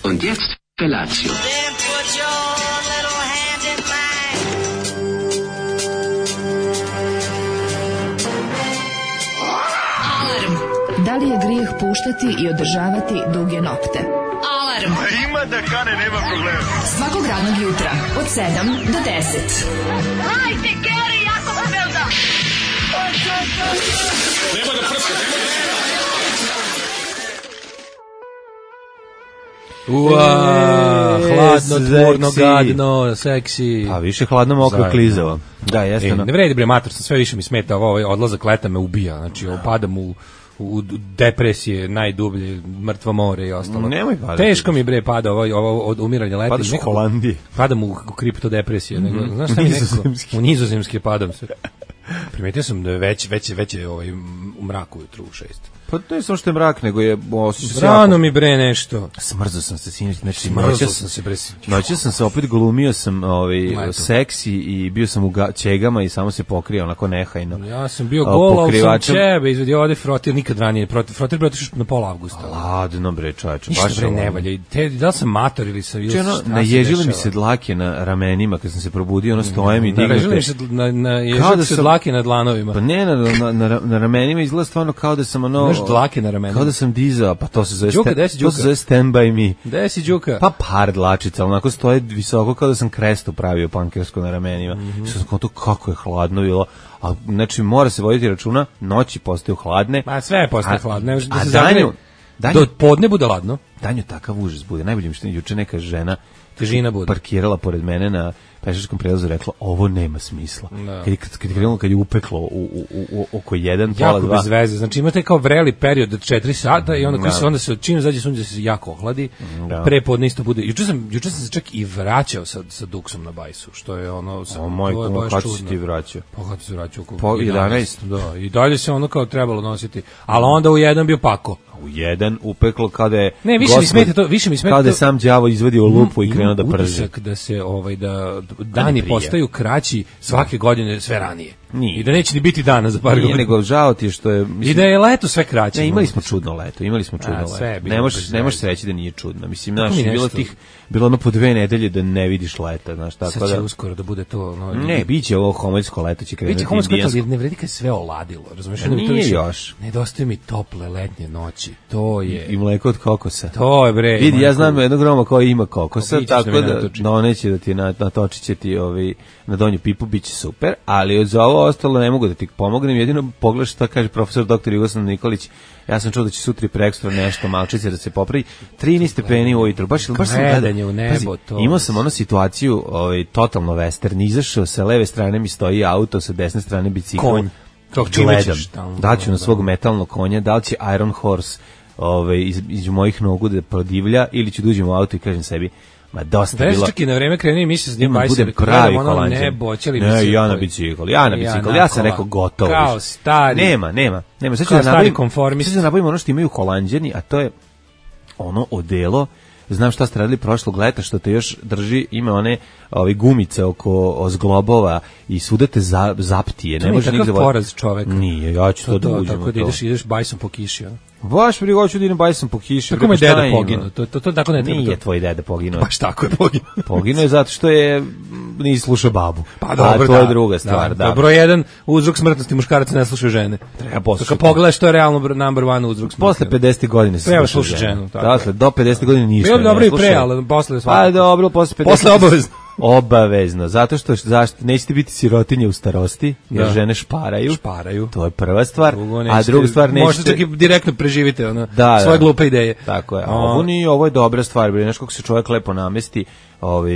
Und jetzt Felatio. Then put your little hand in mine. Alarm. Da li je grijeh puštati i održavati duge nokte? Alarm. Ima da kane, nema problema. Svakog radnog jutra od 7 do 10. Hajde, Geri, jako se velda. Nema da prska, nema da prska. Hladno, tvorno, gadno, seksi. A više hladno, mokro, klizavo. Da, jeste. Ne vredi bre, mator, sve više mi smeta ovaj odlazak leta me ubija. Znači, padam u depresije, najdublje, mrtvo more i ostalo. Nemoj padati. Teško mi bre pada ovo od umiranja leta. Padaš u Holandiji. Padam u kriptodepresije. Znaš šta mi nekako? U nizozemski padam se. Primetio sam da je već u mraku ujutru u 6. Pa to je samo što je mrak, nego je osjećao se rano mi bre nešto. Smrzao sam se sinoć, znači noćas sam se opet glumio sam seksi i bio sam u ćegama i samo se pokrio onako nehajno. Ja sam bio gol, ali sam ćebe izvedio ovde frotir nikad ranije. Frotir bre otišao na pola avgusta. Ladno bre čoveče, baš bre ne valja. Da li sam mator ili sam... Naježile mi se dlake na ramenima kad sam se probudio, ono stojem i dignete. Naježile se dlake na dlanovima. Pa ne, na ramenima izgleda stvarno kao da sam ono... dlake na ramenima. Kao da sam dizao, pa to se zove Đuka. Stand by me. Gde si Đuka? Pa par dlačica, onako stoje visoko kao da sam krestu pravio pankersko na ramenima. Što sam kao to kako je hladno bilo. A znači mora se voditi računa, noći postaju hladne. Ma sve postaje hladne. A danju do podne bude ladno. Danju takav užas bude. Najbolje mi što juče neka žena težina bude parkirala pored mene na pešačkom prelazu, rekla ovo nema smisla. Kad je upeklo u oko 1, pola 2. Jako bez veze. Znači imate kao vreli period od 4 sata i onda se čim izađe sunce se jako ohladi. Pre podne isto bude. Juče sam se čak i vraćao sa duksom na bajsu, što je ono kako si ti vraćao? Pa kako se vraćao? Po 11. Da, i dalje se ono kao trebalo nositi. Ali onda u 1 bio pako. U 1 upeklo kada je više mi smeta kada je sam đavo izvadio lupu i krenuo da prži. Utisak da se da dani postaju kraći svake godine sve ranije. I da neće ni biti dana za par godina. Nego žao ti što je... I da je leto sve kraće. Ne, imali smo čudno leto. Ne možeš reći da nije čudno. Mislim, bilo ono po 2 nedelje da ne vidiš leta. Znaš, tako sad će uskoro da bude to... Ne, biće ovo homoljsko leto će krenuti. Biće homoljsko leto, ali ne vredi kad sve oladilo. Razumiješ? Nije još. Nedostaje mi tople letnje noći. To je... I mleko od kokosa. To je bre. Vidi, ja znam jednog Roma koji ima kokosa, tako da doneće da ti natočit će ti na donju pipu, bit će super, ali za ovo ostalo ne mogu da ti pomognem, jedino pogledaš šta kaže profesor dr. Jugoslav Nikolić. Ja sam čuo da će sutra i prekstra nešto malčice da se popravi. 13 stepeni ujutro, baš sam gledanje u nebo. Imao sam onu situaciju, totalno western, izašao sa leve strane mi stoji auto, sa desne strane bicikl. Konj. Gledam. Daću na svog metalnog konja, da li će Iron Horse između mojih nogu da prodivlja ili ću da uđem u auto i kažem sebi ma dosta bilo. Čak i na vreme kreni mi se s njim budem pravi Holanđan. Ne, ja na bicikl. Ja sam rekao gotovo. Kao stari. Nema. Sad ću da nabavim ono što imaju Holanđani, a to je ono odelo. Znam šta ste radili prošlog leta, što te još drži, ima one gumice oko zglobova i svuda te zaptije. To nije takav poraz čovek. Nije, ja ću to da uđem. Tako da ideš bajsom po kiši. Baš mi hoću da idem bajsom po kiši. Tako mi deda poginuo. To tako ne treba. Nije tvoj deda poginuo. Baš tako je poginuo. Poginuo je zato što nisi slušao babu. Pa dobro, to je druga stvar. Da. Broj 1 uzrok smrtnosti muškaraca ne slušaju žene. Treba poslušati. Kad pogledaš što je realno number 1 uzrok smrtnosti. Posle 50 godina se treba slušati ženu. Dakle, do 50 godina ništa. Bilo dobro i pre, ali posle svakako. Pa dobro, posle 50. Posle obavezno. Obavezno, zato što nećete biti sirotinje u starosti, jer žene šparaju. To je prva stvar. A druga stvar nećete... Možete čak i direktno preživite svoje glupe ideje. Tako je. Ovo je dobra stvar, znaš kako se čovjek lepo namesti,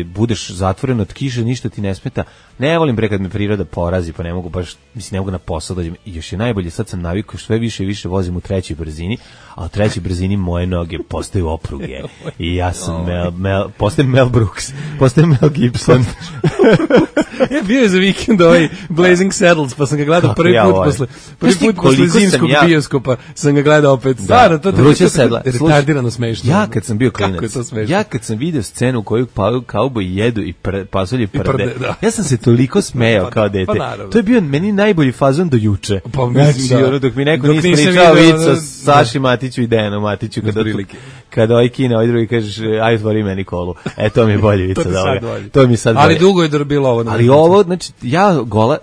budeš zatvoren od kiše, ništa ti ne smeta. Ne volim bre kad me priroda porazi, pa ne mogu na posao dođem. I još je najbolje, sad sam navikao sve više i više vozim u 3. brzini, a u 3. brzini moje noge postaju opruge. I ja sam postajem Mel Brooks, postajem Mel Gibson. Ja bio je za vikend Blazing Saddles, pa sam ga gledao prvi put posle zimskog bioskopa, sam ga gledao opet. Stvarno, to je retardirano smešno. Ja kad sam vidio scenu u kojoj kauboji jedu i pasulje prde, ja sam se toliko smejao kao dete. To je bio meni najbolji fazon do juče. Pa mislim dok mi neko nije ispričao vic o Saši Matiću Matiću i Dejanu Matiću kada ovaj kine, ovaj drugi kažeš aj otvori meni kolu. To mi je bolje vica to mi sad bolje. Ali dugo je bilo ovo. Ali ovo, znači,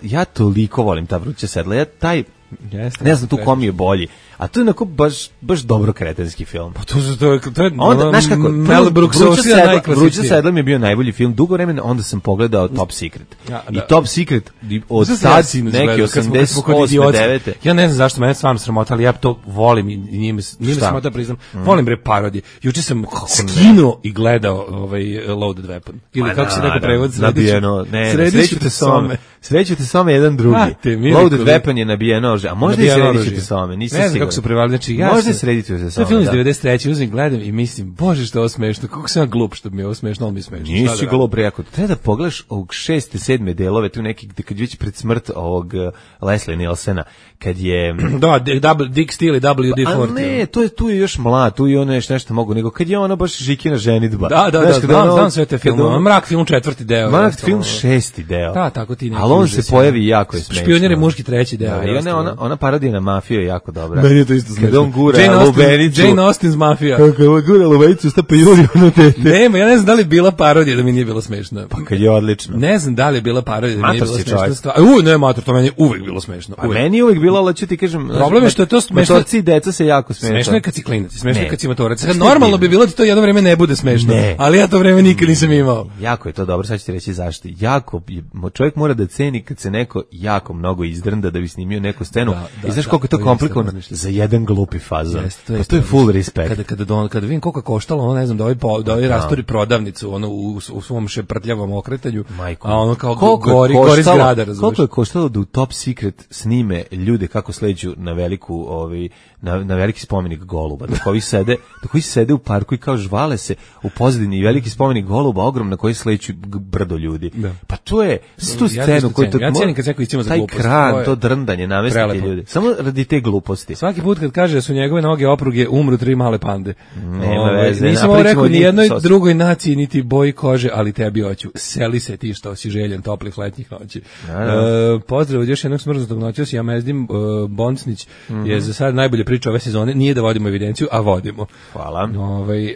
ja toliko volim ta Vruća sedla. Ja taj, ne znam tu kom je bolji. A to je onako baš dobro kretenski film. Pa to je onda, znaš kako, Mel Brooks Vruća sedla mi je bio najbolji film dugo vremena, onda sam pogledao Top Secret. I Top Secret od tad neki 88. 9. Ja ne znam zašto mene stvarno sramota, ali ja to volim i nije me sramota priznam. Volim bre parodije. Juče sam skinuo i gledao Loaded Weapon. Ili kako se neko prevod nabijeno. Srećute some jedan drugi. Loaded Weapon je nabijeno, a možda i srećute some. Ne znam kako su prevali, znači ja možda srediti se samo. To je film iz 93. uzim, gledam i mislim, bože što je ovo smešno, kako sam ja glup što mi je ovo smešno, ali mi je smešno. Nisi glup, rekao, treba da pogledaš ovog 6. 7. delove, tu neki, kad već pred smrt ovog Leslie Nielsena, kad je... Dick Steele i WD-40. A ne, tu je još mlad, tu je ono nešto mogu, nego kad je ona baš Žikina ženidba. Znam sve te filmove, Mrak film 4. deo. Mrak film 6. deo. Da, tako ti neki. Ali on se pojavi jako je smešno. Špionjer je muški 3. deo. Ona parodija na mafiju je jako dobra. Meni je to isto smešno. Kad on gura lubenicu. Jane Austen's Mafija. Kako on gura lubenicu, stapa Juliju na tete. Nema, ja ne znam da li je bila parodija da mi nije bilo smešno. Pa kad je odlično. Ne znam da li je bila parodija da mi nije bilo smešno. Ne, Mator, to meni je uvek bilo smešno. A meni je uvek bilo, ali ću ti kažem... Problem je što je to smešno. Motorci i deca se jako smešno. Smešno je kad si klinac, smešno je kad si matorac. Normalno bi bilo da to jedno vreme ne bude smešno, ali ja to vreme nikad nisam imao. Jako je to dobro, sad ću ti reći zašto. Jako, čovjek mora da ceni kad se neko jako mnogo izdrnda da bi snimio neku scenu. I znaš koliko je to komplikovano za jedan glupi fazon. Pa to je full respect. Kada vidim koliko je koštalo, ono ne znam, da ovaj rastori prodavnicu ono u svom šeprtljavom okretanju, a ono kao gori zgrada, razumiješ. Koliko je koštalo da u Top Secret snime ljude kako sleđu na veliku na veliki spomenik goluba, dok ovi sede u parku i kao žvale se u pozadini i veliki spomenik goluba ogrom na koji sleću brdo ljudi. Pa to je tu scenu koju ja cenim kad se neko iscima za glupost. Taj kran, to drndanje, namestiti ljudi. Samo radi te gluposti. Svaki put kad kaže da su njegove noge opruge, umru 3 male pande. Nema veze. Nisam ovo rekao ni jednoj drugoj naciji, niti boji kože, ali tebi hoću. Seli se ti što si željen toplih letnjih noći. Pozdrav od još jednog smrznutog noćas, ja Mezdim Boncnić je za sad najbolje priča ove sezone. Nije da vodimo evidenciju, a vodimo. Hvala.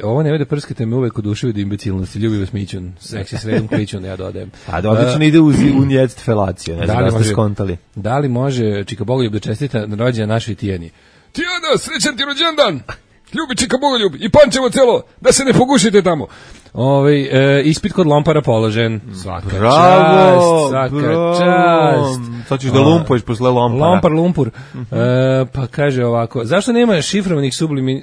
Ovo ne vede prskate me uvek oduševi do imbecilnosti. Ljubi vas Mićun, seksi sredom kličun, ja dodajem. A odlično ide u nject felaciju, ne znam da ste skontali. Da li može Čika Bogoljub da čestita na rođendan našoj Tijeni? Tijana, srećan ti rođendan! Ljubi Čika Bogoljub i Pančevo celo, da se ne pogušite tamo. Ispit kod Lompara položen. Svaka čast. Sad ćeš da lumpuješ posle Lompara. Lompar, lumpur. Pa kaže ovako, zašto nema šifrovanih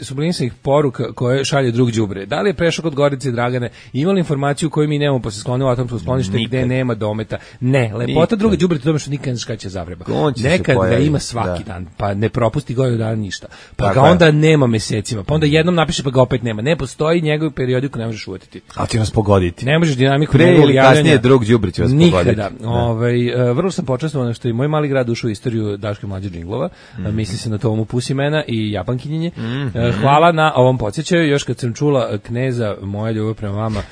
sublimisanih poruka koje šalje drug đubre? Da li je prešao kod Gorice i Dragane? Ima li informaciju koju mi nemamo posle sklonila atomsko sklonište gde nema dometa? Ne, lepota druga đubre je tome što nikad ne znaš kada će zavreba. Nekad ga ima svaki dan, pa ne propusti godinu dana ništa. Pa ga onda nema mesecima, pa onda jednom napiše pa ga opet nema. Ne postoji njegov periodiku, ne možeš uvetiti. A ti nas pogoditi. Ne možeš dinamiku pre ili kasnije drug đubre će vas pogoditi. Nikada. Vrlo sam počastovan što i moj mali grad ušao u istoriju Daške mlađe džinglova. Misli se na Tomu Pusimena i Japankinjenje. Hvala na ovom podsjećaju. Još kad sam čula Kneza, moja ljubav prema vama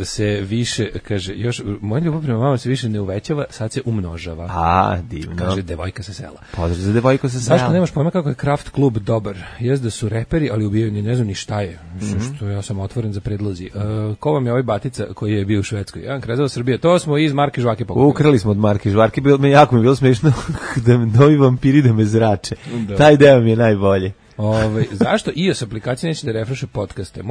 se više, kaže, još moja ljubav prema vama se više ne uvećava, sad se umnožava. A, divno. Kaže devojka sa sela. Pozdrav za devojku sa sela. Zašto nemaš pojma kako je Kraft klub dobar? Jest da su reperi, ali ubijaju ni ne znam ni šta je. Što ja sam otvoren za predlozi. Ko vam je ovaj batica koji je bio u Švedskoj? Jedan Krezava Srbije. To smo iz Marke Žvake pokupili. Ukrali smo od Marke Žvake. Jako mi je bilo smešno da novi vampiri da me zrače. Taj deo mi je najbolje. Zašto iOS aplikacija neće da refreše podcaste?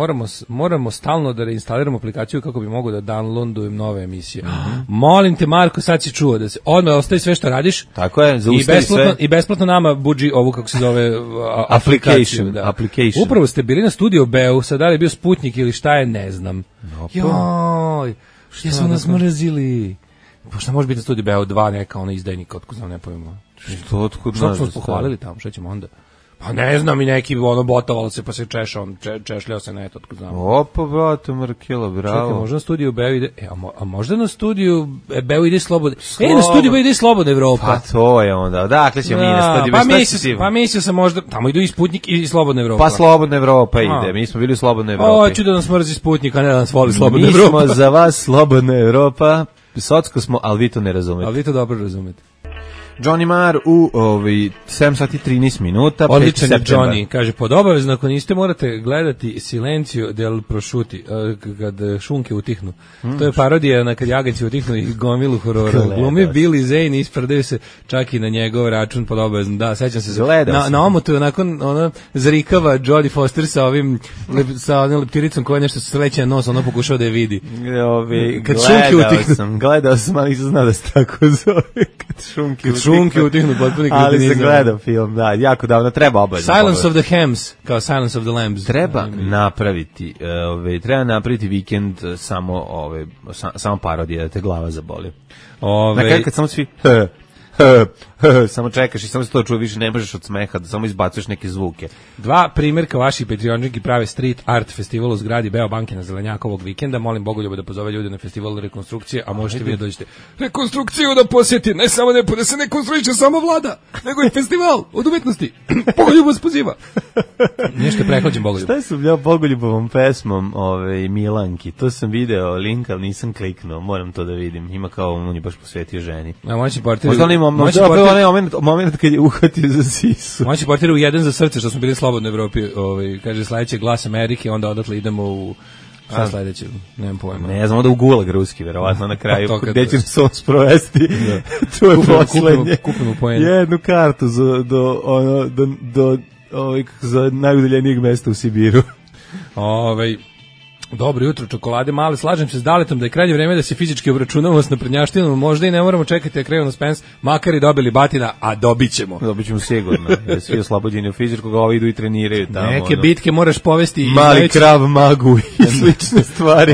Moramo stalno da reinstaliramo aplikaciju kako bi mogo da downloadujem nove emisije. Molim te, Marko, sad si čuo da se odmah ostavi sve što radiš. Tako je, zaustavi sve. I besplatno nama budži ovu, kako se zove, application. Upravo ste bili na studiju Beu, sad da li je bio Sputnik ili šta je, ne znam. Joj, šta su nas mrzili? Pošto može biti na studiju Beu 2 neka ona izdajnika, otkud znam, ne pojmo. Što smo nas pohvalili tamo, šta ćemo onda? Pa ne znam, i neki botovalo se pa se češljao se na eto, otkud znam. Opa, brate, Markela, bravo. Čekaj, možda na studiju Beu ide, a možda na studiju Beu ide slobodno. Na studiju Beu ide slobodna Evropa. Pa to je onda, dakle ćemo mi na studiju Beu. Pa mislio sam možda, tamo idu i Sputnik i slobodna Evropa. Pa slobodna Evropa ide, mi smo bili u slobodnoj Evropi. Hoću da nas mrzi Sputnik, a ne da nas voli slobodna Evropa. Mi smo za vas slobodna Evropa, socko smo, ali vi to ne razumete. Ali vi to dobro razumete. Johnny Marr u 7 sati 13 minuta. Odličan je Johnny, kaže, pod obavezno, ako niste morate gledati Silencio del Prosciuti, kad šunke utihnu. To je parodija na kad jaganci utihnu i gomilu horora. Glumi Billy Zane, ispredaju se čak i na njegov račun pod obavezno. Da, sećam se. Na omotu nakon ona zrikava Jodie Foster sa ovim onom leptiricom koja nešto sleće na nos, ono pokušao da je vidi. Kad šunke utihnu. Gledao sam, ali nisam znao da se tako zove. Kad šunke utihnu, potpuno ali sam gledao film, da, jako davno, treba obavezno. Silence of the Hams, kao Silence of the Lambs. Treba napraviti vikend samo parodije, da te glava zaboli. Na kraju kad samo svi samo čekaš i samo se to čuje, više ne možeš od smeha, da samo izbacuješ neke zvuke. 2 primjerka vaših Patreončiki prave street art festival u zgradi Beobanke na Zelenjaka ovog vikenda. Molim Bogoljuba da pozove ljude na festival rekonstrukcije, a možete vi da dođete rekonstrukciju da posjeti, ne samo da se ne konstruiše samo vlada, nego i festival od umetnosti. Bogoljub vas poziva. Nešto je prehlađen Bogoljub. Šta sam ja Bogoljubovom pesmom Milanki? To sam video link, ali nisam kliknuo, moram to da vidim. Ima kao on je baš posvetio ženi. Moment kad je uhvatio za sisu. Moći portir u jedan za srce, što smo bili slobodno u Evropi, kaže sledeće Glas Amerike, onda odatle idemo u šta sledeće, nemam pojma. Ne znam, onda u Gulag ruski, verovatno na kraju, gde će se on sprovesti, to je poslednje. Jednu kartu za najudaljenijeg mesta u Sibiru. Dobro jutro, čokolade male, slažem se s Daletom da je krajnje vreme da se fizički obračunamo s naprednjaštinom, možda i ne moramo čekati da krenu na Spence, makar i dobili batina, a dobit ćemo sigurno, jer svi oslobođeni u fizičkog, ovi idu i treniraju tamo. Neke bitke moraš povesti. Mali krav magu i slične stvari.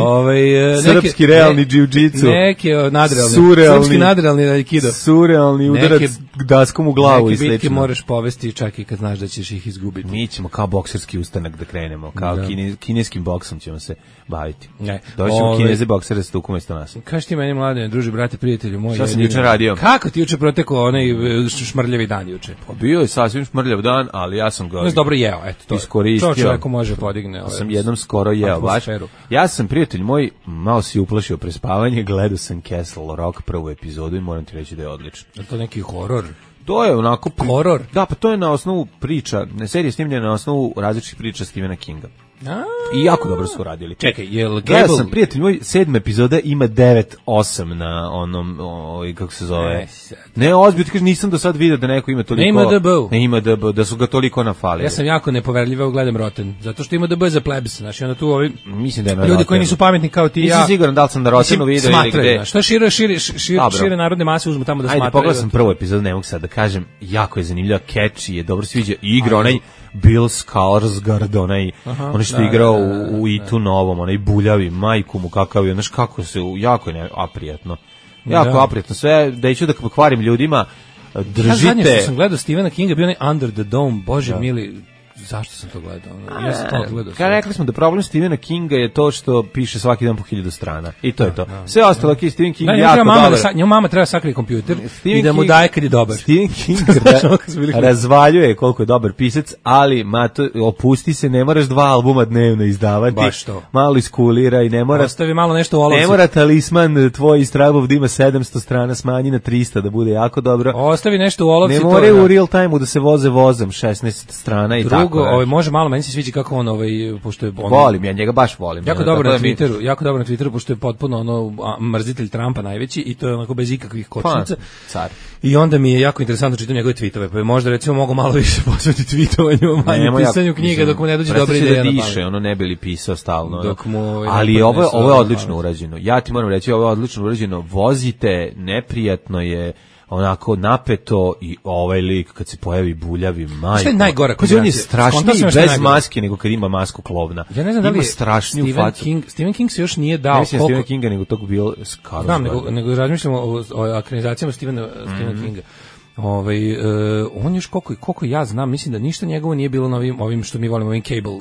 Srpski realni džiu-džicu. Neke nadrealni. Srpski nadrealni aikido. Surrealni udarac daskom u glavu i slično. Neke bitke moraš povesti čak i kad znaš da ćeš ih izgubiti. Mi ćemo kao bokserski ustanak da krenemo, kao kineskim boksom ćemo se baviti. Doćemo Kineze boksere s tukom isto nas. Kaži ti meni, Mladene, druži, brate, prijatelju moj. Šta sam juče radio? Kako ti juče protekao onaj šmrljavi dan juče? Pa bio je sasvim šmrljav dan, ali ja sam ga dobro jeo, eto to. Iskoristio. To čovjeku može podigne. Sam jednom skoro jeo, baš. Ja sam, prijatelj moj, malo si uplašio prespavanje, gledao sam Castle Rock prvu epizodu i moram ti reći da je odlično. Je to neki horor? To je onako horor. Da, pa to je na osnovu priča, serija snimljena na osnovu različitih priča Stephena Kinga. I jako dobro su radili. Čekaj, jel Gable... sam, prijatelj moj, 7. epizoda ima 9-8 na onom, kako se zove. Ne, ozbiljno, ti kažeš, nisam do sad vidio da neko ima toliko... Ne ima DB, da su ga toliko nafalili. Ja sam jako nepoverljivo gledam Rotten, zato što ima DB za plebs, znači onda tu ovi... Mislim da je na ljudi koji nisu pametni kao ti i ja... Nisam siguran da li sam na Rottenu vidio ili gde. Što šire narodne mase uzmu tamo da smatraju. Ajde, pogledao sam prvu epizodu, ne mogu sad da kažem, jako je zanimljiva, catchy je, dobro sviđa, igra onaj Bill Skarsgård, onaj što je igrao u Itu novom, onaj buljavi, majku mu kakav je, znaš kako se, jako je aprijatno. Jako aprijatno, sve, da ću da kvarim ljudima, držite... Ja zadnje što sam gledao Stephena Kinga, bio onaj Under the Dome, bože mili... Zašto sam to gledao? Ja sam to gledao. Rekli smo da problem Stephena Kinga je to što piše svaki dan po 1000 strana. I to je to. Sve ostalo je Stephen King jako dobar. Njemu mama treba sakriti kompjuter i da mu daje kad je dobar. Stephen King razvaljuje koliko je dobar pisac, ali opusti se, ne moraš 2 albuma dnevno izdavati. Baš to. Malo iskulira i ne mora... Ostavi malo nešto u olovci. Ne mora talisman tvoj iz Trabov da ima 700 strana, smanji na 300 da bude jako dobro. Ostavi nešto u olovci. Ne more u real time da se voze vozom 16 strana i tako. Može malo, meni se sviđa kako on pošto je volim, ja njega baš volim. Jako dobro na Twitteru, pošto je potpuno mrzitelj Trumpa najveći i to je onako bez ikakvih kočnica. Car. I onda mi je jako interesantno čitati njegove tweetove, pa možda recimo mogu malo više posvetiti tweetovanju, manje pisanju knjiga dok mu ne dođe dobra ideja na pamet. Ono ne bi li pisao stalno. Ali ovo je odlično urađeno. Ja ti moram reći, ovo je odlično urađeno. Vozite, neprijatno je, onako napeto i ovaj lik kad se pojavi buljavi majko. Šta je najgora kombinacija? On je strašniji bez maske nego kad ima masku klovna. Ja ne znam da li strašniju facu. Stephen King se još nije dao. Ne mislim Stephen Kinga, nego tog bio Skarsgård. Znam, nego razmišljamo o akronizacijama Stephena Kinga. On još koliko ja znam, mislim da ništa njegovo nije bilo na ovim što mi volimo, ovim cable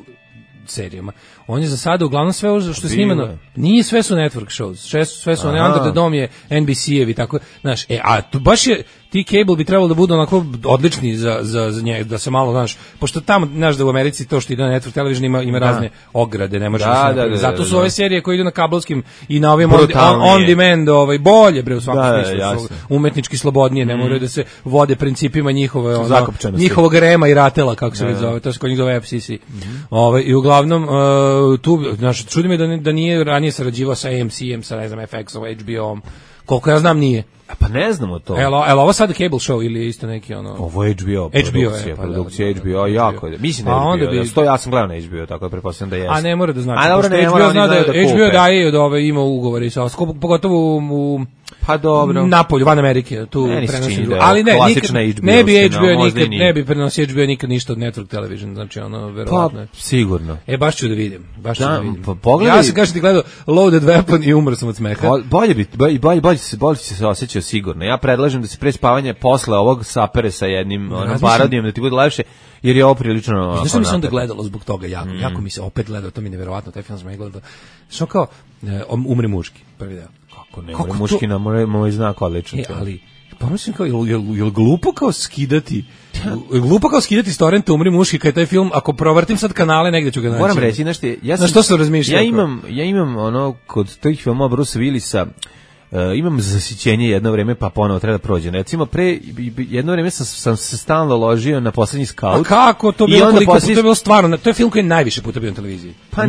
serijama. On je za sada uglavnom sve što je snimano, nije sve su network shows, sve su one Under the Dome je NBC-evi, tako, znaš, a to baš je, ti cable bi trebalo da budu onako odlični za njega, da se malo, znaš, pošto tamo, znaš da u Americi to što ide na Network Television ima razne ograde, ne može zato su ove serije koje idu na kablovskim i na ovim on demand, bolje bre u svakom smislu, su umetnički slobodnije, ne moraju da se vode principima njihovog rema i ratela, kako se zove, to se kod njih zove FCC. I uglavnom tu, znaš, čudi me da nije ranije sarađivao sa AMC-em, sa, ne znam, FX-om, HBO-om, koliko ja znam nije. Pa ne znamo to. Evo ovo sad cable show ili isto neki ono... Ovo je HBO, produkcija HBO, jako je. Mislim da je HBO, ja sam gledao na HBO, tako da pretpostavljam da jeste. A ne mora da znači, pošto HBO zna da HBO daje od ove, ima ugovore, pogotovo u pa dobro. Napolju, van Amerike, tu prenosi. Ali ne bi HBO nikad, ne bi prenosio HBO nikad ništa od Network Television, znači ono, verovatno. Pa, sigurno. Baš ću da vidim, Pa pogledaj. Ja sam kažem ti gledao Loaded Weapon i umro sam od smeha. Bolje se osjećao sigurno. Ja predlažem da se pre spavanja posle ovog sapere sa jednim parodijom da ti bude lepše, jer je ovo prilično... Znaš što mi se onda gledalo zbog toga jako mi se opet gledao, to mi je neverovatno, taj film sam gledao. Što kao, Umre muški, prvi deo. Kako ne, Umre muški na moj znak odlično. Ali, pomislim kao, je glupo kao skidati... Glupo kao skidati s torrenta Umri muški kad je taj film, ako provrtim sad kanale negde ću ga naći. Moram reći, na što sam razmišljao? Ja imam ono, kod tih filmova Bruce Willisa, imam zasićenje jedno vreme, pa ponovo treba da prođe. Recimo, jedno vreme sam se stalno ložio na Poslednji skaut. A kako to bilo, koliko puta je bilo stvarno? To je film koji je najviše puta bio na televiziji. Pa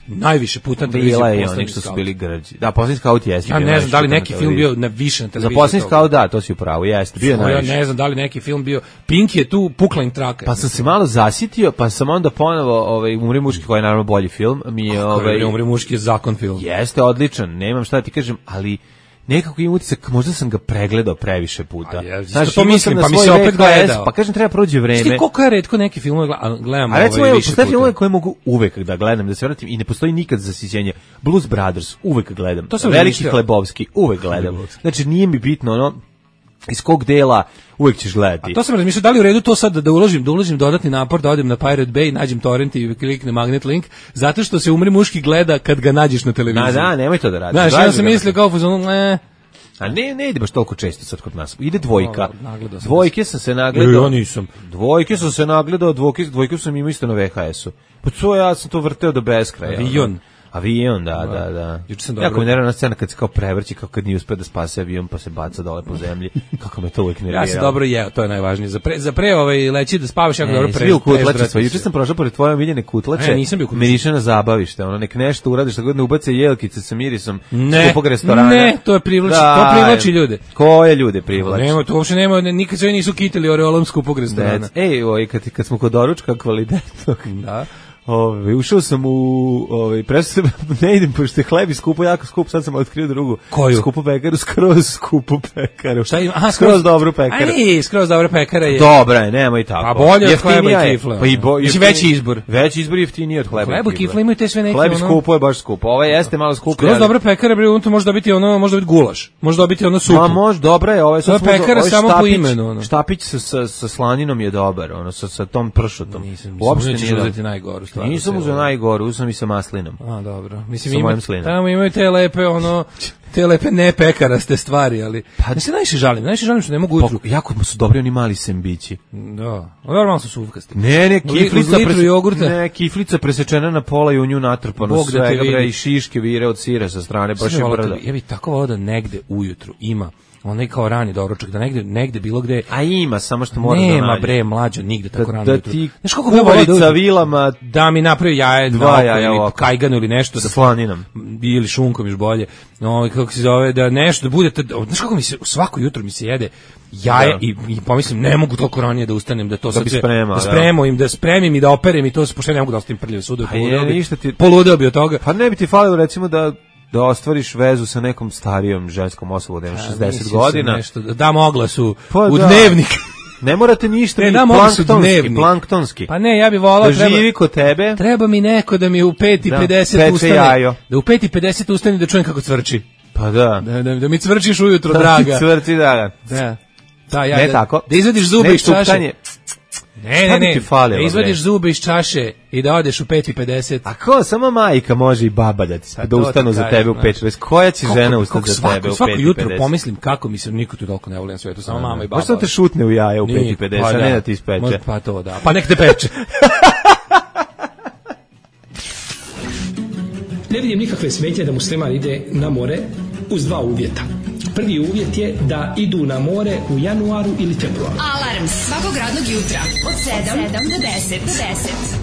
najviše puta na televiziji. Bila je onih što su bili grđi. Da, Poslednji skaut jeste. Ja ne znam da li neki film bio na više na televiziji. Za Poslednji skaut, da, to si upravo, jeste. Bio najviše. Ja ne znam da li neki film bio. Pink je tu pukla im traka. Pa sam se malo zasitio, pa sam onda ponovo Umri muški, koji je naravno bolji film, mi je Umri muški je zakon film. Jeste odličan, nemam šta da ti kažem, ali nekako imam utisak, možda sam ga pregledao previše puta. Znaš, to mislim, pa mi se opet gledao. Pa kažem, treba prođe vreme. Šti koliko ja retko neki filmove gledam a recimo, više postoje filmove koje mogu uvek da gledam, da se vratim i ne postoji nikad zasićenje. Blues Brothers, uvek gledam. Veliki Hlebovski, uvek gledam. Znači, nije mi bitno ono, iz kog dela uvek ćeš gledati. A to sam razmišljao, da li u redu to sad da uložim dodatni napor, da odem na Pirate Bay, nađem torrent i kliknem magnet link, zato što se Umri muški gleda kad ga nađeš na televiziji. Da, nemoj to da radiš. Znaš, ja sam mislio kao fuzonu, a ne ide baš toliko često sad kod nas. Ide Dvojka. Dvojke sam se nagledao. Ja nisam. Dvojke sam se nagledao, dvojke sam imao isto na VHS-u. Pa to ja sam to vrteo do beskraja. Avion, da. Jako mi nervna scena kad se kao prevrći, kao kad nije uspeo da spase avion pa se baca dole po zemlji. Kako me to uvijek nerviralo. Ja sam dobro jeo, to je najvažnije. Za pre leći da spavaš jako dobro preždrati. Juče sam prošao pored tvoje omiljene kutlače. Nisam bio kutlače. Miriše na zabavište, ono nek nešto uradiš, tako da ne ubace jelkice sa mirisom skupog restorana. Ne, to privlači ljude. Koje ljude privlači? Nema, to uopšte nema, nikad se nisu kitili oreolom skupog restorana. Kad smo kod doručka kvalitetnog. Da. Ušao sam ne idem, pošto je hleb i skupo, jako skup, sad sam otkrio drugu. Koju? Skupu pekaru, skroz skupu pekaru. Šta ima? Aha, skroz dobru pekaru. Aj, skroz dobra pekara je. Dobra je, nemoj tako. A bolje od hleba i kifle. Mislim, veći izbor. Veći izbor je jeftiniji od hleba i kifle. Hleba i kifle imaju te sve neke. Hleb skupo je baš skupo. Ovo jeste malo skupo. Skroz dobra pekara, bre, to može dobiti gulaš. Može dobiti supu. Ma može, dobra je, ovo je pekara samo po imenu. Štapić sa slaninom je dobar, sa tom pršutom. Uopšte nije uzeti najgoru stvar. Nisam uzeo najgoru, uzem i sa maslinom. A, dobro. Mislim, tamo imaju te lepe ne pekaraste stvari, ali ne se najviše žalim što ne mogu ujutru. Jako su dobri oni mali sembići. Da, normalno su suvkasti. Ne, kiflica presečena na pola i u nju natrpano svega, i šiške vire od sira sa strane, baš je brda. Ja bih tako volao da negde ujutru ima onaj kao rani doručak, da negde bilo gde. A ima, samo što mora da nađe. Nema bre, mlađo, nigde tako rano. Da ti kuvarica vilama, da mi napravi jaje, ili kajganu ili nešto. Sa slaninom. Ili šunkom još bolje. Kako se zove, da nešto, da bude, znaš kako mi se, svako jutro mi se jede jaje i pomislim, ne mogu toliko ranije da ustanem, da to sad da spremim i da operem i to se, pošto ne mogu da ostavim prljave sude. Poludeo bi od toga. Pa ne bi ti falilo recimo da ostvariš vezu sa nekom starijom ženskom osobom, da ima 60 godina. Dam oglasu u dnevnik. Ne morate ništa, planktonski. Pa ne, ja bih volao da živi kod tebe. Treba mi neko da mi u 5:50 ustane. Da u 5:50 ustane da čujem kako cvrči. Pa da. Da mi cvrčiš ujutro, draga. Cvrči, draga. Da, ja. Ne tako. Da izvadiš zube iz čaše. Šta bi ti falilo, izvadiš bre? zube iz čaše i da odeš u 5:50. A ko, samo majka može i baba da ustanu za tebe u 5:50. Koja će žena ustati za tebe u 5:50? Svako jutro pomislim kako mi se niko tu toliko ne voli na svetu, samo mama i baba. Možda te šutne u jaje u 5:50, a ne da ti ispeče. Možda, pa to da. Pa nek te peče. Ne vidim nikakve smetnje da musliman ide na more uz dva uvjeta. Prvi uvjet je da idu na more u januaru ili februaru. Alarm svakog radnog jutra od 7 do 10.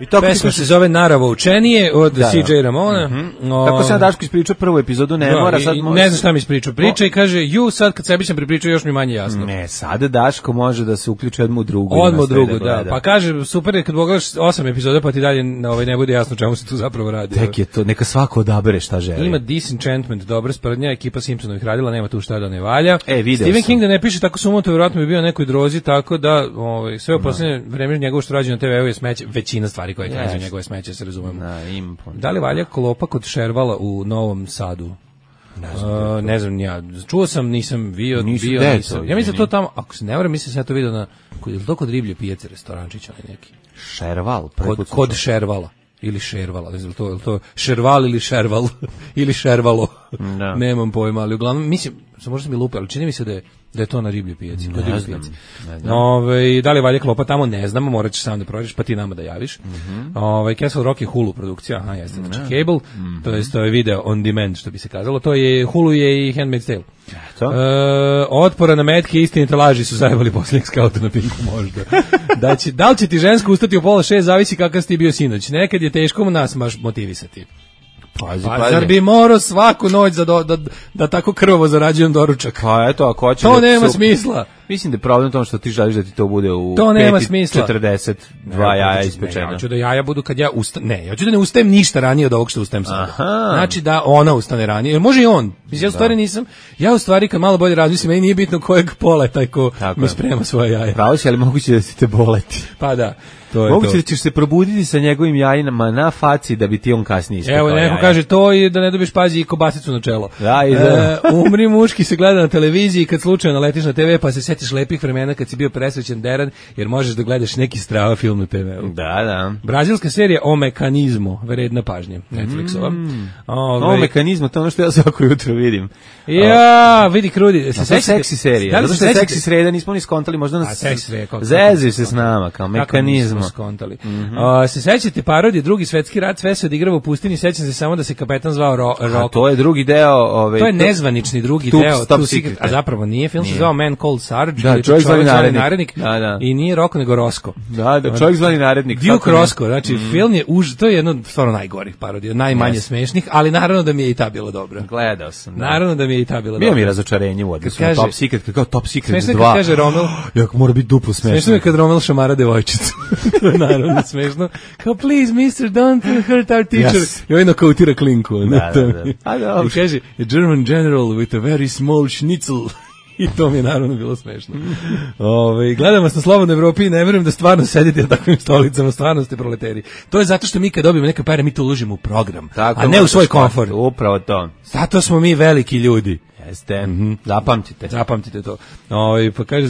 I tako pesma se zove Naravo učenije od CJ Ramona. Tako sam Daško ispričao prvu epizodu, ne mora sad... Ne znam šta mi ispričao. Priča i kaže, sad kad sebi sam pripričao još mi manje jasno. Ne, sada Daško može da se uključi odmah u drugu. Odmah u drugu, da. Pa kaže, super je kad pogledaš 8 epizoda pa ti dalje ne bude jasno čemu se tu zapravo radi. Tek je to, neka svako odabere šta želi. Ima Disenchantment, dobra sprdnja, ekipa Simpsonovih radila, nema tu šta da ne valja. Stephen sam. King da ne piše tako sumoto, vjerojatno bi bio nekoj drozi, tako da sve u posljednje vreme njegovo što rađe na TV-u je smeće, većina stvari koje kaže njegove smeće, se razumemo. Da li valja klopa kod Šervala u Novom Sadu? Ne znam ja. Čuo sam, nisam bio. Ja mislim to tamo, ako se ne varam, mislim sam ja to vidio na, je li to kod Riblje pijace, restorančića neki? Šerval? Kod Šervala. Ili Šervala, ne znam, to Šerval ili Šerval, ili Šervalo, nemam pojma, ali uglavnom, mislim, možda sam mi lupe, ali čini mi se da je to na Riblje pijaci. Ne znam. Da li valje klopa tamo, ne znamo, morat ćeš sam da provjeriš, pa ti nama da javiš. Castle Rock je Hulu produkcija, jeste, znači cable, to je video on demand, što bi se kazalo, to je Hulu je i Handmaid's Tale. Otpora na metke, istinite laži su zajebali posljednjeg skauta na Pinku možda. Da li će ti žensko ustati u 5:30, zavisi kakav si ti bio sinoć. Nekad je teško nas motivisati. Pazi. Zar bi morao svaku noć da tako krvavo zarađujem doručak? Pa eto, ako hoćeš... To nema smisla. Mislim da je problem u tom što ti želiš da ti to bude u 5:42 jaja ispečena. Ja hoću da jaja budu kad ja ustanem. Ne, ja hoću da ne ustajem ništa ranije od ovog što ustajem sada. Znači da ona ustane ranije. Može i on. Ja u stvari nisam. Ja u stvari kad malo bolje razmislim, meni nije bitno kojeg pola je taj ko mi sprema svoje jaje. Pravo si, ali moguće da si te boleti. Pa da. Moguće da ćeš se probuditi sa njegovim jajinama na faci da bi ti on kasnije ispekao. Evo, neko kaže to i da ne dobiješ pazi i kobasicu na čelo. Da. Umri muški se gleda na televiziji kad slučajno letiš na TV pa se setiš lepih vremena kad si bio presrećen deran jer možeš da gledaš neki strava film na TV-u. Da. Brazilska serija O mekanizmu, vredna pažnje, Netflixova. O mekanizmu, to je ono što ja svako jutro vidim. Ja, vidi krudi. To je seksi serija. Zato što je seksi sreda, nismo ni skontali, možda nas zezi se s nama, kao mekanizmu. Skontali. Se sećate parodije Drugi svetski rat, sve se odigrava u pustinji, sećam se samo da se kapetan zvao Roko. To je drugi deo, to je nezvanični drugi deo, Top Secret, a zapravo nije, film se zvao Man Called Sarge, da, čovjek zvani narednik. I nije Roko nego Rosko. Da, čovjek zvani narednik. Duke Rosko, znači film je to je jedno stvarno najgorih parodija, najmanje smešnih, ali naravno da mi je i ta bila dobra. Gledao sam, da. Naravno da mi je i ta bila dobra. Bio mi razočarenje u odnosu na Top Secret, kao Top Secret 2. Smešno kad kaže Romel, jak mora biti duplo smešno. Smešno je kad Romel šamara devojčicu. Naravno smešno. Kao, please, mister, don't hurt our teacher. I ovaj nokautira klinku. I kaže, a German general with a very small schnitzel. I to mi je naravno bilo smešno. Gledam vas na Slobodnoj Evropi i ne verujem da stvarno sedite na takvim stolicama, stvarno ste proleteri. To je zato što mi kad dobijemo neke pare, mi to uložimo u program, a ne u svoj komfort. Upravo to. Zato smo mi veliki ljudi. Jeste, zapamtite to. Pa kaže,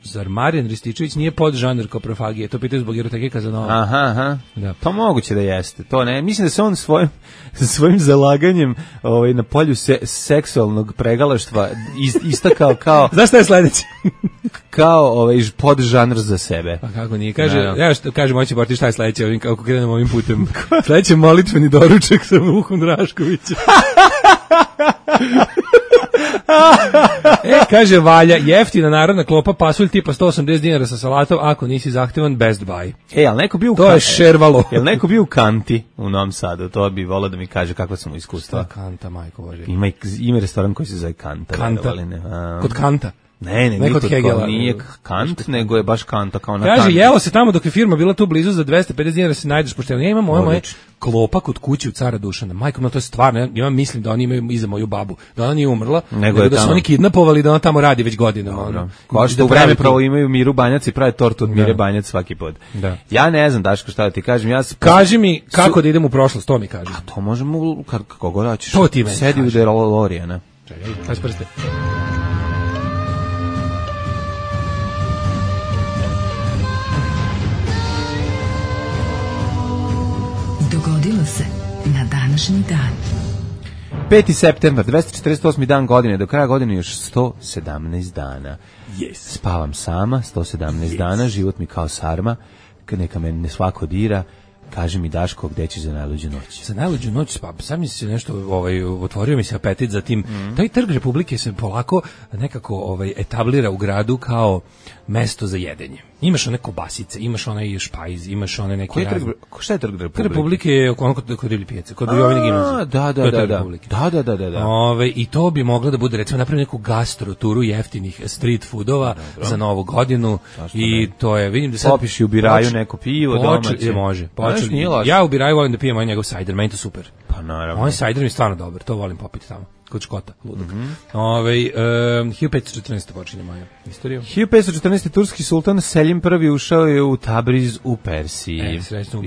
zar Marijan Rističević nije podžanr koprofagije? To pitaju zbog eroteke Kazanova. Aha. Da. To moguće da jeste. To ne. Mislim da se on svojim zalaganjem na polju seksualnog pregalaštva istakao kao... Znaš šta je sledeći? Kao podžanr za sebe. Pa kako nije? Kaže moći Borti šta je sledeće kako krenemo ovim putem. Sledeće molitveni doručak sa Vukom Draškovićem. Kaže Valja, jeftina narodna klopa, pasulj tipa 180 dinara sa salatom, ako nisi zahtevan, Best Buy. Ali neko bio to je Šervalo. Jel neko bio u Kanti u Novom Sadu? To bi volao da mi kaže kako sam mu iskustva. Kanta, majko Bože. Ima restoran koji se zove Kanta. Kod Kanta? Ne, nije Kant, nego je baš Kanta kao na Kanti. Kaže, jelo se tamo dok je firma bila tu blizu za 250 dinara se najdeš pošteno. Ja imam moje klopa kod kuće u Cara Dušana. Majko, no to je stvarno, ja mislim da oni imaju iza moju babu, da ona nije umrla, nego da su oni kidnapovali da ona tamo radi već godinama. Kao što u vreme pravo imaju Miru Banjac i prave tortu od Mire Banjac svaki put. Ja ne znam, Daško, šta da ti kažem. Kaži mi kako da idem u prošlost, to mi kaži. A to možemo, kako god hoćeš. To ti meni sedi u DeLoreana. Čekaj, kaži prste. dogodilo se na današnji dan. 5. septembar, 248. dan godine, do kraja godine još 117 dana. Yes. Spavam sama, 117 dana, život mi kao sarma, neka me ne svako dira, kaži mi Daško, gde ćeš za najluđu noć? Za najluđu noć, pa sad mi se nešto, otvorio mi se apetit za tim. Taj trg Republike se polako nekako etablira u gradu kao mesto za jedenje. Imaš one kobasice, imaš onaj špajz, imaš one neke razne. Šta je trg Republike? Trg Republike je ono kod Divlje pijace, kod Jovine gimnazije. Da. I to bi moglo da bude, recimo, napraviti neku gastroturu jeftinih street foodova za Novu godinu. I to je, vidim da sad... Popiš i u Biraju neko pivo domaće. Može. Ja u Biraju volim da pijem njegov sajder, meni to super. Pa naravno. Ovaj sajder mi je stvarno dobar, to volim popiti tamo. Kod Škota, ludog. 1514. počinje moja istorija. 1514. turski sultan Selim I ušao je u Tabriz u Persiji. Srećno.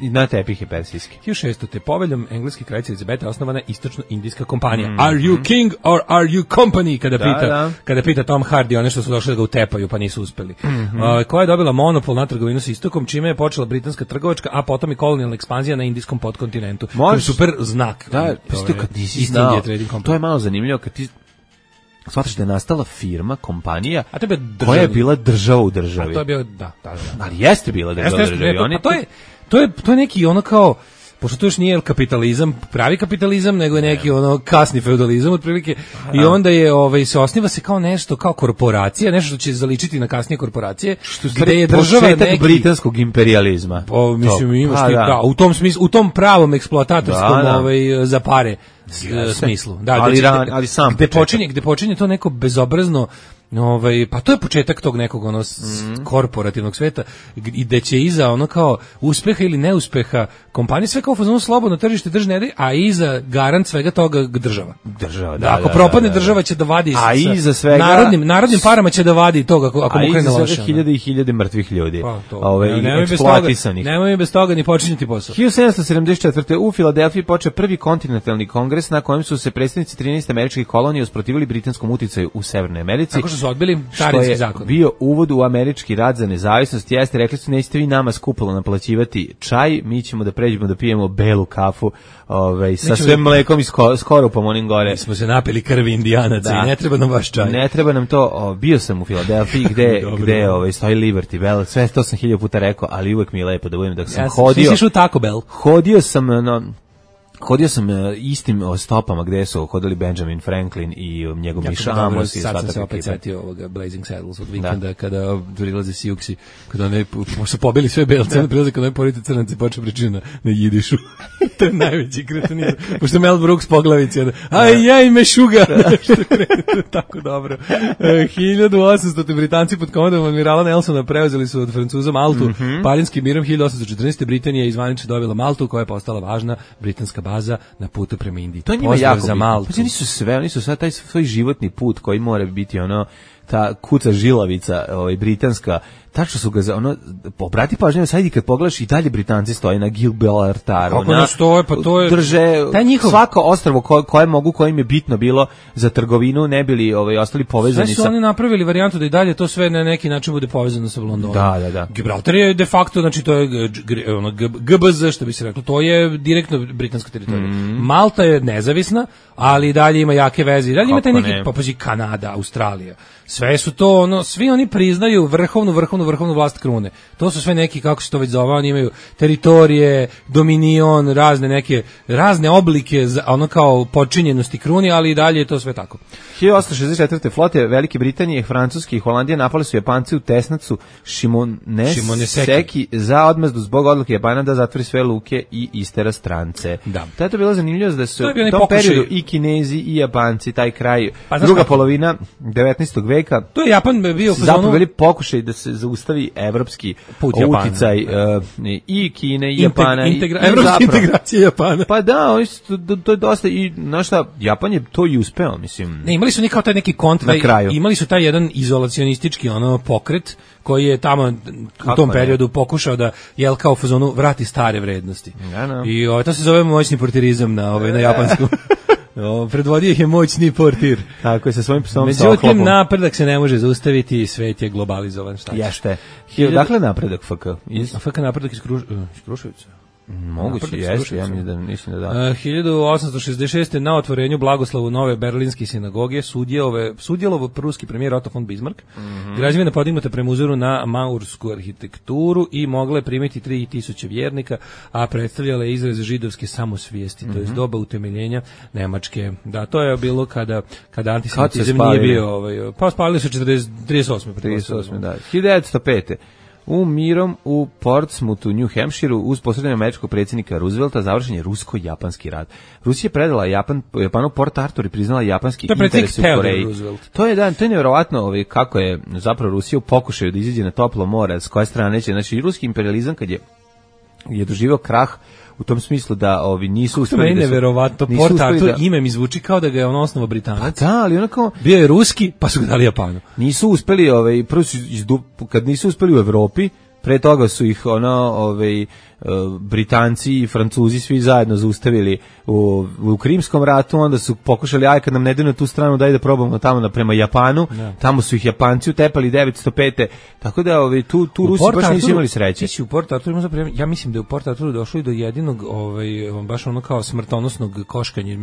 Na tepih je persijski. 1600. Poveljom engleske kraljice Elizabete osnovana Istočno-indijska kompanija. Are you king or are you company? Kada pita Tom Hardy, one što su došli da ga utepaju pa nisu uspeli. Koja je dobila monopol na trgovinu s istokom, čime je počela britanska trgovačka, a potom i kolonijalna ekspanzija na indijskom podkontinentu. To je super znak. Da, kad nisi znao, to je malo zanimljivo kad ti shvataš da je nastala firma, kompanija koja je bila država u državi. A to je bio, da. Ali jeste bila država u državi. To je neki ono kao, pošto to još nije kapitalizam, pravi kapitalizam, nego je neki ono kasni feudalizam otprilike. I onda je se osniva se kao nešto, kao korporacija, nešto što će zaličiti na kasnije korporacije, gde je država neki britanskog imperializma. Mislim imaš u tom smislu, u tom pravom eksploatatorskom za pare smislu. Ali sam gde počinje to neko bezobrazno, pa to je početak tog nekog korporativnog sveta i da će iza ono kao uspeha ili neuspeha kompanije sve kao fazonu slobodno tržište držne, a iza garant svega toga država. Ako propadne država će da vadi narodnim parama će da vadi toga ako mu krene loše. Hiljade i hiljade mrtvih ljudi. Eksploatisani. Nemoj bez toga ni počinjati posao. 1774. u Filadelfiji počeo prvi kontinentalni kongres na kojem su se predstavnici 13 američkih kolonija usprotivili britanskom uticaju u Severnoj Americi. Su odbili carinski zakon. Bio uvod u američki rad za nezavisnost, jeste, rekli su nećete vi nama skupilo naplaćivati čaj, mi ćemo da pređemo da pijemo belu kafu sa svem mlekom i skorupom onim gore. Mi smo se napili krvi Indijanaca i ne treba nam vaš čaj. Ne treba nam to, bio sam u Filadelfiji gde stoji Liberty Bell, sve to sam 1000 puta rekao, ali uvek mi je lepo da budem da sam hodio. Išao u Taco Bell. Hodio sam istim stopama gde su hodili Benjamin Franklin i njegov Miša Amos. Sad sam se opet setio ovoga Blazing Saddles od vikenda kada prilaze Siuksi, kada one su pobili sve belce, prilaze kada one porite crnance počeo pričati na jidišu. To je najveći kretenizam. Pošto Mel Brooks poglavici, aj me šuga. Tako dobro. 1800. Britanci pod komandom admirala Nelsona preuzeli su od Francuza Maltu. Parinskim mirom 1814. Britanija je zvanično dobila Maltu, koja je postala važna britanska baza na putu prema Indiji. To njima jako za Maltu. Pa oni su sad taj svoj životni put koji mora biti ta kuca žilavica britanska, tačno su ga obrati pažnju, sad i kad pogledaš i dalje Britanci stoje na Gibraltaru. Kako ne stoje, pa to je drže svako ostrvo kojim je bitno bilo za trgovinu, ne bili ostali povezani. Sve su oni napravili varijantu da i dalje to sve na neki način bude povezano sa Londonom. Da. Gibraltar je de facto, znači to je GBZ, što bi se reklo, to je direktno britanska teritorija. Malta je nezavisna, ali i dalje ima jake veze. I dalje ima taj neki, Kanada, Australija. Sve su to, svi oni priznaju vrhovnu vlast krune. To su sve neki, kako se to već zove, oni imaju teritorije, dominion, razne oblike, kao počinjenosti kruni, ali i dalje je to sve tako. 1864. flote Velike Britanije, Francuske i Holandije napali su Japanci u Tesnacu Shimonoseki za odmazdu zbog odluke Japana da zatvori sve luke i istera strance. Da. To je to bilo zanimljivo da su u tom periodu i Kinezi i Japanci, taj kraj, druga polovina 19. veka. To je Japan bio zapravo bili pokušaj da se zaustavi evropski uticaj i Kine i Japana. Evropska integracija Japana. Pa da, to je dosta i Japan je to i uspeo, mislim. Ne, imali su kao taj neki kontra, imali su taj jedan izolacionistički pokret koji je tamo u tom periodu pokušao da kao u fazonu vrati stare vrednosti. I to se zove moćni portirizam na japanskom. Predvodio ih je moćni portir. Tako je, sa svojim psom. Međutim, napredak se ne može zaustaviti, svet je globalizovan. Jeste. Dakle, napredak FK? FK napredak iz Kruševica. Moguće, jeste, ja mislim da da. 1866. na otvorenju blagoslovu nove berlinske sinagoge sudjelovao pruski premijer Otto von Bismarck. Građevina podignuta prema uzoru na maursku arhitekturu i mogla je primiti 3000 vjernika, a predstavljala je izraz židovske samosvijesti, to je doba utemeljenja Nemačke. Da, to je bilo kada antisemitizam nije bio pa spalili su 38. Da. 1905. U mirom u Portsmouthu, New Hampshireu, uz posredovanje američkog predsjednika Roosevelta, završen je rusko-japanski rat. Rusija je predala Japanu Port Arthur i priznala japanski interes u Koreji. To je nevjerovatno kako je zapravo Rusija u pokušaju da izađe na toplo more, s koje strane će. Znači, ruski imperializam kad je doživio krah, u tom smislu da nisu uspeli da neverovatno Port Arthur ime mi zvuči kao da ga je on osnovao Britanac. Pa da, ali onako bio je ruski, pa su ga dali Japanu. Nisu uspeli prvo su kad nisu uspeli u Evropi, pre toga su ih Britanci i Francuzi svi zajedno zaustavili u Krimskom ratu, onda su pokušali kad nam ne daju na tu stranu daj da probamo tamo prema Japanu, tamo su ih Japanci utepali 905. Tako da tu Rusi baš nisu imali sreće. U Port Arthuru ja mislim da je u Port Arthuru došlo i do jedinog baš kao smrtonosnog koškanja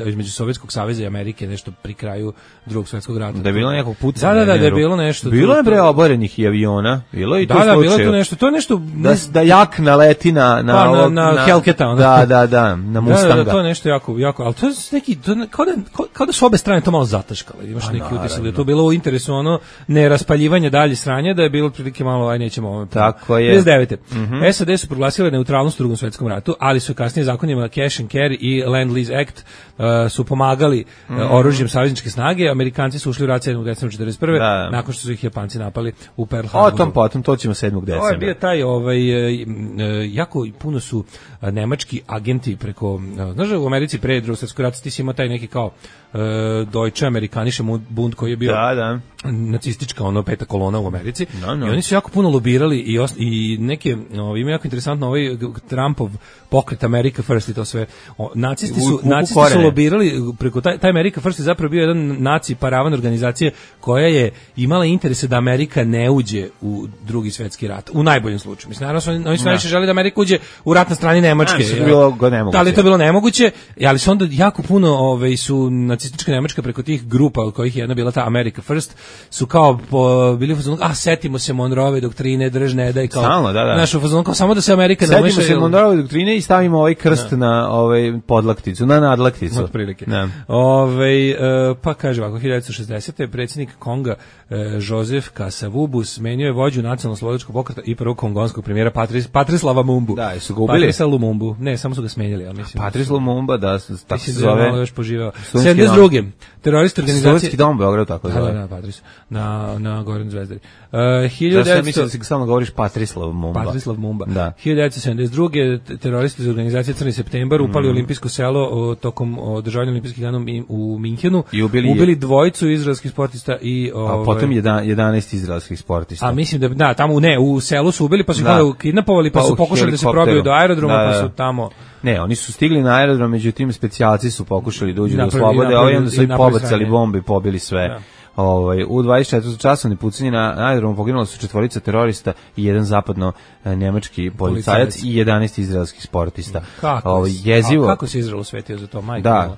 između Sovjetskog saveza i Amerike, nešto pri kraju Drugog svjetskog rata. Da je bilo nekog pucanja. Da je bilo nešto. Bilo je bre oborenih i aviona, bilo i to slučaj. Da, bilo je to nešto. To je nešto da jak naleti na Hellcata, da, na Mustanga. To je nešto jako, ali to je neki, kao da su obe strane to malo zataškale. Imaš neki utisak da je to bilo u interesu neraspaljivanja dalje sranja, da je bilo prilike malo, nećemo Tako je. 19. SAD su proglasile neutralnost u Drugom svjetskom ratu, ali su kasnije zakonima Cash and Carry i Land-Lease Act su pomagali oružjem savezničke snage. Amerikanci su ušli u rat 7. decembra 1941. nakon što su ih Japanci napali u Pearl Harboru. Potom to ćemo 7. decembra. Ovo je bio taj, jako puno su nemački agenti preko, znaš u Americi pre Drugog svjetskog rata ti si imao taj neki kao Deutsche Amerikanische Bund koji je bio nacistička peta kolona u Americi i oni su jako puno lobirali i neke, ima jako interesantno Trumpov pokret America First i to sve. Nacisti su lobirali preko taj America First je zapravo bio jedan naci paravan organizacije koja je imala interese da Amerika ne uđe u Drugi svjetski rat, u najboljem slučaju. Mislim, naravno, oni su najviše želi da Amerika uđe u rat na strani Nemačke. Da li to bilo nemoguće, ali su onda jako puno su nacistička Nemačka preko tih grupa, od kojih je jedna bila ta America First, su kao bili u fazonu, setimo se Monroeve doktrine, drž ne daj, kao naš u fazonu, kao samo da se Amerika ne umeša. Setimo se Monroeve doktrine i stavimo krst na podlakticu, na nadlakticu. Otprilike. Pa kaže ovako, 1960. predsjednik Konga Joseph Kasavubu smenio je vođu nacionalno-slobodačkog pokreta i prvog kongonskog premijera Patrice Lumumbu. Da, su ga ubili? Patrice Lumumbu. Ne, samo su ga smenjali, ja mislim. Patrice Lumumba, da, tako se zove. Mislim da je još poživao. 72. teroristi organizacije... Sovjetski dom Beograd, tako zove. Da, Patrice. Na Goran Zvezdari. Zašto ja mislim da si samo govoriš Patrice Lumumba. Patrice Lumumba. Da. 1972. teroristi iz organizacije Crni septembar upali u olimpijsko selo tokom održavanja olimpijskih dana u Minhenu. I ubili dvojicu izraelskih sportista i... A potom 11 izraelskih sportista. A mislim da tamo u selu su ubili, pa su ih kidnapovali, pa su pokušali da se probiju do aerodroma, pa su tamo... Ne, oni su stigli na aerodrom, međutim specijalci su pokušali da uđu do slobode, a onda su i pobacali bombe i pobili sve. U 24 časovni pucanje na aerodromu poginula su 4 terorista i jedan zapadno-nemački policajac i 11 izraelskih sportista. Kako se Izrael osvetio za to, majke? Da.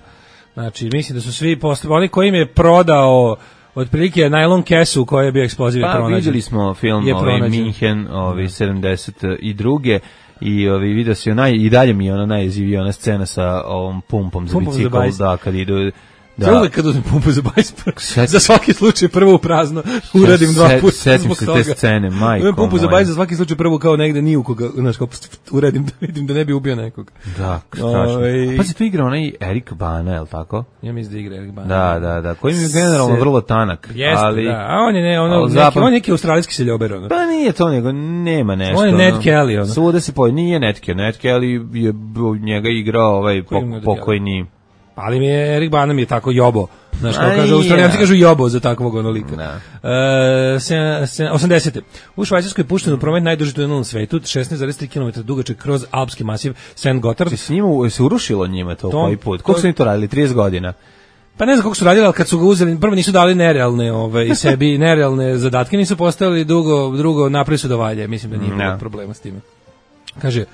Znači, mislim da su svi oni koji im je prodao otprilike najlon kesu koja je bio eksploziv pronađen. Pa vidjeli smo film Minhen 72. I video se i dalje mi je ona najjezivija ona scena sa ovom pumpom za bicikl, da, kad idu... Da. Uvijek kad uzmem pumpu za bajs, za svaki slučaj prvo u prazno uradim 2 puta. Setim se te scene, majko moja. Pumpu za bajs za svaki slučaj prvo kao negde ni u koga, znaš, kao uradim da vidim da ne bi ubio nekog. Da, strašno. Pa si tu igrao onaj Erik Bana, je li tako? Ja mislim da igra Erik Bana. Da, koji mi je generalno vrlo tanak. Jeste, da, a on je on je neki australijski seljober. Pa nije to, nego nema nešto. On je Ned Kelly. Svuda se nije Ned Kelly. Ned Kelly je njega igrao pokojni... Ali mi je Erik Bana mi je tako jobo. Znaš, kao kažu, Australijanci kažu jobo za takvog onolika. 80. U Švajcarskoj je pušten u promet najduži tunel na svetu, 16,3 km dugačak kroz alpski masiv St. Gotthard. S njima se urušilo njima to koji put? Koliko su oni to radili? 30 godina? Pa ne znam kako su radili, ali kad su ga uzeli, prvo nisu dali nerealne sebi nerealne zadatke, nisu postavili drugo napravili su da valje. Mislim da nije bilo problema s time. Kaže,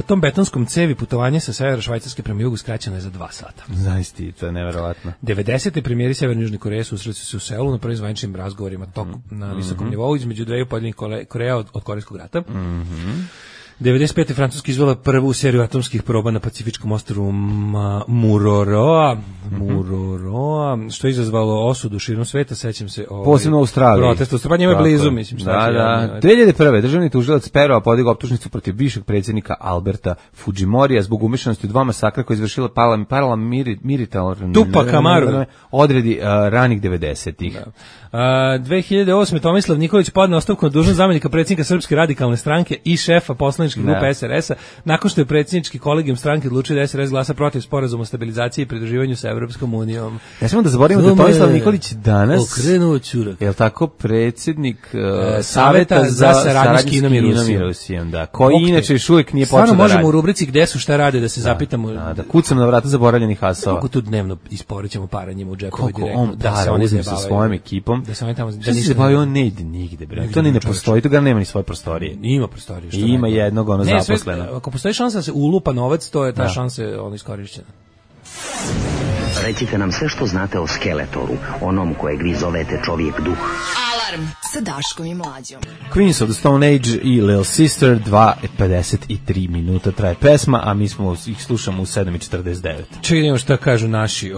Tom betonskom cevi putovanje sa severa Švajcarske prema jugu skraćeno je za 2 sata. Zaista, to je neverovatno. 90. premijeri Severne i Južne Koreje susreli su se u Seulu na prvim zvaničnim razgovorima na visokom nivou između dveju pojedinih Koreja od Korejskog rata. 95. Francuska izvela prvu seriju atomskih proba na Pacifičkom ostrvu Mururoa, što je izazvalo osudu širom sveta, sećam se posebno u Australiji. Protest, pa njima je blizu, mislim. Da. 2001. državni tužilac Perova podigao optužnicu protiv bivšeg predsjednika Alberta Fujimorija zbog umešanosti u 2 masakra koje je izvršila paramilitarna Tupac Amaru odredi ranih 90-ih. 2008. Tomislav Nikolić podneo ostavku na dužnost zamenika predsjednika Srpske radikalne stranke i šefa poslaničke grupe SRS-a, nakon što je predsjednički kolegijum stranke odlučio da SRS glasa protiv sporazuma o stabilizaciji i pridruživanju sa Evropskom unijom. Ne smemo da zaboravimo da Tomislav Nikolić danas okrenuo ćurak. Je li tako predsjednik Saveta za saradnju s Kinom i Rusijom, da, koji inače još uvijek nije počeo da radi. Stvarno možemo u rubrici gde su šta rade da se zapitamo. Da kucam na vrata zaboravljenih asova. Kako tu dnevno isporećemo para njima u džepove direktno. On da se oni sa svojom ekipom. Da se oni tamo da se bavi, on ne ide nigde, bre. To ni ne postoji, to ga nema ni svoje prostorije. Ima prostorije. I ima jednog ono zaposleno. Ako postoji šansa da se ulupa novac, to je ta šansa ono iskorišćena. Recite nam sve što znate o Skeletoru, onom kojeg vi zovete čovjek duh. Alarm sa Daškom i Mlađom. Queens of the Stone Age i Little Sister, 2:53 minuta traje pesma, a mi smo ih slušamo u 7:49. Čekaj, šta kažu naši.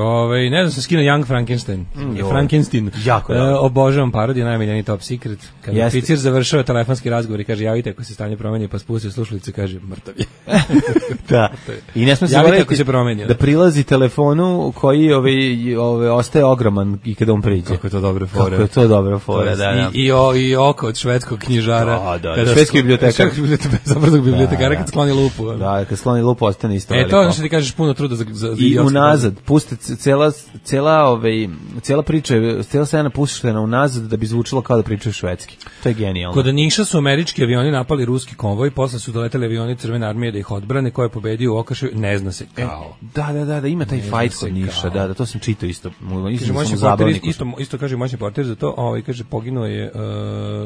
Ne znam, sam skinuo Young Frankenstein. Frankenstein. Jako obožavam parodiju, najmiljeniji Top Secret. Kad oficir završava telefonski razgovor i kaže, javite ako se stanje promeni, pa spustio slušalice, kaže, mrtav je. Da. I ne smemo se zaboraviti da prilazi telefonu koji ostaje ogroman i kada on priđe. Kako je to dobra fora. Kako je to dobra fora, da. I oko od švedskog knjižara. Da, švedski bibliotekar. Zabrzog bibliotekara kad skloni lupu. Da, kad skloni lupu ostane isto veliko. To je što ti kažeš, puno truda za i unazad, puste cijela priča, cijela scena puštena unazad da bi zvučilo kao da pričaju švedski. To je genijalno. Kod Niša su američki avioni napali ruski konvoj, posle su doleteli avioni Crvene armije da ih odbrane, ko je pobedio u Okaševu, ne zna se kao. Da, ima taj fight kod Niša, da, to sam čitao isto. Isto kaže moćni portir za to, kaže poginuo je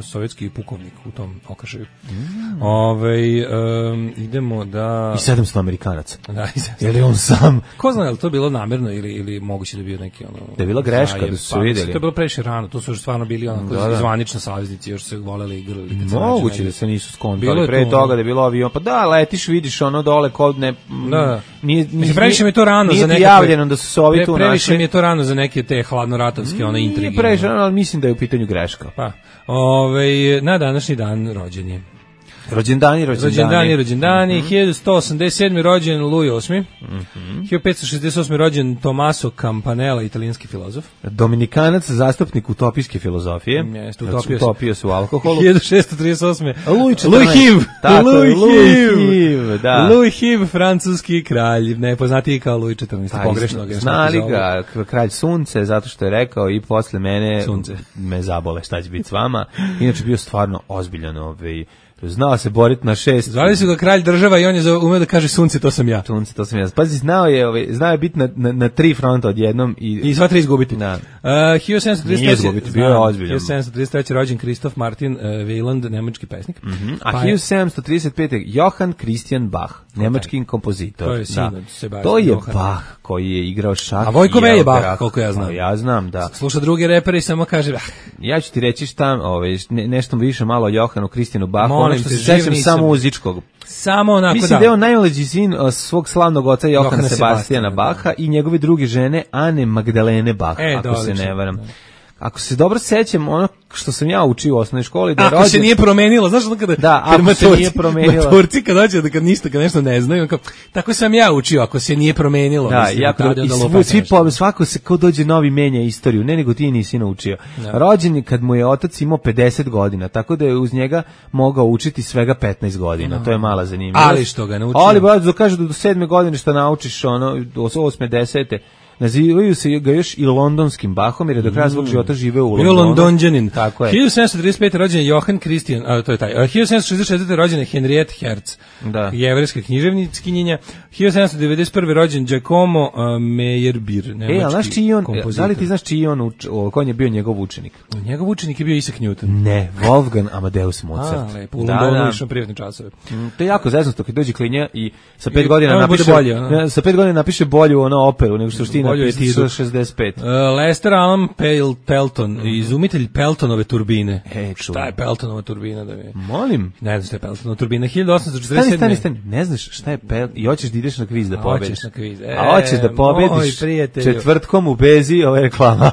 sovjetski pukovnik u tom Okaševu. Idemo da... I 700 Amerikanaca. Da, je li on sam? Ko zna, je li to bilo namerno ili moguće da je bio neki da je bila greška, da su se vidjeli. To je bilo previše rano, to su još stvarno bili zvanični saveznici, još se voleli i igrali. Moguće da se nisu skontali pre toga da je bilo avion, pa da, letiš, vidiš ono dole kod ne... Previše mi je to rano za neke... javljeno da su se ovi tu našli. Previše mi je to rano za neke te hladnoratovske intrige. Nije previše rano, ali mislim da je u pitanju greška. Pa, na današnji dan rođen je. Rođendani. 1187. rođen Louis VIII. 1568. rođen Tommaso Campanella, italijanski filozof. Dominikanac, zastupnik utopijske filozofije. Utopio se u alkoholu. 1638. Louis HIV, francuski kralj, nepoznatiji kao Louis XIV. Pogrešno ga je. Znali ga kralj sunce, zato što je rekao i posle mene sunce me zabole, šta će biti s vama. Inače bio stvarno ozbiljan znao se boriti na 6. Zvali su ga kralj država i on je umeo da kaže sunce, to sam ja. Sunce, to sam ja. Pazi, znao je biti na 3 fronta odjednom i sva 3 izgubiti. Da. 1733. Izgubiti, bio je ozbiljan. 1733. rođen Christoph Martin Wieland, nemački pesnik. A 1735. Johann Christian Bach, nemački kompozitor. To je sin od Sebastian. To je Bach koji je igrao šah. A Vojko je Bach, koliko ja znam. Ja znam, da. Sluša druge repere i samo kaže ja ću ti reći šta, nešto više malo o Johannu Christianu Bachu. Što se sećam samo muzičkog. Samo onako, mislim da je on najmlađi sin svog slavnog oca Johana Sebastijana Bacha i njegove druge žene Ane Magdalene Bach, ako se ne varam. Ako se dobro sećam, ono što sam ja učio u osnovnoj školi, da ako se nije promenilo, znaš kada ako se nije promenilo. Maturci kad dođe da kad nešto ne znaju, tako sam ja učio, ako se nije promenilo, svako se ko dođe novi menja istoriju, ne nego ti nisi naučio. Rođen je kad mu je otac imao 50 godina, tako da je uz njega mogao učiti svega 15 godina. To je mala zanimljivost. Ali što ga naučio? Ali kaže da do 7. godine što naučiš, do 8. 10. nazivaju se ga još i londonskim Bachom, jer je do kraja svog života živeo u Bio Londonu. Londonđanin. Tako je. 1735. rođen je Johann Christian, to je taj. 1764. rođen je Henriette Hertz, Da. jevrejska književnickinjenja. 1791. rođen Giacomo Meyerbeer, nemački ali znaš čiji on, kompozitor. da li ti znaš čiji on, ko je bio njegov učenik? Njegov učenik je bio Isaac Newton. Ne, Wolfgang Amadeus Mozart. Lepo, u Londonu išao privatne časove. To je jako zeznuto kad dođe klinja i sa 5 godina tamo bude napiše bolje, ono. sa 5 godina napiše bolju operu nego što ti Bolju napiše etidu. 65. Lester Alan Pelton, izumitelj Peltonove turbine. Čujem. Šta je Peltonova turbina da mi? Molim. Ne znam šta je Peltonova turbina. 1847. Stani. Ne znaš šta je i hoćeš da ideš na kviz da pobediš. Hoćeš na kviz. A hoćeš da pobediš moj prijatelju. četvrtkom u Bezi, ova je reklama.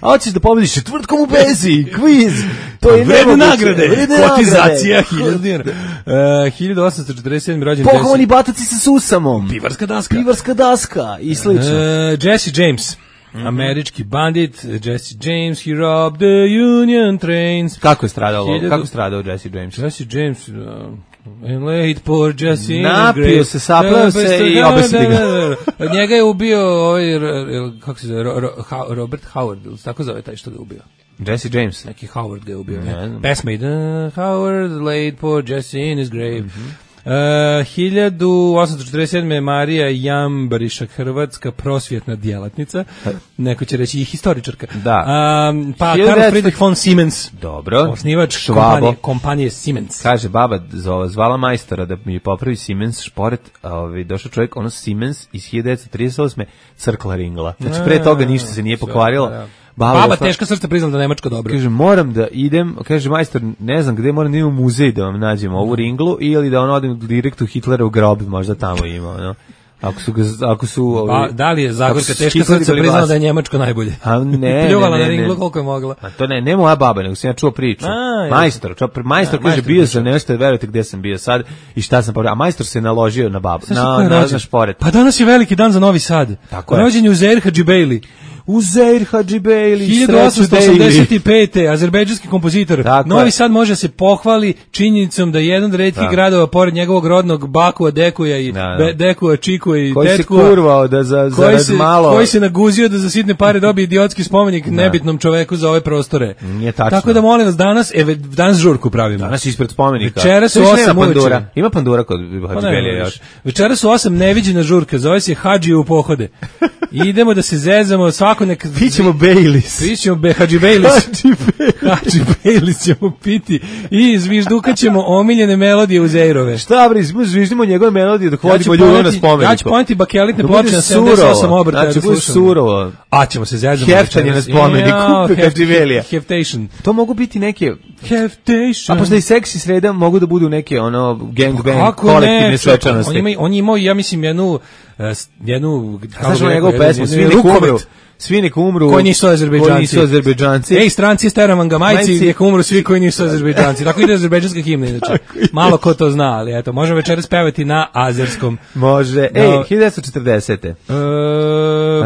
A hoćeš da pobediš četvrtkom u Bezi, kviz. To je vredne nemoguće. nagrade. Vredne Kotizacija nagrade. 1000 dinara. 1847. rođen Pohovani bataci sa susamom. Pivarska daska. Pivarska daska i slično. Jesse James. Američki bandit, Jesse James, he robbed the Union trains. Kako je stradao Jesse James? Jesse James, and late poor Jesse in his Napio grave. se, sapleo se i obesili ga. Njega je ubio kako se zove, Robert Howard, tako zove taj što ga je ubio. Jesse James. Neki Howard ga je ubio. Ne znam. Pesmade, Howard, late poor Jesse in his grave. 1847. Marija Jambariša, hrvatska prosvjetna djelatnica, neko će reći i historičarka. Da. Pa Karl Friedrich von Siemens, dobro, osnivač kompanije Siemens. Kaže baba zvala majstora da mi popravi Siemens šporet, došao čovjek, ono Siemens iz 1938. crkla ringla. Znači pre toga ništa se nije pokvarilo. Baba teška srca priznala da Nemačko dobro. Kaže, moram da idem, kaže majstor, ne znam gde, moram da idem u muzej da vam nađem ovu ringlu ili da odem direkt u Hitlerov grob, možda tamo ima, no. Ako su da li je Zagorka teška srca priznala da je Njemačko najbolje? A ne. Pljuvala na ringlu koliko je mogla. A to ne moja baba, nego sam ja čuo priču. Majstor kaže bio sam nešto, verujte gde sam bio sad i šta sam popravio. A majstor se naložio na babu, na šporet. Pa danas je veliki dan za Novi Sad. Rođen je Uzeir Hadžibejli. Uzeir Hadžibejli, 1885. azerbejdžanski kompozitor. Novi Sad može se pohvali činjenicom da je jedan od retkih gradova pored njegovog rodnog Bakua, Dekuja i Dekua, Čikua i koji Tetkua, se kurvao da za malo koji se naguzio da za sitne pare dobije idiotski spomenik nebitnom čoveku za ove prostore. Nije tačno. Tako da molim vas danas žurku pravimo. Danas ispred spomenika. Večeras su 8 uveče. Ima pandura kod Hadžibejlija još. Večeras su 8 neviđena žurka, zove se Hadži u pohode. Idemo da se zezamo, svako nek pićemo Baileys. Pićemo Hadži Baileys ćemo piti i zviždukat ćemo omiljene melodije Uzeirove. Šta bre, zviždimo njegove melodije dok vodimo ljubav na spomeniku. Ja ću poneti bakelitne ploče na 78 obrtaja. Znači, bude surovo. A ćemo se zezamo. Heftanje na spomeniku Hadžibejlija. Heftation. To mogu biti neke Heftation. A posle i seksi sreda mogu da budu neke gangbang kolektivne svečanosti. On imao, ja mislim, jednu znaš njegovu pesmu, svi nek umru koji nisu Azerbejdžanci. Ej, stranci, steravam ga majci, nek umru svi koji nisu Azerbejdžanci. Tako ide azerbejdžanska himna, inače. Malo ko to zna, ali eto, možemo večeras pevati na azerskom. Može. 1940.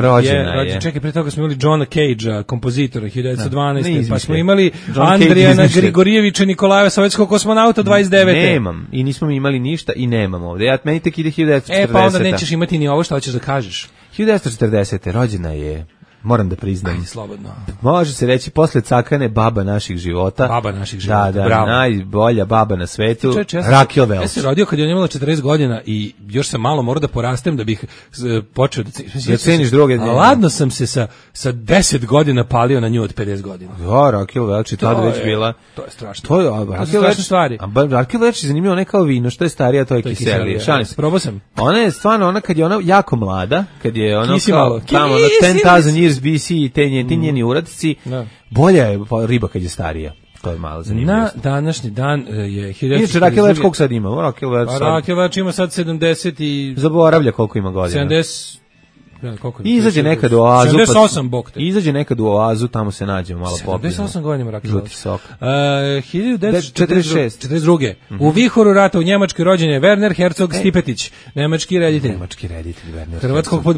Rođena je. Čekaj, pre toga smo imali Johna Cage-a, kompozitora, 1912. Pa smo imali Andrijana Grigorijevića Nikolajeva, sovjetskog kosmonauta, 29. Nemam. I nismo mi imali ništa i nemam ovde. Meni tek ide 1940. Pa onda nećeš imati ni ovo što hoćeš da kažeš. 1940. rođena je, moram da priznam. Slobodno. Može se reći posle Cakane baba naših života. Baba naših života, bravo. Najbolja baba na svetu, Rakel Welch. Ja sam rodio kad je on imala 40 godina i još sam malo morao da porastem da bih počeo da ceniš druge. Ladno sam se sa 10 godina palio na nju od 50 godina. Ja, Rakel Welch je tada već bila. To je strašno. To je strašne stvari. Rakel Welch je zanimljivo, ne kao vino, što je starija, to je kiselije. Probao sam. Ona je stvarno, kad je ona jako mlada, kad je ono kao tamo 10,000 years BC i ti njeni uradci, bolja je riba kad je starija. To je malo zanimljivo. Na današnji dan je 1942. Inače, Rakel Welch koliko sad ima? Rakel Welch ima sad 70 i... Zaboravlja koliko ima godina. 70... Izađe nekad u oazu. 78 bokte. Izađe nekad u oazu, tamo se nađemo, malo popijemo. 78 godina Rakel Žuti sok. 1942. U vihoru rata u Njemačkoj rođen je Werner Herzog Stipetić, nemački reditelj. Werner. Hrvatskog pod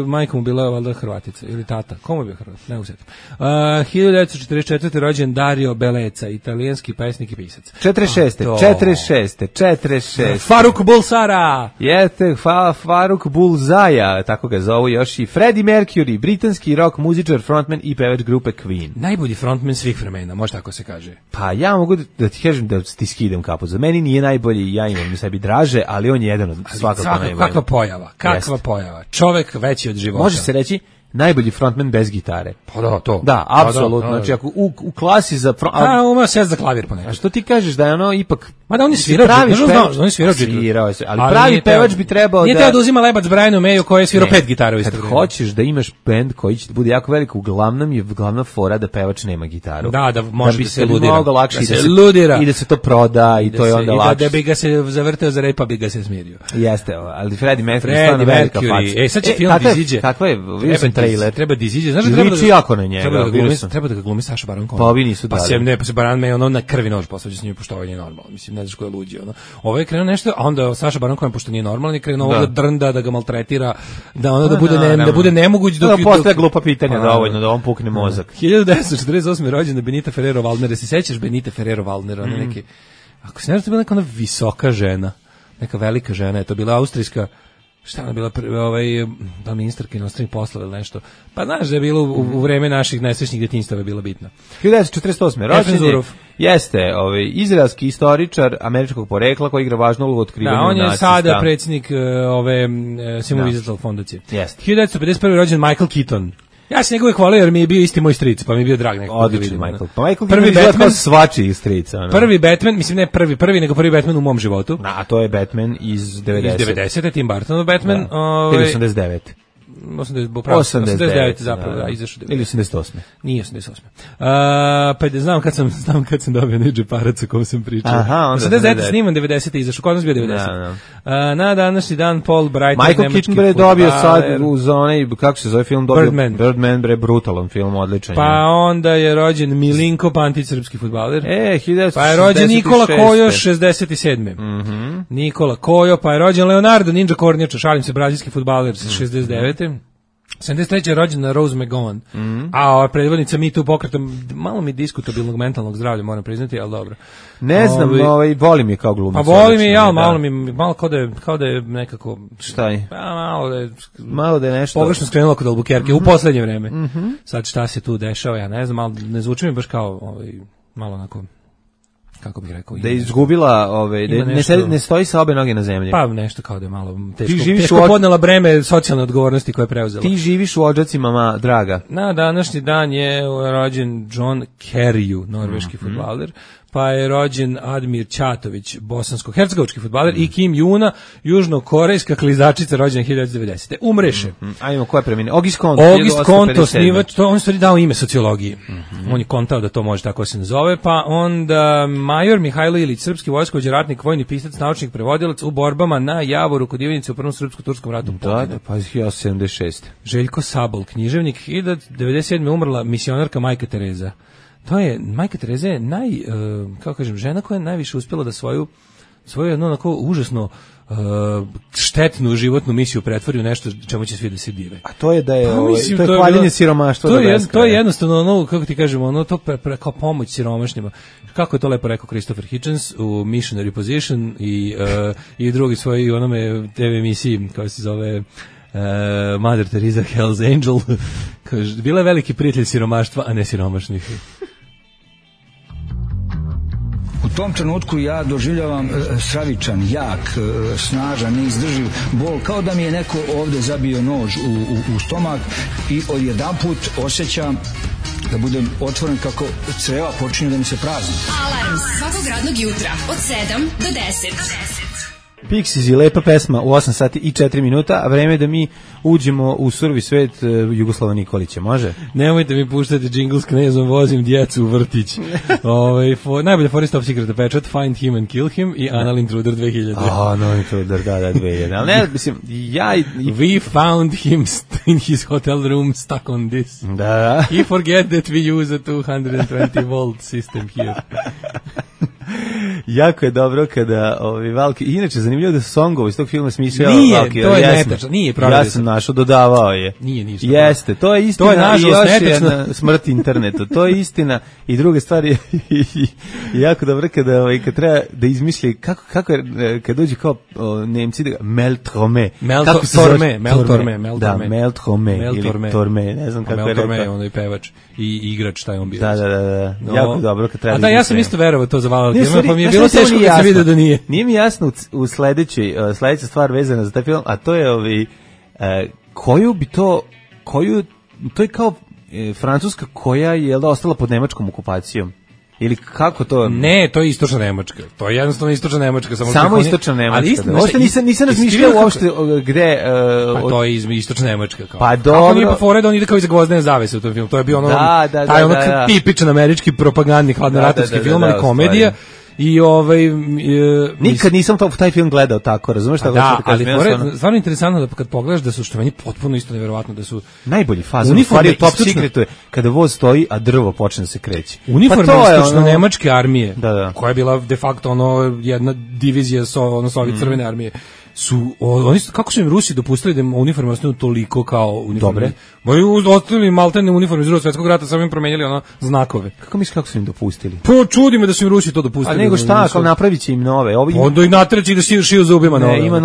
majkom bila valjda Hrvatica ili tata. Komu je bio Hrvat? Ne uzetim. 1944. rođen Dario Bellezza, italijanski pesnik i pisac. 46. Faruk Bulsara. Jeste, Faruk Bulzaja, tako ga zovu. ovo još i Freddie Mercury, britanski rock muzičar, frontman i pevač grupe Queen. Najbolji frontman svih vremena, može tako se kaže. Pa ja mogu da ti kažem da ti skidam kapu. Za meni nije najbolji, ja imam sebi draže, ali on je jedan od svakako najbolji. Kakva pojava. Čovek veći od života. Može se reći najbolji frontman bez gitare. Pa da, to. Da, apsolutno. Znači, ako u klasi za... Uma sjest za klavir ponekad. A što ti kažeš da je ono ipak... Ma da on je svirao, on je svirao. Ali pravi pevač bi trebao da... Nije teo da uzima lebac Brianu Mayu koji je svirao 5 gitara u isto vreme. Kad hoćeš da imaš bend koji će bude jako velik, uglavnom je glavna fora da pevač nema gitaru. Da može da se ludira. Mnogo lakše i da se to proda i to je onda lakše. I da bi ga se zavrteo za repa, bi ga se smirio. Jeste, ali Freddie Mercury stvarno velika faca. Sad će film da iziđe. Kakva je? Vidio sam trailer. Treba da iziđe. Znaš da treba da jako na njega. Treba da ga glumi Saša Baron Cohen. Pa ovi nisu dali. Pa se Baron May ono na krvi nož posvađa s njim, pošto ovo nije normalno. Mislim, ne znaš ko je luđi. Ovo je krenuo nešto, a onda Saša Baron Cohen, pošto nije normalan, je krenuo da drnda, da ga maltretira, da ono da bude nemoguć dok... Postoje glupa pitanja dovoljno, da on pukne mozak. 1948. rođena Benita Ferrero Waldner. Se sećaš Benita Ferrero Waldner? Ona neki... Ako se ne znam, to je bila neka ona visoka žena. Neka velika žena. Je to bila austrijska... Šta ona bila da ministarka inostranih poslova ili nešto. Pa znaš da je bilo u vreme naših najsrećnijih detinjstava bila bitna. 1948. rođen jeste izraelski istoričar američkog porekla koji igra važnu ulogu u otkrivanju nacista. On je sada predsjednik Simon Wiesenthal fondacije. 1951. rođen Michael Keaton. Ja sam njega hvalio jer mi je bio isti moj stric, pa mi je bio drag nekako. Odlični Michael. Pa Michael prvi Batman svačiji stric. Prvi Batman, mislim ne prvi, nego prvi Batman u mom životu. A to je Batman iz 90. Iz 90. Tim Burtonov Batman. 89. 89 zapravo, da, izašao. Ili 88. Nije 88. Pa znam kad sam dobio neđe parac o kom sam pričao. Aha, onda 89 sniman, 90 izašao, kod nas bio 90. Na današnji dan Paul Brighton, Michael Keaton bre dobio sad uz onaj, kako se zove film, dobio Birdman bre, brutalan film, odličan. Pa onda je rođen Milinko Pantić, srpski fudbaler. 1966. Pa je rođen Nikola Kojo, 67. Nikola Kojo, pa je rođen Leonardo Ninja Kornjača, šalim se, brazilski fudbaler, 69. 73. je rođena Rose McGowan, a predvodnica Me Too pokreta, malo mi diskutabilnog mentalnog zdravlja, moram priznati, ali dobro. Ne znam, volim je kao glumica. Pa volim je ja, malo kao da je nekako... Šta je? Pa malo da je nešto... Pogrešno skrenulo kod Albuquerque, u poslednje vreme. Sad šta se tu dešava, ja ne znam, ali ne zvuči mi baš kao malo onako... kako bih rekao, da je izgubila, ne stoji sa obe noge na zemlji. Pa nešto kao da je malo teško podnela breme socijalne odgovornosti koje je preuzela. Ti živiš u Odžacima, draga. Na današnji dan je rođen John Kerriju, norveški fudbaler, pa je rođen Admir Ćatović, bosansko-hercegovački fudbaler, i Kim Juna, južnokorejska klizačica, rođena 1990. Umreše. Ajmo, ko je preminuo? August Comte, osnivač, on je stvari dao ime sociologiji. On je kontao da to može tako se nazove, pa onda major Mihajlo Ilić, srpski vojskovođa, ratnik, vojni pisac, naučnik, prevodilac u borbama na Javoru kod Ivanice u Prvom srpsko-turskom ratu. Da, pa 1976. Željko Sabol, književnik, 1997. umrla misionarka Majka Tereza. To je, Majka Tereza je kako kažem, žena koja je najviše uspjela da svoju jednu onako užasno štetnu životnu misiju pretvori u nešto čemu će svi da se dive. A to je da je, to je hvaljenje siromaštva. To je jednostavno ono, kako ti kažemo, to kao pomoć siromašnjima. Kako je to lepo rekao Christopher Hitchens u Missionary Position i drugi svoji onome TV emisiji koja se zove Mother Teresa Hell's Angel. Kaže, bila je veliki prijatelj siromaštva, a ne siromašnih. U tom trenutku ja doživljavam stravičan, jak, snažan, neizdrživ bol, kao da mi je neko ovde zabio nož u stomak i odjedanput osjećam da budem otvoren kako creva počinju da mi se prazni. Alarm svakog radnog jutra od 7 do 10. Pixies i lepa pesma u 8 sati i 4 minuta, a vreme da mi uđemo u survi svet Jugoslava Nikolića, može? Nemojte mi puštati džingl s Knezom, vozim djecu u vrtić. Najbolje Forest Top Secret pečat, Find Him and Kill Him i Anal Intruder 2000. Anal Intruder, da, 2000. Ali ne, mislim, We found him in his hotel room stuck on this. Da. He forget that we use a 220 volt system here. jako je dobro kada Valki, inače zanimljivo da songovo iz tog filma smišljava Valki. Nije, to je netačno, nije provjerio. Ja sam našao, dodavao je. Nije ništa. Jeste, to je istina. To je nažalost netačno. Jedna smrt internetu, to je istina. I druga stvar je jako dobro kad treba da izmisli kako je, kad dođe kao Nemci da Meltrome. Meltorme. Da, Meltrome ili Torme, ne znam kako je rekao. Meltorme, ono i pevač i igrač, taj on bio. Da. Jako dobro kad treba. A da, ja sam isto verovao to za Valki, pa mi je bilo teško kad se vidio da nije. Nije mi jasno u sledeća stvar vezana za taj film, a to je to je kao Francuska koja je ostala pod nemačkom okupacijom. Ili kako to? Ne, to je istočna Nemačka. To je jednostavno istočna Nemačka. Samo istočna Nemačka. Ali nisam razmišljao uopšte gde... Pa to je istočna Nemačka. Pa dobro. Kako nije po fore da on ide kao iza gvozdene zavese u tom filmu. To je bio taj tipičan američki propagandni hladnoratovski film, ali komedija. I nikad nisam taj film gledao tako, razumeš šta da, ali stvarno interesantno da kad pogledaš da su, što meni potpuno isto neverovatno, da su najbolji fazon, stvari top secretu je kada voz stoji a drvo počne da se kreće. Uniforme istočno nemačke armije, koja je bila de facto jedna divizija Sovjet crvene armije, oni kako su im Rusi dopustili da uniforme ostanu toliko kao uniforme? Dobre. Moji ostavili maltene uniforme iz Drugog svjetskog rata, samo im promenjali znakove. Kako misliš kako su im dopustili? Čudi me da su im Rusi to dopustili. A nego šta, kao napravit će im nove. Onda ih natreći da šiju zubima nove. Ne,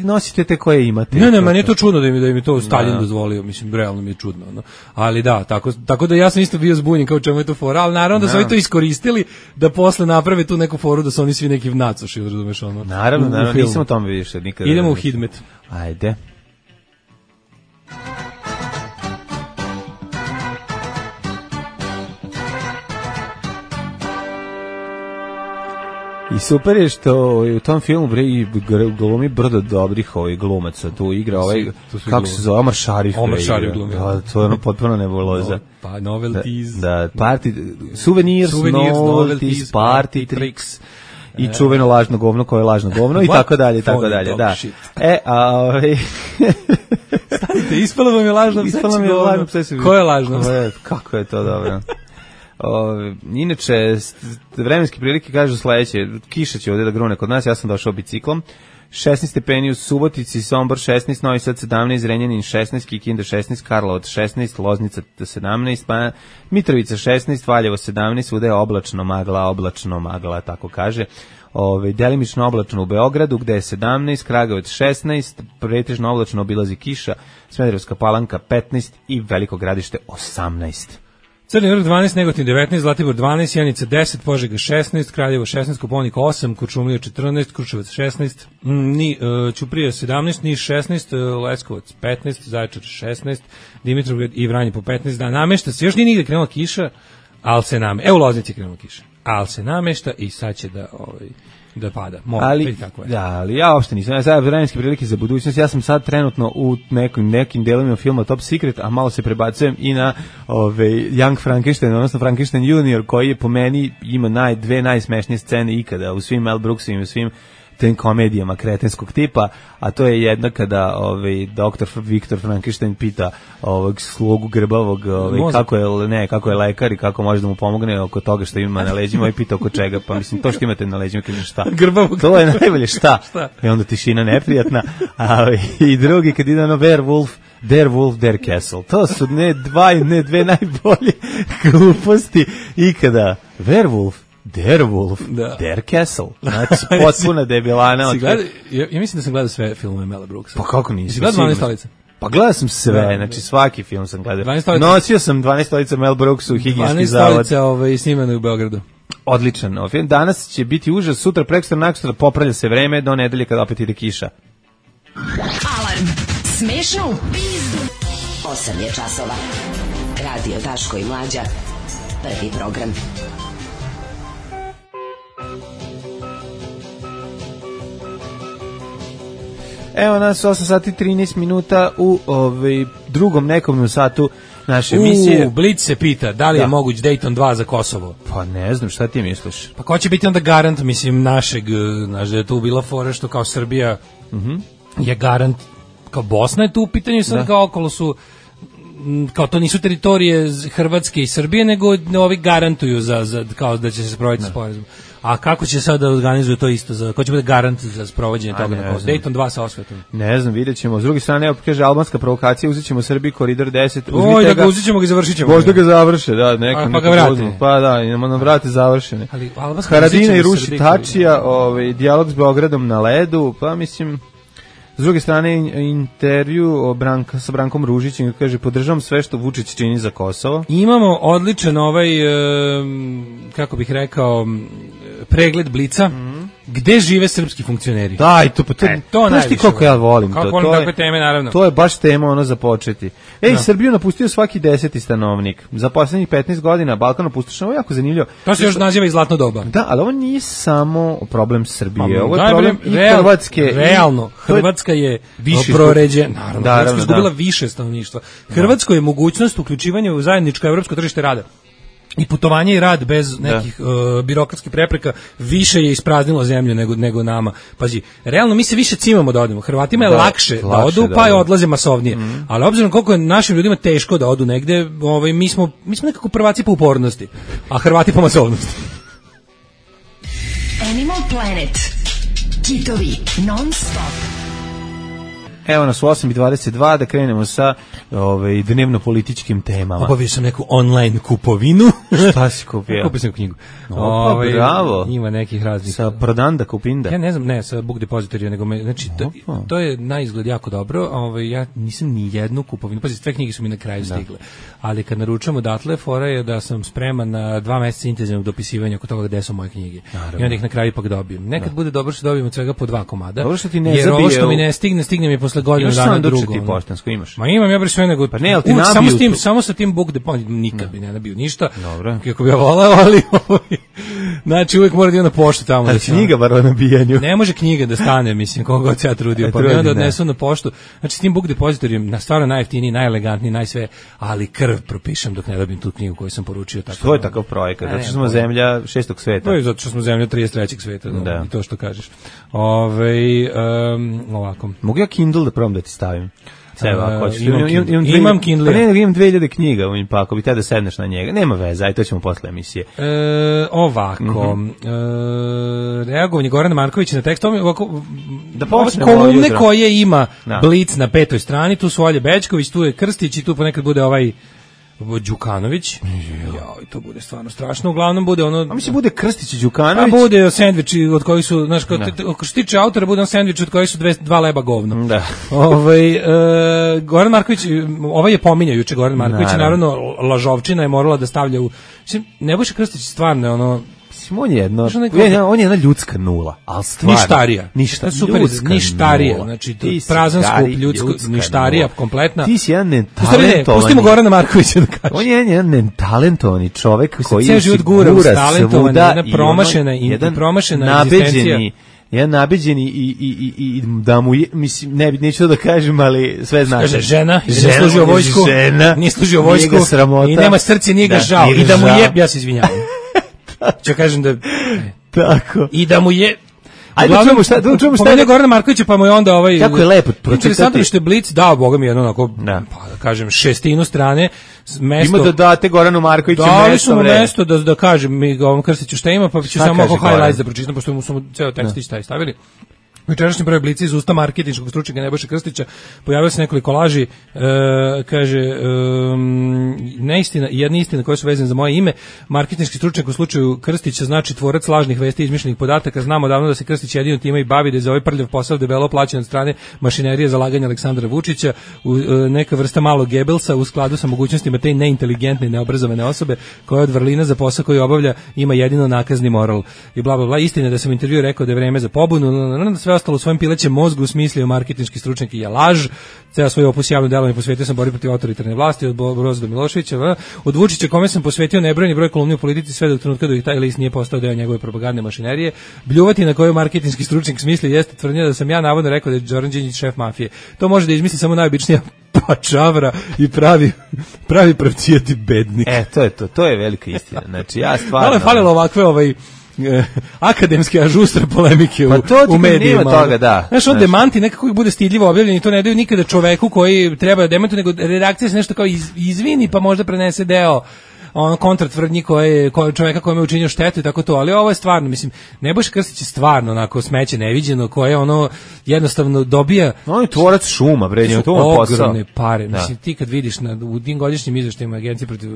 nosite te koje imate. Ne, meni je to čudno da im to Stalin dozvolio, mislim, realno mi je čudno. Ali da, tako da ja sam isto bio zbunjen kao čemu je to fora, ali naravno da su oni to iskoristili da posle naprave tu neku foru da su oni svi neki nacoši, razumeš ono. Naravno, nisam o tome više nikada. Idemo u Hidmet. Ajde. I super je što u tom filmu glumi brdo dobrih glumaca. Tu igra kako se zove, Omar Šarif. Omar Šarif glumi. To je potpuno nebuloza. Pa novelties. Da, souvenirs, novelties, party tricks. I čuveno lažno govno koje je lažno govno i tako dalje, tako dalje, da. Stanite, ispalo vam je lažno pseći govno. Ko je lažno? Kako je to dobro. Inače, vremenske prilike kažu sledeće, kiša će ovdje da grune kod nas, ja sam došao biciklom, 16 stepeni u Subotici, Sombor 16, Novi Sad 17, Renjanin 16, Kikinda 16, Karlovac 16, Loznica 17, Mitrovica 16, Valjevo 17, svuda je oblačno magla, tako kaže. Delimično oblačno u Beogradu, gde je 17, Kragujevac 16, pretežno oblačno obilazi kiša, Smederevska Palanka 15 i Veliko Gradište 18. Crni vrh 12, Negotin 19, Zlatibor 12, Janica 10, Požega 16, Kraljevo 16, Kopaonik 8, Kuršumlija 14, Kruševac 16, Ćuprija 17, Niš 16, Leskovac 15, Zaječar 16, Dimitrovgrad i Vranje po 15 dana. Namešta se, još nije nigde krenula kiša, ali se namešta. Evo u Loznici je krenula kiša, ali se namešta i sad će da pada. Ali ja uopšte nisam. Ja sad vremenske prilike za budućnost. Ja sam sad trenutno u nekim delovima filma Top Secret, a malo se prebacujem i na Young Frankenstein, odnosno Frankenstein Junior, koji je po meni ima dve najsmešnije scene ikada u svim Mel Brooksovim i svim tim komedijama kretenskog tipa, a to je jedna kada doktor Viktor Frankenstein pita slugu grbavog kako je lekar i kako može da mu pomogne oko toga što ima na leđima i pita oko čega, pa mislim to što imate na leđima, kaže šta? Grbavog. To je najbolje šta? I onda tišina neprijatna, i drugi kad ide Werewolf, Der Wolf, Der Castle. To su dve najbolje gluposti ikada. Werewolf, Der Wolf, Der Castle. Znači, potpuna debilana. Ja mislim da sam gledao sve filmove Mela Brooksa. Pa kako nisi? Si gledao 12 stolica? Pa gledao sam sve, znači svaki film sam gledao. Nosio sam 12 stolica Mel Brooksa u higijenski zavod. 12 stolica snimano u Beogradu. Odličan. Danas će biti užas, sutra, prekstra, naksutra, popravlja se vreme do nedelje kada opet ide kiša. Alarm. Smešno u pizdu. 8 je časova. Radio Daško i Mlađa. Prvi program. Evo nas 8 sati 13 minuta u drugom nekom satu naše emisije. Blic se pita da li je moguć Dayton 2 za Kosovo. Pa ne znam, šta ti misliš? Pa ko će biti onda garant, mislim, našeg, da je tu bila fora što kao Srbija je garant, kao Bosna je tu u pitanju, sad kao okolo su kao to nisu teritorije Hrvatske i Srbije, nego ovi garantuju za kao da će se sprovoditi sporazum. A kako će sad da organizuju to isto? Ko će biti garant za sprovođenje toga na Kosovu? Dayton 2 sa osvetom. Ne znam, vidjet ćemo. S druge strane, evo kaže albanska provokacija, uzet ćemo Srbiji koridor 10. Oj, da ga uzet ćemo ga i završit ćemo. Možda ga završe, da. Pa ga vrate. Pa da, imamo nam vrate završene. Haradina i ruši Tačija, dijalog s Beogradom na ledu, pa mislim... S druge strane, intervju sa Brankom Ružićem, kaže, podržavam sve što Vučić čini za Kosovo. Imamo odličan kako bih rekao, pregled Blica, gde žive srpski funkcioneri. Da, i to najviše. Koliko ja volim kako to. Volim takve teme, naravno. To je baš tema za početi. Srbiju napustio svaki 10. stanovnik. Za poslednjih 15 godina Balkan opustošen, ovo je jako zanimljivo. To se još naziva i zlatno doba. Da, ali ovo nije samo problem Srbije, ovo je problem i Hrvatske. Realno, Hrvatska je proređena, naravno, Hrvatska je izgubila više stanovništva. Hrvatskoj je mogućnost uključivanja u zajedničko evropsko tržište rada i putovanje i rad bez nekih birokratskih prepreka više je ispraznilo zemlju nego nama. Pazi, realno mi se više cimamo da odemo. Hrvatima je lakše da odu, pa je odlaze masovnije. Ali obzirom koliko je našim ljudima teško da odu negde, mi smo nekako prvaci po upornosti, a Hrvati po masovnosti. Animal Planet. Kitovi non stop. Evo nas u 8:22 da krenemo sa dnevno-političkim temama. Obavio sam neku online kupovinu. Šta si kupio? Kupio sam knjigu. Bravo. Ima nekih raznih. Sa Prodanda Kupinda? Ja ne znam, ne, sa Book Depository, nego znači, to je na izgled jako dobro. Ja nisam ni jednu kupovinu, pazi, sve knjige su mi na kraju stigle. Ali kad naručujemo odatle, fora je da sam spreman na 2 meseca intenzivnog dopisivanja oko toga gde su moje knjige. I onda ih na kraju ipak dobijem. Nekad bude dobro što dobijem od svega po 2 komada. Dobro što ti ne jer ovo što mi ne stigne mi je posle godinu dana drugo. Imaš poštansko, imaš? Ma imam, ja bar sve nego... Pa ne, ali ti samo sa tim Book Depository, nikad bi ne nabio ništa. Dobro. Kako bi ja volao, ali... Znači, uvijek mora da idem na poštu tamo. Ali knjiga bar o nabijanju. Ne može knjiga da stane, mislim, koga god se ja trudio. Pa mi onda odnesu na poštu. Znači, s tim Book Depositorijem, stvarno najjeftiniji, najelegantniji, najsve, ali krv propišem dok ne dobijem tu knjigu koju sam poručio. Što je takav projekat? Zato što smo zemlja 6. sveta. To je zato što smo zemlja 33. sveta. I to što kažeš. Ovako. Mogu ja Kindle da probam da ti stavim? Imam Kindle. Pa ne, imam 2000 knjiga, pa ako bi te da sedneš na njega, nema veze, aj to ćemo posle emisije. Ovako, reagovanje Gorana Markovića na tekst, da počnemo kolumne koje ima Blic na 5. strani, tu su Olje Bećković, tu je Krstić i tu ponekad bude ovaj Đukanović. Joj, to bude stvarno strašno. Uglavnom bude ono... A mislim bude Krstić i Đukanović? A bude sendviči od kojih su, znaš, ako što tiče autora, bude on sendvič od kojih su 2 leba govno. Da. Goran Marković, ovaj je pominjao juče Goran Marković, naravno lažovčina je morala da stavlja u... Mislim, Nebojša Krstić stvarno je ono... On je jedna ljudska nula, ali stvarno. Ništarija. Ništarija. Znači, prazan skup ništarija kompletna. Ti si jedan netalentovani. Pustimo Gorana Markovića da kaže. On je jedan netalentovani čovek koji se život gura talentovan, jedna promašena egzistencija. Jedan nabeđeni i da mu je, mislim, neću da kažem, ali sve znači. Kaže, žena, nije služio vojsku i nema srce, nije ga žao. I da mu je, ja se izvinjavam. Ću kažem da... Tako. I da mu je... Ajde, čujemo šta je Gorana Markovića, pa mu je onda ovaj... Kako je lepo pročitati. Interesantno što je Blic dao, boga mi, jedno onako, pa da kažem, 6 strane. Ima da date Goranu Markoviću mesto. Dali su mu mesto da kažem mi ovom Krstiću šta ima, pa ću samo oko highlights da pročitam, pošto mu su ceo tekstić taj stavili. Jučerašnji broj Blica iz usta marketinškog stručnjaka Nebojše Krstića pojavio se nekoliko laži, kaže neistina, jedna istina koja su vezane za moje ime. Marketinški stručnjak u slučaju Krstića znači tvorac lažnih vesti i izmišljenih podataka. Znamo davno da se Krstić jedino time i bavi, da je za ovaj prljav posao debelo plaćen od strane mašinerije za laganje Aleksandra Vučića, neka vrsta malog Gebelsa u skladu sa mogućnostima te neinteligentne i neobrazovane osobe koja od vrlina za posao koji obavlja ima jedino nakazni moral i bla bla bla. Istina da sam u intervjuu rekao da je vreme za pobunu, sve ostalo u svojem pilećem mozgu smislio marketinški stručnjak i je laž. Ceo svoj opus javno delovanje posvetio sam borbi protiv autoritarne vlasti od Broza do Miloševića, od Vučića kome sam posvetio nebrojeni broj kolumni u politici sve do trenutka dok taj list nije postao deo njegove propagandne mašinerije. Bljuvati na koju marketinški stručnjak smisli jeste tvrdnja da sam ja navodno rekao da je Zoran Đinđić šef mafije. To može da izmisli samo najobičnija pačavra i pravi pravcijati bednik. To je velika istina. Znači ja stvarno... Malo je falilo ovakve akademske ažustre polemike u medijima. Nema toga, da. Znaš, on demanti nekako uvijek bude stidljivo objavljen i to ne daju nikada čoveku koji treba da demantuje, nego redakcija se nešto kao izvini pa možda prenese deo kontratvrdnji čoveka kojem je učinio štetu i tako to, ali ovo je stvarno, mislim, Nebojša Krstić je stvarno onako smeće neviđeno, koje ono jednostavno dobija... On je tvorac šuma, bre, njemu to on posao. Ogromne pare, mislim, ti kad vidiš u tim godišnjim izveštajima Agencije protiv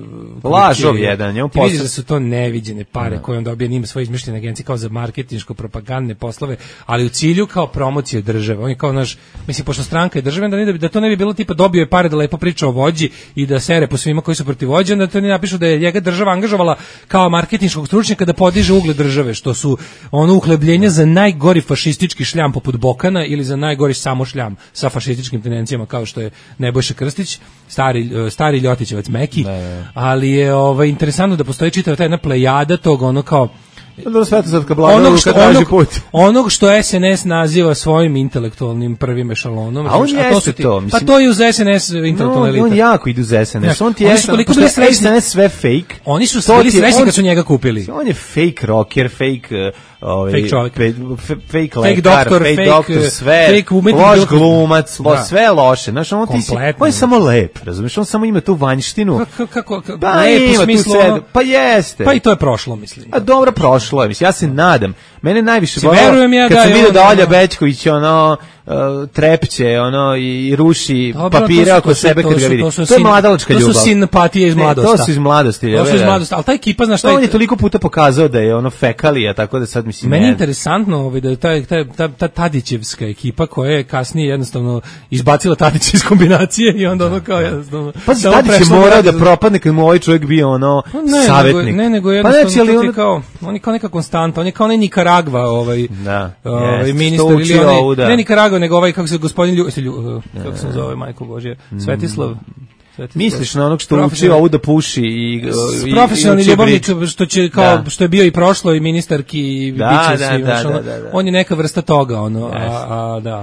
lažov jedan, njemu posao. Ti vidiš da su to neviđene pare koje on dobija, nima svoje izmišljene agencije kao za marketinško-propagandne poslove, ali u cilju kao promocije države. On je kao naš, mislim, pošto stranka je državna, da to ne bi bilo tipa dobio je pare da lepo priča o vođi i da sere po svima koji su protiv vođe, onda to ne napišu da je njega država angažovala kao marketinškog stručnjaka da podiže ugled države, što su ono uhlebljenja za najgori fašistički šljam poput Bokana ili za najgori samo šljam sa fašističkim tendencijama kao što je Nebojša Krstić, stari Ljotićevac Meki, ali je interesantno da postoji čitava ta jedna plejada tog ono kao onog što SNS naziva svojim intelektualnim prvim ešalonom. A on jeste to. Pa to je uz SNS intelektualna elita. On jako ide uz SNS. On ti je SNS sve fake. Oni su bili srećni kad su njega kupili. On je fake rocker, fake čovjek. Fake lekar, fake doktor, sve. Loš glumac, sve loše. Znaš, on je samo lep, razumiješ? On samo ima tu vanjštinu. Kako? Lep u smislu? Pa jeste. Pa i to je prošlo, mislim. A dobro prošlo. Ja se nadam. Mene najviše bolo kad sam vidio da Olja Bećković trepće i ruši papire oko sebe kad ga vidi. To je mladalačka ljubav. To su simpatije iz mladosti. To su iz mladosti. Ali ta ekipa, znaš šta je... On je toliko puta pokazao da je fekalija, tako da sad mislim... Meni je interesantno da je ta Tadićevska ekipa koja je kasnije jednostavno izbacila Tadića iz kombinacije i onda ono kao jednostavno... Pa Tadić je morao da propadne kad mu ovaj čovjek bio savjetnik. Ne, nego jednostavno to ti kao... On je kao neka konstanta, on je kao onaj Nikaragva ministar ili onaj... Ne Nikaragva, nego kako se gospodin kako se zove, majko Božje, Svetislav. Misliš na onog što uči ovu da puši i profesionalni ljubavnik što je bio i prošlo i ministarki i on je neka vrsta toga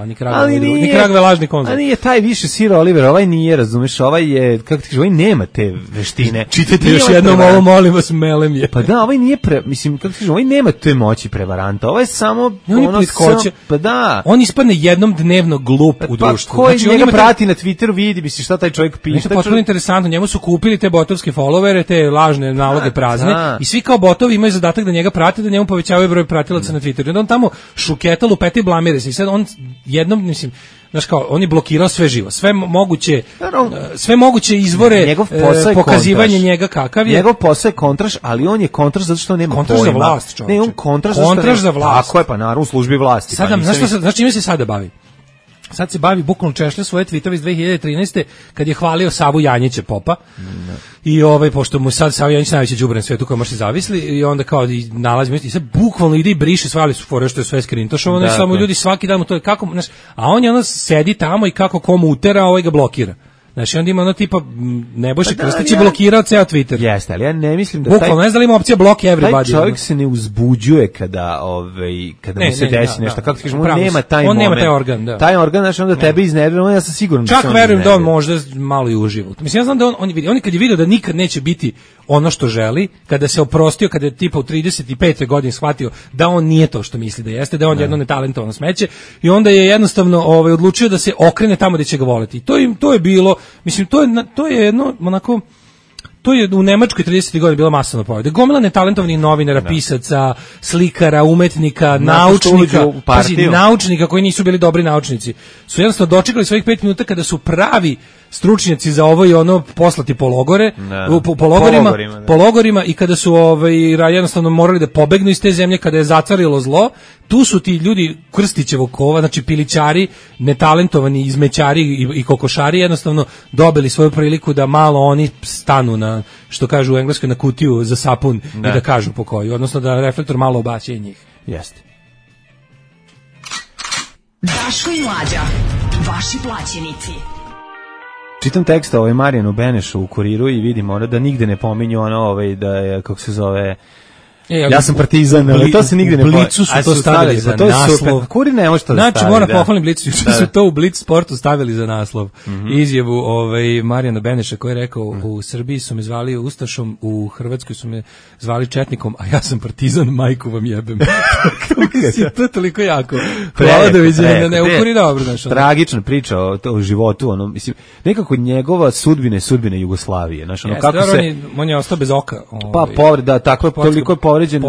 Nikaragva je lažni konzul. A nije taj više Sir Oliver, ovaj nije, razumeš, ovaj je, kako ti kažeš, ovaj nema te veštine. Čitajte još jednom ovo, molim vas, melem je. Pa da, ovaj nije mislim, kako ti kažeš, ovaj nema te moći prevaranta, ovaj je samo pa da. On ispadne jednom dnevno glup u društvu. Pa koji njega prati na Twitteru, vidi, misli šta taj čovjek piše. Potpuno interesantno, njemu su kupili te botovske followere, te lažne naloge prazne i svi kao botovi imaju zadatak da njega prate, da njemu povećavaju broj pratilaca na Twitteru. Onda on tamo šuketa, lupeta i blamire se i sad on jednom, mislim, znaš kao, on je blokirao sve živo, sve moguće izvore pokazivanja njega kakav je. Njegov posao je kontraš, ali on je kontraš zato što nema kontraš pojma. Za vlast, čovječe. Ne, on kontraš za vlast. Tako je, pa naravno u službi vlasti. Sad, znaš čime se sada bavi? Sad se bavi bukvalno češlja svoje tweetove iz 2013. kad je hvalio Savu Janjića popa. I pošto mu sad Sava Janjić najveći đubre na svetu koji može zavisli i onda kao i nalazimo i sad bukvalno ide i briše sve, ali su fore što je sve skrintošovano i samo ljudi svaki dan mu to je kako, znaš, a on je ono sedi tamo i kako komu utera, a ovaj ga blokira. Znači, onda ima ono tipa Nebojša Krstić je blokirao ceo Twitter. Jeste, ali ja ne mislim da bukvalno ne znam da li ima opcija block everybody. Taj čovjek se ne uzbuđuje kada mu se desi nešto. Kako ti kažeš, on nema taj moment. On nema taj organ, da. Taj organ, znači onda tebe iznervira, ja sam siguran da čak verujem da on možda malo i uživa. Mislim, ja znam da on kad je vidio da nikad neće biti ono što želi, kada se oprostio, kada je tipa u 35. godini shvatio da on nije to što misli da jeste, da on jedno netalentovano smeće i onda je jednostavno odlučio da se okrene tamo gde će ga voleti. To je bilo, mislim, to je jedno onako, to je u Nemačkoj 30. godina bila masovna pojava. Gomila netalentovanih novinara, pisaca, slikara, umetnika, naučnika koji nisu bili dobri naučnici, su jednostavno dočekali svojih 5 minuta kada su pravi stručnjaci za ovo i ono poslati po logorima i kada su jednostavno morali da pobegnu iz te zemlje kada je zacarilo zlo, tu su ti ljudi Krstićevog kova, znači pilićari, netalentovani izmećari i kokošari jednostavno dobili svoju priliku da malo oni stanu na, što kažu u Engleskoj, na kutiju za sapun i da kažu po koju, odnosno da reflektor malo obaće njih. Jeste. Daško i Mlađa, vaši plaćenici. Čitam tekst Marijanu Benešu u Kuriru i vidim da nigde ne pominju da je, kako se zove, Ja sam partizan, ali to se nigde ne pojavi. Blicu su to stavili za naslov. Kuri ne može to da stavi. Znači, moram pohvalim Blicu, juče su to u Blic sportu stavili za naslov. Izjavu Marijana Beneša koji je rekao, u Srbiji su me zvali Ustašom, u Hrvatskoj su me zvali Četnikom, a ja sam partizan, majku vam jebem. To je toliko jako. Hvala da vidim, ne ukuri dobro. Tragična priča o životu, ono, mislim, nekako njegova sudbina je sudbina Jugoslavije. Znaš, ono, kako se... On je ostao bez oka. Pa povreda, tako toliko je povređen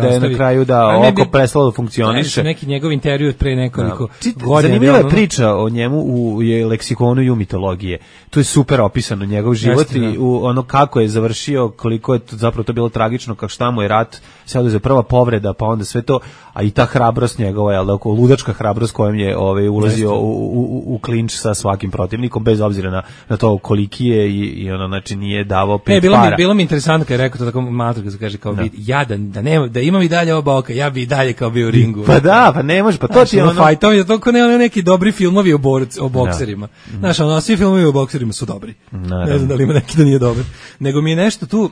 da je na kraju oko prestalo da funkcioniše. Neki njegov intervju od pre nekoliko godina. Zanimljiva je priča o njemu u leksikonu ju mitologije. Tu je super opisano njegov život i ono kako je završio, koliko je zapravo to bilo tragično, kako šta mu je rat, se oduzeo prva povreda, pa onda sve to, a i ta hrabrost njegova, jel da, ludačka hrabrost kojom je ulazio u klinč sa svakim protivnikom, bez obzira na to koliki je i ono, znači nije davao pet para. Bilo mi interesantno kad je rekao to tako matro, kad se kaže kao jadan, da imam i dalje ova boka, ja bi i dalje kao bio u ringu. Pa da, pa ne može, pa to ti je ono... Fajtovi, to ko ne neki dobri filmovi o bokserima. Znaš, ono, svi filmovi o bokserima su dobri. Ne znam da li ima neki da nije dobar. Nego mi je nešto tu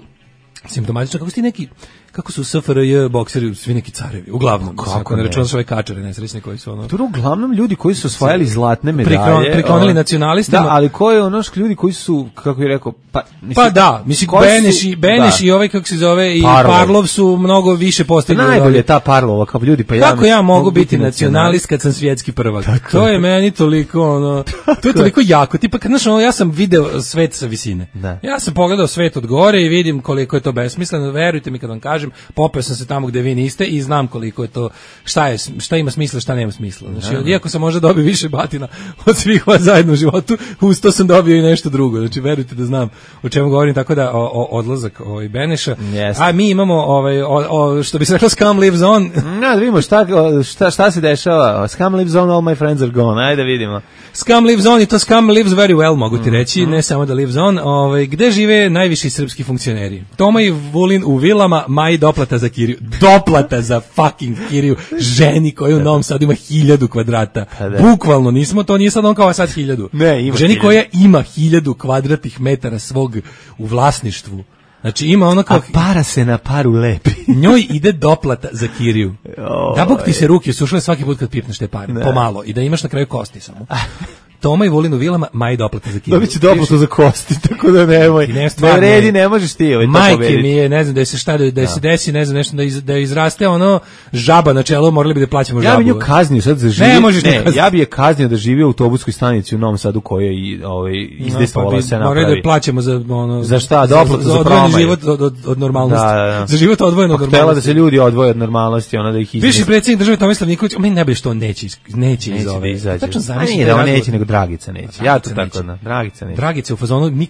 simptomatično, kako su SFRJ bokseri svi neki carevi, uglavnom. Kako ne računaš ove kačare nesrećne koji su ono... To uglavnom ljudi koji su osvajali zlatne medalje. Priklonili nacionalistima. Da, ali ko je ono ljudi koji su, kako je rekao... Pa da, mislim, Beneš i ovaj, kako se zove, i Parlov su mnogo više postigli. Najbolje je ta Parlova, kao ljudi, pa kako ja mogu biti nacionalist kad sam svjetski prvak? To je meni toliko, ono... To je toliko jako. Tipa, kad, znaš, ja sam video svet sa visine. Ja sam pogledao svet od gore i vidim koliko je to besmisleno. Verujte mi kad vam kažem, popeo sam se tamo gde vi niste i znam koliko je to, šta ima smisla, šta nema smisla. Znači, iako sam možda dobio više batina od svih vas zajedno u životu, uz to sam dobio i nešto drugo. Znači, verujte da znam o čemu govorim, tako da odlazak Beneša. A mi imamo, što bi se rekao, Scum lives on. Da vidimo šta se dešava. Scum lives on, all my friends are gone. Ajde vidimo. Scum lives on i to Scum lives very well, mogu ti reći, ne samo da lives on. Gde žive najviši srpski funkcioneri? Toma i Vulin u vilama, Maji doplata za kiriju. Doplata za fucking kiriju. Ženi koja u Novom Sadu ima 1000 kvadrata. Bukvalno, to nije sad on kao sad 1000. Ne, ima ženi 1000. Koja ima 1000 kvadratnih metara svog u vlasništvu. Znači ima ono kao... A para se na paru lepi. Njoj ide doplata za kiriju. Da bog ti se ruke sušle svaki put kad pipneš te pare. Pomalo. I da imaš na kraju kosti samo. Toma i Volin u vilama, Maji doplata za kiriju. Dobit će doplatu za kosti, tako da nemoj. Ne redi, ne možeš ti to majke pobediti. Mi je, ne znam, da se desi, ne znam, nešto da izraste ono žaba na čelo, morali bi da plaćamo žabu. Ja bi nju kaznio sad za živi. Ja bi je kaznio da živi u autobuskoj stanici u Novom Sadu koja je izdejstvovala se napravi. Morali da plaćamo za ono... Za šta? Doplatu za odvojeni život od normalnosti. Za život odvojen od normalnosti. Htela da se ljudi odvoje od normalnosti, ona da ih izmesti. Viši predsjednik države Tomislav Nikolić, meni najbolje što on neće iz ove. Tačno zamisli da on neće, nego Dragica neće. Ja to tako da, Dragica neće. Dragica u fazonu,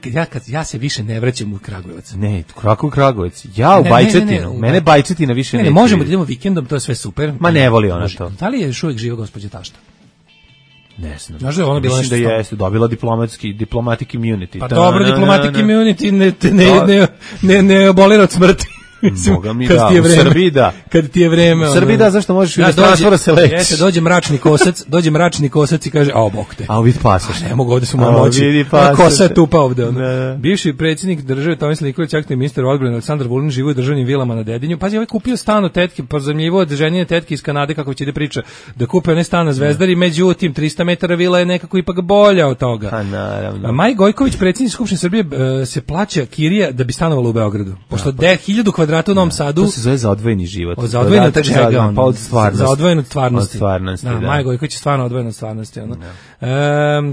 ja se više ne vraćam u Kragujevac. Ne, Kragujevac. Ja u Bajčetinu. Mene Bajčetina više neće. Ne, možemo da idemo vikendom, to je sve super. Ma ne voli ona to. Da li je još uvijek živa gospođa Tašta? Ne znam. Znaš da je ona bila nešto... Mislim da jeste, dobila diplomatic immunity. Pa dobro, diplomatic immunity ne abolira od smrti. Boga mi da, u Srbiji da. Kad ti je vreme. U Srbiji da, zašto možeš da transfera se leći? Jeste, dođe mračni kosac i kaže, a bog te. A vid pasoš. Ne mogu, ovde su moja moći. Kosa je tupa ovde. Bivši predsjednik države Tomislav Nikolić, aktivni ministar odbrane Aleksandar Vulin živi u državnim vilama na Dedinju. Pazi, ovaj kupio stan od tetke, pozajmljivo od ženine tetke iz Kanade, kako će ide priča, da kupe onaj stan na Zvezdari, međutim 300 metara vila je nekako ipak bolja od toga. A naravno. Maj Gojković, predsjednik Skupštine Srbije, se plaća kirija da bi stanovala u Beogradu. Pošto 1000 kvadrata u Novom Sadu. To se zove za odvojeni život. Za odvojen od čega? Pa od stvarnosti. Za odvojen od stvarnosti. Od stvarnosti, da. Maja Gojković je stvarno odvojen od stvarnosti.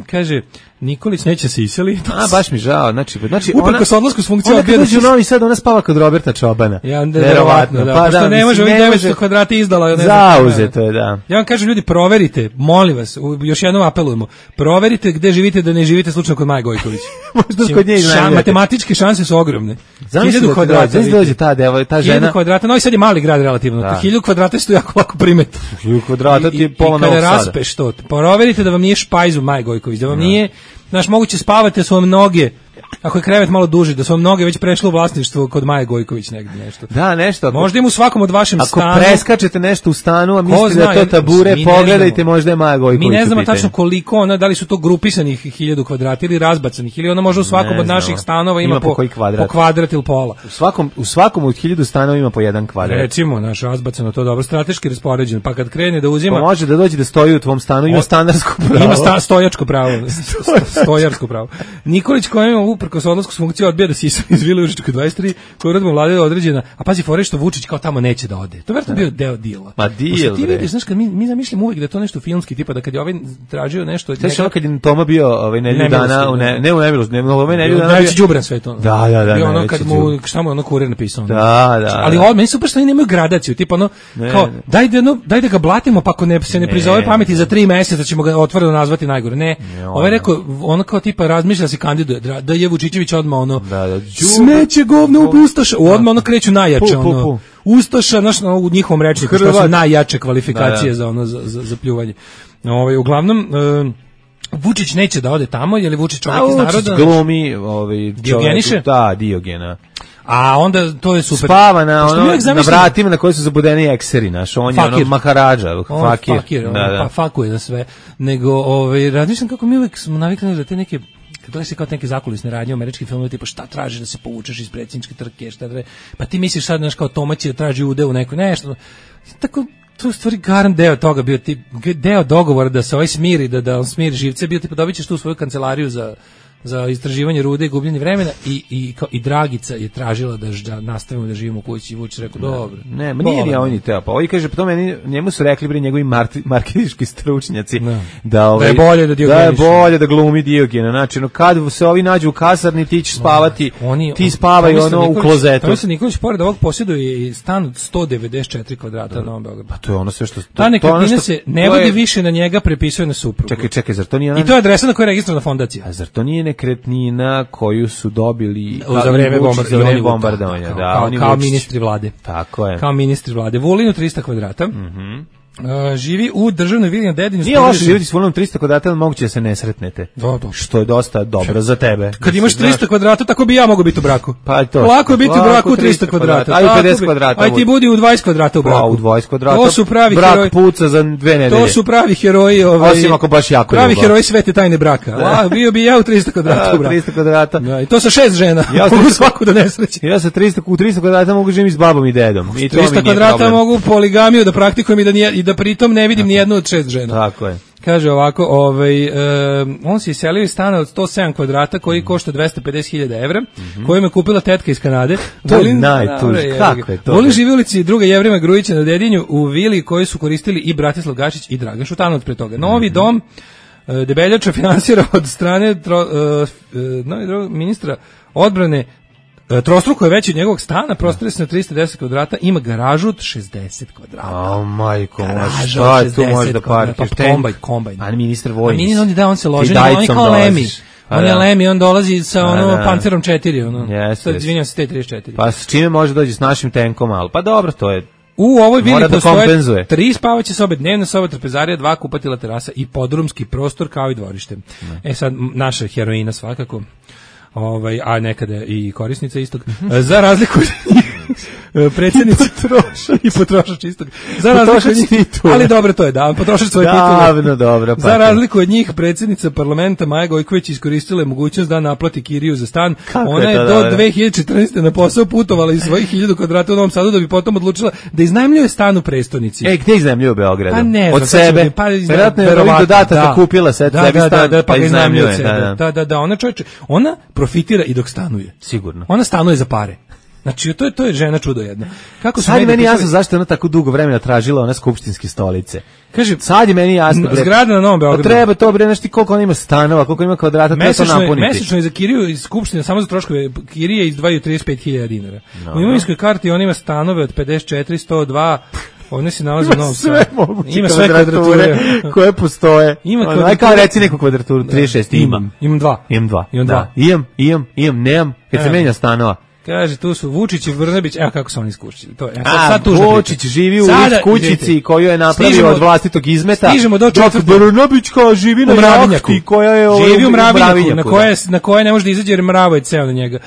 Kaže, Nikolić neće se iseliti. A, baš mi žao. Znači uprkos odlasku s funkcije... Ona kad dođe u Novi Sad, ona spava kod Roberta Čobana. Ja, verovatno, da. Pošto ne može ovih 900 kvadrata izdala. Zauzeto je, da. Ja vam kažem, ljudi, proverite, molim vas, još jednom apelujemo, proverite gde živite, da ne živite slučajno kod Maje Gojković. Možda kod nje iznajmljate. Matematičke šanse su ogromne. 1000 kvadrata. Dođe ta žena. 1000 kvadrata, Novi Sad je mali grad relativno. 1000 kvadrata što jako lako primeti. 1000 kvadrata ti je pola Novog Sada. I kada raspeš to, proverite da vam nije špajz u Maje Gojković, da vam nije, znaš, moguće spavate, su vam noge Ako je krevet malo duži, da su mnoge već prešle u vlasništvo kod Maje Gojković negdje nešto. Da, nešto. Možda im u svakom od vašem stanu. Ako preskačete nešto u stanu, a mislite da je to tabure, pogledajte, možda je Maja Gojković. Mi ne znamo tačno koliko ona, da li su to grupisanih 1000 kvadrata ili razbacanih, ili ona možda u svakom od naših stanova ima po kvadrat ili pola. U svakom od 1000 stanova ima po jedan kvadrat. Recimo, naš razbacano to dobro, strateški raspoređen, pa kad krene da uzima... Pa može da dođe da stoji u tvom stanu, ima stanarsko pravo. Ima stojačko pravo, stojarsko pravo. Nikolić koja ima uprkos odlasku s funkcije odbija da sisa iz Vile Užička 23, koja uredbom vlade određena, a pazi fore što Vučić kao tamo neće da ode. To je vjerojatno bio deo dila. Ma deal, ti vidiš, znaš, kad mi zamišljamo uvijek da je to nešto filmski, tipa da kad je ovaj tražio nešto... Znaš ono kad je Toma bio nedelju dana, ne u nemilost, nedelju dana... Najveći đubran sve to. Da, bio ono kad mu, šta mu je ono kurir napisao. Da. Ali meni super što oni nemaju gradaciju, tipa ono, kao, daj da ga blatimo, pa ako se ne prizove pameti za 3 meseca ćemo ga otvoreno nazvati najgore. Ne, ovaj rekao, ono kao tipa razmišlja se kandiduje, da je Vučićević odmah ono, smeće govno u Ustaša, odmah ono kreću najjače, ono, Ustaša, znaš, u njihovom rečniku, što su najjače kvalifikacije za ono, za pljuvanje. Uglavnom, Vučić neće da ode tamo, je li Vučić čovjek iz naroda? Vučić glumi Diogeniše? Da, Diogena. A onda to je super. Spava na vratima na koji su zabudeni ekseri, naš, on je ono maharadža, fakir. Pa fakuje za sve. Nego, razmišljam kako mi uvijek smo navikli da te neke, kad gledaš se kao neke zakulisne radnje, američki filmovi, tipa šta tražiš da se povučeš iz predsjedničke trke, pa ti misliš sad, znaš, kao Toma će da traži ude u nekoj, nešto, tako, to je u stvari garant deo toga bio, deo dogovora da se ovaj smiri, da on smiri živce, bio tipa dobit ćeš tu svoju kancelariju za istraživanje rude i gubljenje vremena i Dragica je tražila da nastavimo da živimo u kući i Vučić rekao dobro. Ne, nije ni on ni teo. Pa ovaj kaže, pa to njemu su rekli bre njegovi marketinški stručnjaci da je bolje da glumi Diogena. Znači, kad se ovi nađu u kasarni, ti ćeš spavati, ti spavaj ono u klozetu. Tomislav Nikolić pored ovog posjeduje i stan od 194 kvadrata na Novom Beogradu. Pa to je ono sve što... Ta nekretnina se ne vodi više na njega, prepisuje na suprugu. Čekaj, zar to nije... I to je adresa na kojoj je registrovana fondacija. A zar to nije nekretnina koju su dobili za vreme bombardovanja, kao ministri vlade. Tako je. Kao ministri vlade. Vulinu 300 kvadrata. Živi u državnoj vili na Dedinju. Nije loše živjeti s Vulinom 300 kvadrata, ali moguće da se ne sretnete. Što je dosta dobro za tebe. Kad imaš 300 kvadrata, tako bi ja mogao biti u braku. Pa to. Lako je biti u braku 300 kvadrata. Aj u 50 kvadrata. Aj ti budi u 20 kvadrata u braku. Pa u 20 kvadrata. To su pravi brak heroji. Puca za 2 nedelje. To su pravi heroji, osim ako baš jako pravi heroji svete tajne braka. Bio bi ja u 300 kvadrata u braku. 300 kvadrata. I to sa 6 žena. Mogu svaku da nesreće. Ja sa 300 kvadrata mogu živjeti s babom i dedom. I to 300 kvadrata mogu poligamiju da praktikujem i da pritom ne vidim ni jednu od 6 žena. Tako je. Kaže ovako, on se iselio iz stana od 107 kvadrata koji košta 250.000 evra, koju me kupila tetka iz Kanade. To je najtuži, kako je to? Volin živi u ulici druga Jevrima Grujića na Dedinju u vili koju su koristili i Bratislav Gašić i Dragan Šutanovac pre toga. Novi dom Debeljača finansira od strane ministra odbrane. Trostruko je veći od njegovog stana, prostire se na 310 kvadrata, ima garažu od 60 kvadrata. Majko, šta je tu može da parkiraš? Kombajn. A ministar vojni. On se loži, on je kao Lemi. On je Lemi, on dolazi sa Pancerom 4, izvinjam se, T-34. Pa s čime može dođi s našim tenkom, ali pa dobro, to je... U ovoj vili postoje 3 spavaće sobe, dnevna soba, trpezarija, 2 kupatila, terasa i podrumski prostor kao i dvorište. Sad, naša heroina svakako. A nekada i korisnica istog. Za razliku predsjednica i potrošač istog. Za razliku od njih, ali dobro to je, da, potrošač svoje titule. Dobro, za razliku od njih, predsjednica parlamenta Maja Gojković iskoristila je mogućnost da naplati kiriju za stan. Ona je do 2014. na posao putovala iz svojih 1000 kvadrata u Novom Sadu da bi potom odlučila da iznajmljuje stan u prestonici. Gde iznajmljuje u Beogradu? Pa ne, od sebe. Verovatno je ovih dodataka kupila sebi stan, pa iznajmljuje od sebe. Da, ona čovječe, ona profitira i dok stanuje. Sigurno. Ona stanuje za pare. Znači, to je žena čudo jedno. Kako sad je meni jasno zašto je ona tako dugo vremena tražila one skupštinske stolice. Kaže, sad je meni jasno. Zgrada na Novom Beogradu. Treba to bre, nešto koliko ona ima stanova, koliko ima kvadrata, treba to napuniti. Mesečno je za kiriju iz skupštine, samo za troškove kirije izdvajaju 35.000 dinara. U imovinskoj karti on ima stanove od 54, 102, ovdje se nalazi u Novom Sadu. Ima sve kvadrature koje postoje. Aj kao reci neku kvadraturu, 36 imam 2. Imam 2. Imam, nemam, kad se menja stanova. Kaže, tu su Vučić i Brnabić, evo kako su oni skušili. To je, sad Vučić živi u kućici koju je napravio od vlastitog izmeta. Stižemo do četvrtog. Brnabić kao živi na jahti koja je živi u Mravinjaku, na koje ne može da izađe jer mravo je ceo na njega.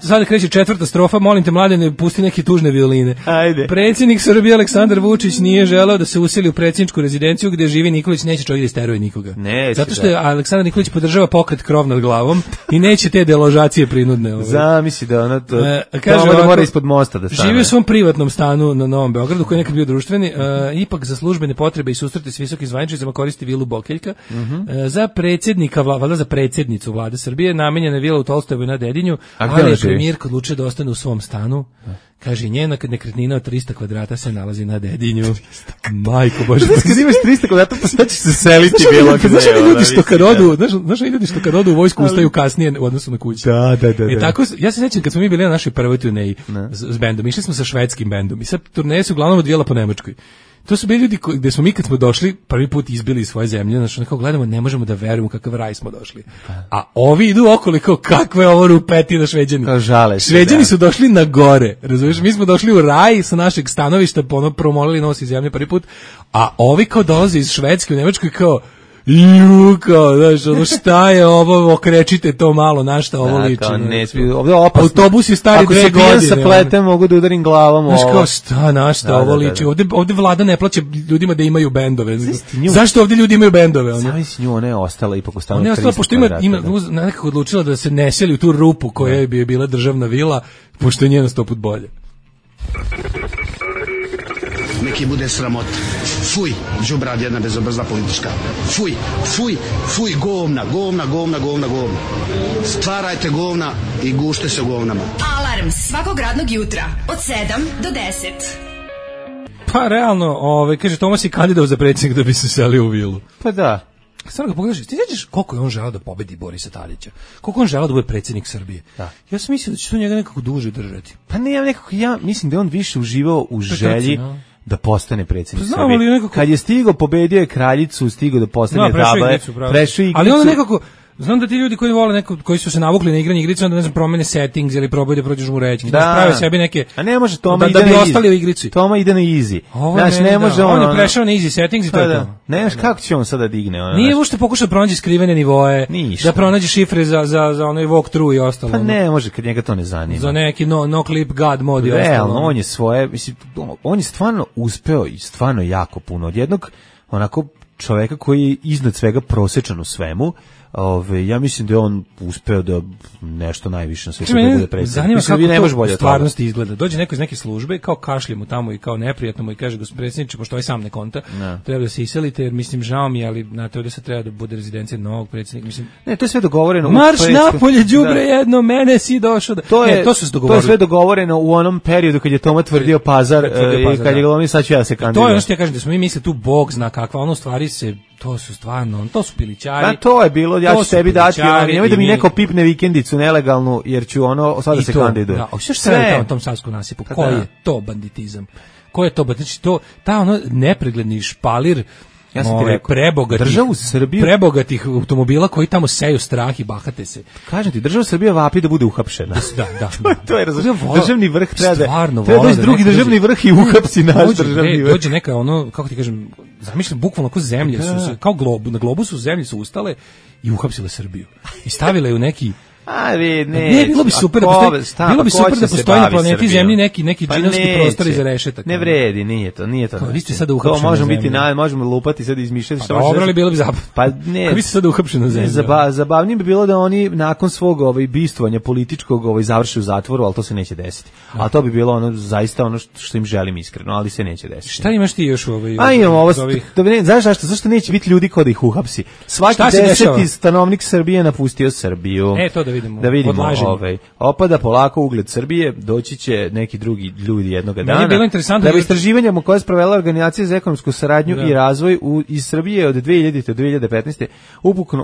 Sada kreće četvrta strofa, molim te mladene, pusti neke tužne violine. Ajde. Predsjednik Srbije Aleksandar Vučić nije želeo da se useli u predsjedničku rezidenciju gde živi Nikolić, neće čovjek da isteruje nikoga. Zato što je Aleksandar Nikolić podržava pokret Krov nad glavom i neće te deložacije prinudne. Zamisli da ona da mora ispod mosta da stane. Živi u svom privatnom stanu na Novom Beogradu koji je nekad bio društveni, ipak za službene potrebe i susrete s visokim zvaničnicama koristi vilu Bokeljka. Za predsjednika, valjda za predsjednicu Vlade Srbije namenjena je vila u Tolstojevoj na Dedinju, ali je premijerka odlučila da ostane u svom stanu. Kaže, njena nekretnina od 300 kvadrata se nalazi na Dedinju. Majko Bože. Kad imaš 300 kvadrata, pa sad ćeš se seliti bilo gde. Znaš ljudi što kad odu u vojsku ustaju kasnije u odnosu na kuću. Da. Tako, ja se sećam kad smo mi bili na našoj prvoj turneji s bendom, išli smo sa švedskim bendom i sad turneje se uglavnom odvijala po Nemačkoj. To su bili ljudi gde smo mi kad smo došli prvi put izbili iz svoje zemlje, znači nekako gledamo, ne možemo da verujemo kakav raj smo došli. A ovi idu okolo kao kakve ovo rupetina Šveđani. Šveđani su došli na gore, razumiješ? Mi smo došli u raj sa našeg stanovišta, promolili nos iz zemlje prvi put, a ovi kao dolaze iz Švedske u Nemačkoj kao kao, znaš, ono šta je ovo, okrečite to malo, na šta ovo liči. Ovdje opasno. Autobus je stari 2 godine. Ako se pijan sa pletem, mogu da udarim glavom ovo. Znaš kao, šta, na šta ovo liči. Ovdje vlada ne plaća ljudima da imaju bendove. Zašto ovdje ljudi imaju bendove? Zavisi nju, ona je ostala ipak u stanu 300 kvadrata. Ona je ostala, pošto ima nekako odlučila da se ne seli u tu rupu koja bi bila državna vila, pošto je njena 100 put bolje. Neki bude sramot. Fuj, đubrad jedna bezobrazna politička. Fuj, govna. Stvarajte govna i gušte se u govnama. Alarm svakog radnog jutra od 7 do 10. Pa realno, kaže, Tomas je kandidao za predsjednik da bi se selio u vilu. Pa da. Samo ga pogledaš, ti znaš koliko je on želeo da pobedi Borisa Tadića? Koliko on želeo da bude predsjednik Srbije? Da. Ja sam mislio da će to njega nekako duže držati. Pa ne, ja mislim da je on više uživao u želji da postane predsjednik Srbije. Nekako... Kad je stigao, pobedio je kraljicu, stigao da postane table, prešao igricu. Ali onda nekako, znam da ti ljudi koji vole neko, koji su se navukli na igranje igrice, onda ne znam, promene settings ili probaju da prođeš u reći, da prave sebi neke. A ne može Toma da bi ostali u igrici. Toma ide na easy. Znači ne može on je prešao na easy settings i to je to. Ne znaš kako će on sada digne. Nije uopšte pokušao da pronađe skrivene nivoe, da pronađe šifre za onaj walkthrough i ostalo. Pa ne može kad njega to ne zanima. Za neki no clip god mod i ostalo. Realno, on je svoje, mislim, on je stvarno uspeo i stvarno jako puno od jednog onako čoveka koji je iznad svega prosečan u svemu. Ja mislim da je on uspeo da nešto najviše na svetu bude predsjednik. Zanima kako to stvarnosti izgleda. Dođe neko iz neke službe, kao kašlje mu tamo i kao neprijatno mu i kaže, gospodine predsjedniče, pošto ovaj sam ne konta, treba da se iselite, jer mislim, žao mi, ali znate, ovdje se treba da bude rezidencija novog predsjednika. Mislim, ne, to je sve dogovoreno. Marš napolje, đubre jedno, mene si došao. To su se dogovorili. To je sve dogovoreno u onom periodu kad je Toma tvrdio Pazar i kad je govorio, sad ću ja se kandidirati. To je ono što ja kažem, da smo mi misle tu Bog zna kakva, ono stvari se, to su stvarno, to su pilićari. Da, to je bilo, ja ću sebi dati, nemoj da mi neko pipne vikendicu nelegalnu, jer ću sada se kandiduje. Da, hoćeš sve u tom savskom nasipu, koji je to banditizam? Ko je to, znači to, ta ono nepregledni špalir, ja sam ti rekao, državu Srbiju, prebogatih automobila koji tamo seju strah i bahate se. Kažem ti, država Srbija vapi da bude uhapšena. Da. to je državni vrh treba doći drugi državni vrh i uhapsi naš državni vrh. Dođe neka ono, kako ti kažem, zamišljam bukvalno kao zemlje su kao na globusu zemlje su ustale i uhapsile Srbiju i stavile je u neki ne, bilo bi super da postoji na planeti Zemlji neki džinovski prostor iza rešetaka. Ne vredi, nije to. Vi ste sada uhapšeni. To možemo lupati sad izmišljati što može. Dobro, bilo bi zabavno. Pa ne. Vi ste sada uhapšeni na Zemlji. Zabavnije bi bilo da oni nakon svog bistvovanja političkog završe u zatvoru, al to se neće desiti. A to bi bilo ono zaista ono što im želim iskreno, ali se neće desiti. Šta imaš ti još imam ovo. Znaš zašto neće biti ljudi kod ih uhapsi? Svaki 10. stanovnik Srbije napustio Srbiju. Da vidimo opada polako ugled Srbije, doći će neki drugi ljudi jednog dana. Bilo interesantno da istraživanjima koje je sprovela Organizacija za ekonomsku saradnju i razvoj iz Srbije od 2000. do 2015.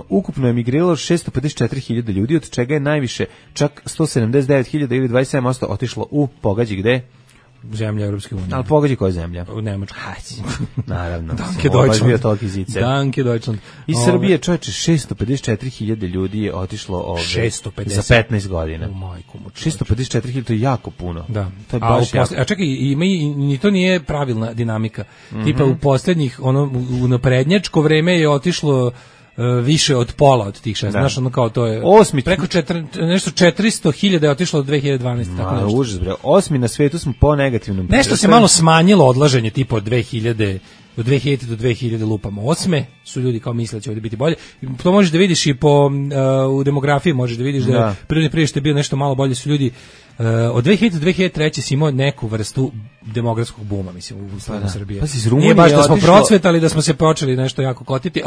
ukupno je emigriralo 654.000 ljudi, od čega je najviše čak 179.000 ili 27% otišlo u pogađi gde? zemlja Evropske unije. Ali pogađi koja je zemlja? U Nemačkoj. Naravno. Danke Deutschland. Danke Deutschland. Iz Srbije, čoveče, 654.000 ljudi je otišlo 650 za 15 godina. 654.000, to je jako puno. Da. To je baš jako. A čekaj, ni to nije pravilna dinamika. Tipa u poslednjih, u naprednjačko vreme je otišlo više od pola od tih 6. Znaš, ono kao to je preko 400.000 je otišlo od 2012. Tako nešto. Užas, bre. 8. na svetu smo po negativnom. Nešto se malo smanjilo odlaženje tipa od 2000 do 2000 lupamo. 8. su ljudi kao misle da će ovdje biti bolje. To možeš da vidiš i u demografiji, možeš da vidiš da prirodni priraštaj je bio nešto malo bolje, su ljudi od 2000 do 2003 si imao neku vrstu demografskog buma, mislim, u Srbiji. Nije baš da smo procvetali, da smo se počeli nešto jako kotiti,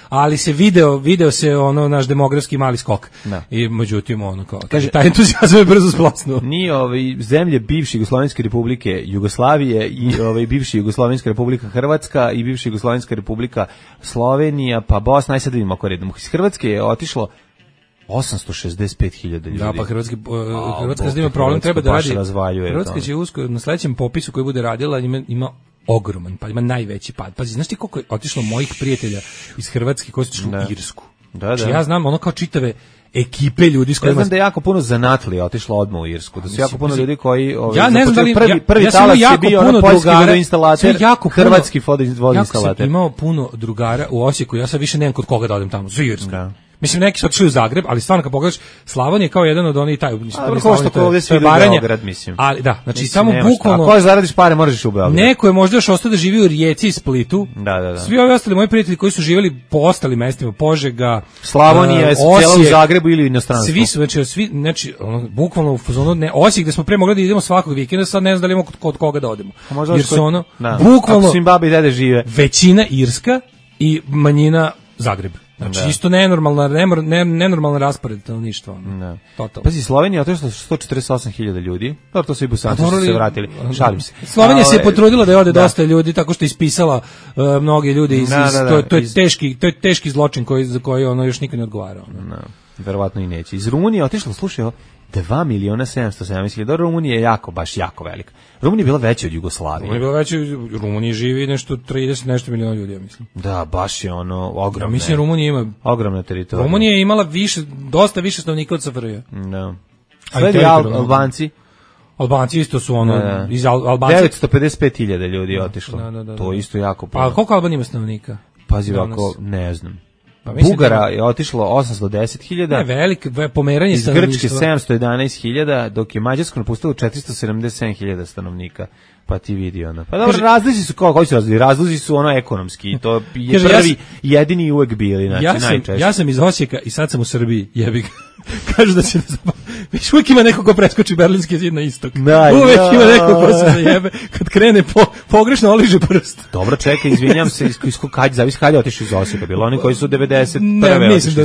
ali se video se naš demografski mali skok. I međutim, kaže, taj entuzijazam je brzo splasnuo. Nije zemlje bivše Jugoslovenske republike Jugoslavije i bivša Jugoslovenska republika Hrvatska i bivša Jugoslovenska republika Slovenija, pa Bosna, aj sad vidimo ako redom. Iz Hrvatske je otišlo 865.000 ljudi. Da, pa Hrvatska ima problem, treba da radi. Hrvatska će uskoro na sledećem popisu koji bude radila ima ogroman, pa ima najveći pad. Pazi, znaš ti koliko je otišlo mojih prijatelja iz Hrvatske koji su otišli u Irsku? Znači, ja znam kao čitave ekipe ljudi s kojima... Ja znam da je jako puno zanatlija otišlo odmah u Irsku, da su jako puno ljudi koji... Ja ne znam da li... Prvi talas je bio poljski vodoinstalater, hrvatski vodoinstalater. Jako sam imao puno drugara u Osijeku, ja sad više nemam kod koga da odem tamo, za Irsku. Mislim, neki su otišli u Zagreb, ali stvarno kad pogledaš, Slavonija je kao jedan od onih taj... Što ovdje svi idu u Beograd, mislim. Ali da, znači samo bukvalno... Ako zaradiš pare, možeš u Beograd. Neko je možda još ostao da živi u Rijeci i Splitu. Da. Svi ovi ostali moji prijatelji koji su živjeli po ostalim mestima, Požega, Slavonija, cijela u Zagrebu ili u inostranstvu. Svi su, znači bukvalno u fazonu, Osijek gde smo pre mogli da idemo svakog vikenda, sad ne znam da li imamo kod koga da odemo. Jer su bukvalno... Ako su im babi i dede žive. Većina Irska i manjina Zagreb. Znači isto nenormalna raspored stanovništva. Totalno. Pazi, Slovenija je otišla 148.000 ljudi. Dobro, to su i Bosanci su se vratili. Šalim se. Slovenija se je potrudila da ode dosta ljudi tako što je ispisala mnoge ljudi iz to je teški zločin za koji još nikad ne odgovarao. Verovatno i neće. Iz Rumunije otišlo, slušaj, 2.770.000. Rumunija je jako velika. Rumunija je bila veća od Jugoslavije. U Rumuniji živi nešto 30 miliona ljudi, ja mislim. Da, baš je ogromno. Ja mislim Rumunija ima ogromna teritorija. Rumunija je imala dosta više stanovnika od SFRJ. Da. Sledi Albanci. Albanci isto su iz Albanci 955.000 ljudi je otišlo. To je isto jako puno. A koliko Albanija ima stanovnika? Pazi ovako, ne znam. Bugara je otišlo 810.000. Ne, veliko pomeranje stanovništva. Iz Grčke 711.000, dok je Mađarsko napustilo 477.000 stanovnika. Pa ti vidi onda. Pa dobro, razlici su koji su razlici? Razlici su ekonomski. To je prvi, jedini i uvek bili, znači najčešće. Ja sam iz Osijeka i sad sam u Srbiji, jebi. Kažu da će već uvijek ima neko ko preskoči Berlinski zid na istok. Uvijek ima neko ko se zajebe kad krene pogrešno oliže prst. Dobro, čekaj, izvinjam se, zavisi kad je otišao iz Osijeka. Bilo oni koji su 91. Ne, mislim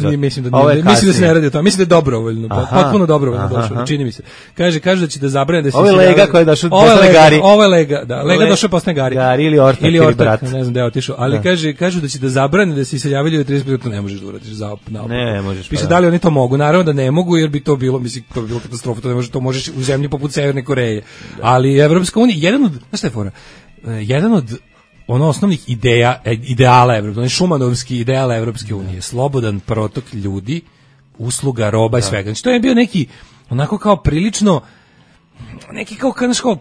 da se ne radi o tome. Mislim da je dobrovoljno, potpuno dobrovoljno došao, čini mi se. Kažu da će da zabrane da se... Ovo je Lega koji je došao posle Gari. Ovo je Lega, da. Lega došao posle Gari. Gari ili Ortak, ili brat. Ne znam da je otišao, ali kažu da će da zabrane da se iseljavaju 30 minuta, ne možeš da uradiš naopako. Ne možeš. Piše da li oni to mogu, naravno da ne mogu, jer bi to bilo, mislim, to bi bilo katastrofa, to možeš u zemlji poput Severne Koreje. Ali Evropska unija, jedan od osnovnih ideala Evropske unije, šumanovski ideal Evropske unije, slobodan protok ljudi, usluga, roba i svega. Znači to je bio neki, onako kao prilično, neki kao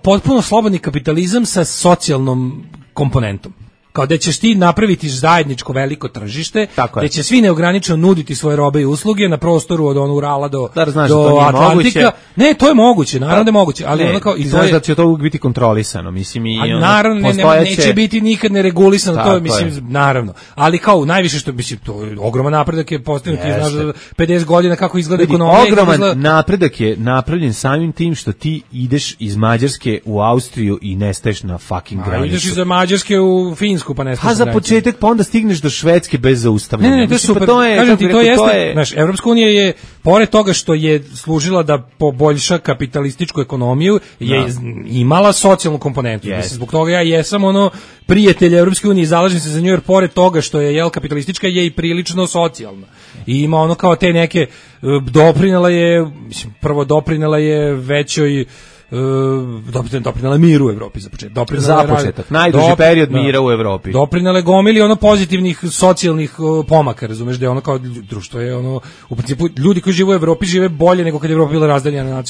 potpuno slobodni kapitalizam sa socijalnom komponentom. Kao da ćeš ti napraviti zajedničko veliko tržište, da će svi neograničeno nuditi svoje robe i usluge na prostoru od Urala do Atlantika. Ne, to je moguće, naravno da je moguće, ali ono kao i to je da će to biti kontrolisano, mislim naravno neće biti nikad neregulisano, to je mislim naravno. Ali kao najviše što mislim to je ogroman napredak je postignut, ti znaš 50 godina kako izgleda ekonomija. Ogroman napredak je napravljen samim tim što ti ideš iz Mađarske u Austriju i nestaješ na fucking granici. Ideš iz Mađarske u Finsku pa nestaš. A za početak pa onda stigneš do Švedske bez zaustavljanja. Ne, to je super. Kažem ti, to jeste, znaš, Evropska unija je, pored toga što je služila da poboljša kapitalističku ekonomiju, je imala socijalnu komponentu. Mislim, zbog toga ja jesam prijatelj Evropske unije i zalažem se za nju, jer pored toga što je kapitalistička, je i prilično socijalna. I ima kao te neke, doprinela je većoj doprinele miru u Evropi za početak. Najduži period mira u Evropi. Doprinele gomili ono pozitivnih socijalnih pomaka, razumeš, da je ono kao društvo je ono, u principu ljudi koji žive u Evropi žive bolje nego kad je Evropa bila razdeljena na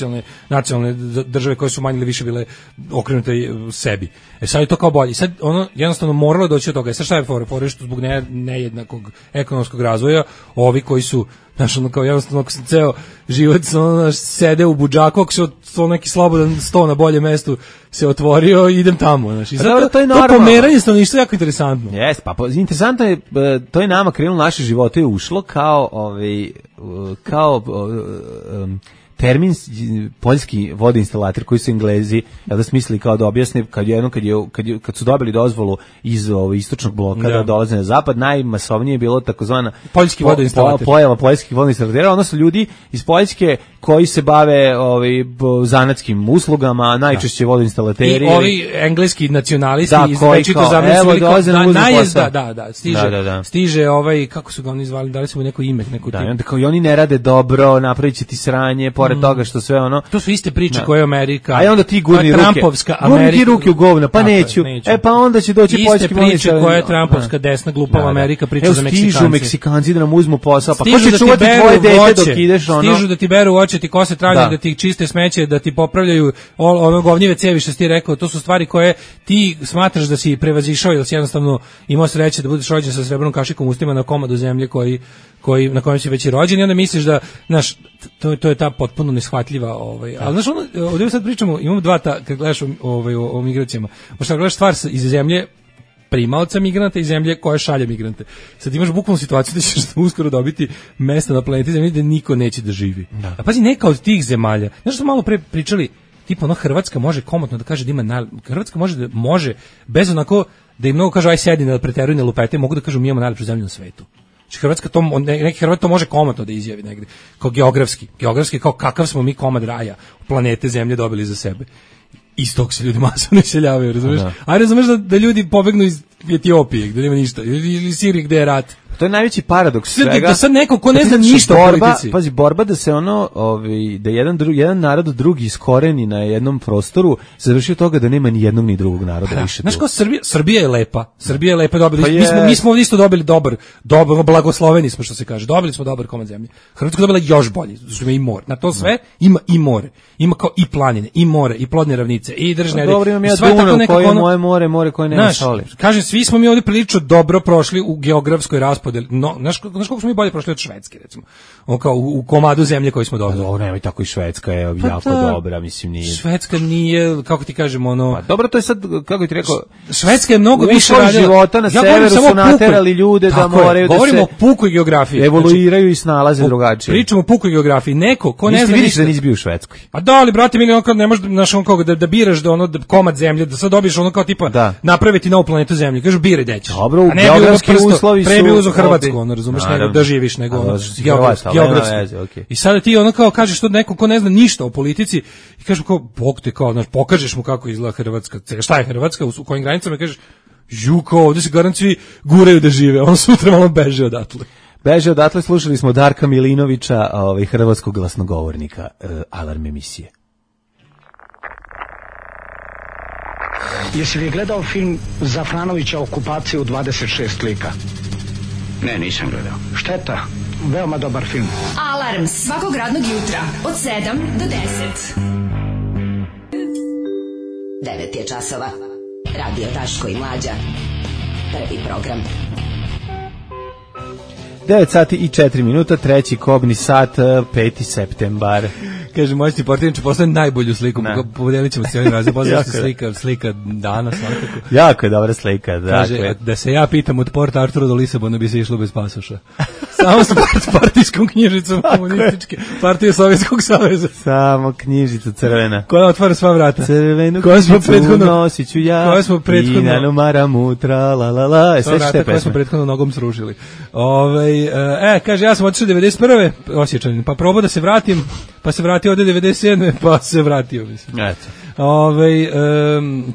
nacionalne države koje su manje ili više bile okrenute sebi. Sad je to kao bolje. Sad ono jednostavno moralo doći od toga. Sad šta je fora što zbog nejednakog ekonomskog razvoja ovi koji su znaš, ono kao jednostavno ako se ceo život ono, sede u budžaku, ako se to neki slobodan sto na bolje mestu se otvorio, idem tamo. Znaš. I zato to pomeranje stanovništva je jako interesantno. Jeste, pa interesantno je, to je nama krenulo naše živote i ušlo kao termin poljski vodoinstalater koji su Englezi da smislili kao da objasne kad su dobili dozvolu iz istočnog bloka da dolaze na zapad, najmasovnije je bilo takozvana poljski vodoinstalater. Pojava poljskih vodoinstalatera, odnosno ljudi iz Poljske koji se bave zanatskim uslugama, najčešće vodoinstalateri. I ovi engleski nacionalisti iz večito zamislili da, stiže kako su ga oni zvali, dali su mu neko ime, i oni ne rade dobro, napraviće ti sranje, pored toga što sve ono. To su iste priče koje je Amerika. A onda ti gurni ruke. Trumpovska Amerika. Gurni ti ruke u govna, pa neću. Pa onda će doći poljski priče iste koje je Trumpovska desna glupava Amerika priča za Meksikanci. Stižu Meksikanci da nam uzmu posao, pa ko će čuvati tvoje dete dok ideš ono? Stižu da ti beru oče, ti kose travnjak, da ti čiste smeće, da ti popravljaju ono govnjive cevi što si ti rekao. To su stvari koje ti smatraš da si prevazišao ili si jednostavno imao sreće da budeš rođen sa srebrnom kašikom u ustima na komadu zemlje na kojem si već i rođen i onda misliš da, znaš, to je ta potpuno neshvatljiva, ali znaš, ovdje sad pričamo, imamo dva kad gledaš o migracijama, možda gledaš stvar iz zemlje primaoca migranta i zemlje koja šalje migrante. Sad imaš bukvalnu situaciju da ćeš uskoro dobiti mesta na planeti Zemlji gde niko neće da živi. Da. A pazi, neka od tih zemalja, znaš što malo pre pričali, tipa ono Hrvatska može komotno da kaže da ima, Hrvatska može bez onako da im mnogo kažu aj sedi da preteruju ne lupete, mogu da kažu mi imamo najlepšu zemlju na svetu. Hrvatska neki Hrvat to može komotno da izjavi negde, kao geografski kao kakav smo mi komad raja planete Zemlje dobili za sebe. Iz tog se ljudi masovno iseljavaju, razumeš? A razumeš da ljudi pobegnu iz Etiopije, gde nema ništa, ili Sirije gde je rat. To je najveći paradoks svega. Da sad neko ko ne zna ništa o politici. Pazi, borba da se da jedan narod drugi iskoreni na jednom prostoru, završi od toga da nema ni jednog ni drugog naroda više. Znaš kao Srbija je lepa. Srbija je lepa, dobili. Mi smo isto dobili dobar, blagosloveni smo što se kaže. Dobili smo dobar komad zemlje. Hrvatska dobila još bolje, zato ima i more. Na to sve ima i more. Ima kao i planine, i more, i plodne ravnice, i držne. Dobro, imam ja Dunav koje je moje more koje nema soli. Kažem, svi smo mi ovdje prilično dobro prošli u geografskoj raspodeli. Znaš koliko smo mi bolje prošli od Švedske, recimo. Kao u komadu zemlje koju smo dobili. Dobro, nema i tako i Švedska je jako dobra, mislim nije. Švedska nije, kako ti kažem, ono. Pa dobro, to je sad, kako ti rekao, Švedska je mnogo više radila. Života na severu su naterali ljude da moraju da se. Govorimo o pukoj geografiji. Evoluiraju i snalaze drugačije. Pričamo o pukoj geografiji. Neko ko ne zna ništa. Da nisi bio u Švedskoj. A da, ali brate, mi ne možeš naš da biraš da ono komad zemlje, da sad dobiješ ono kao tipa napraviti novu planetu Zemlju. Kažu biraj gde ćeš. Dobro, geografski uslovi su. Pre bi uzeo Hrvatsku, ono razumeš, nego da živiš nego geografski. I sada ti ono kao kažeš to neko ko ne zna ništa o politici i kažeš kao bog te kao, znaš, pokažeš mu kako izgleda Hrvatska, šta je Hrvatska, u kojim granicama, kažeš kao ovdje se garant svi guraju da žive, on sutra malo beže odatle. Beže odatle, slušali smo Darka Milinovića, hrvatskog glasnogovornika Alarm emisije. Jesi li gledao film Zafranovića Okupacija u 26 lika? Ne, nisam gledao. Šteta, veoma dobar film. Alarm svakog radnog jutra od 7 do 10. 9 je časova. Radio Daško i Mlađa. Prvi program. 9 sati i 4 minuta, treći kobni sat, 5. septembar. Kaže, moćni portir će postaviti najbolju sliku, podelit ćemo se ovim razom, slika dana svakako. Jako je dobra slika. Kaže, da se ja pitam od Port Artura do Lisabona bi se išlo bez pasoša. Samo s partijskom knjižicom komunističke, partije Sovjetskog saveza. Samo knjižica crvena. Koja otvara sva vrata. Crvenu knjižicu nosit ću ja, i nanomara mutra, la la la. Sva vrata koja smo prethodno nogom srušili. Kaže, ja sam otišao 91. Osjećanin, pa probao da se vratim, pa se vratio ovde 97. pa se vratio, mislim. Eto.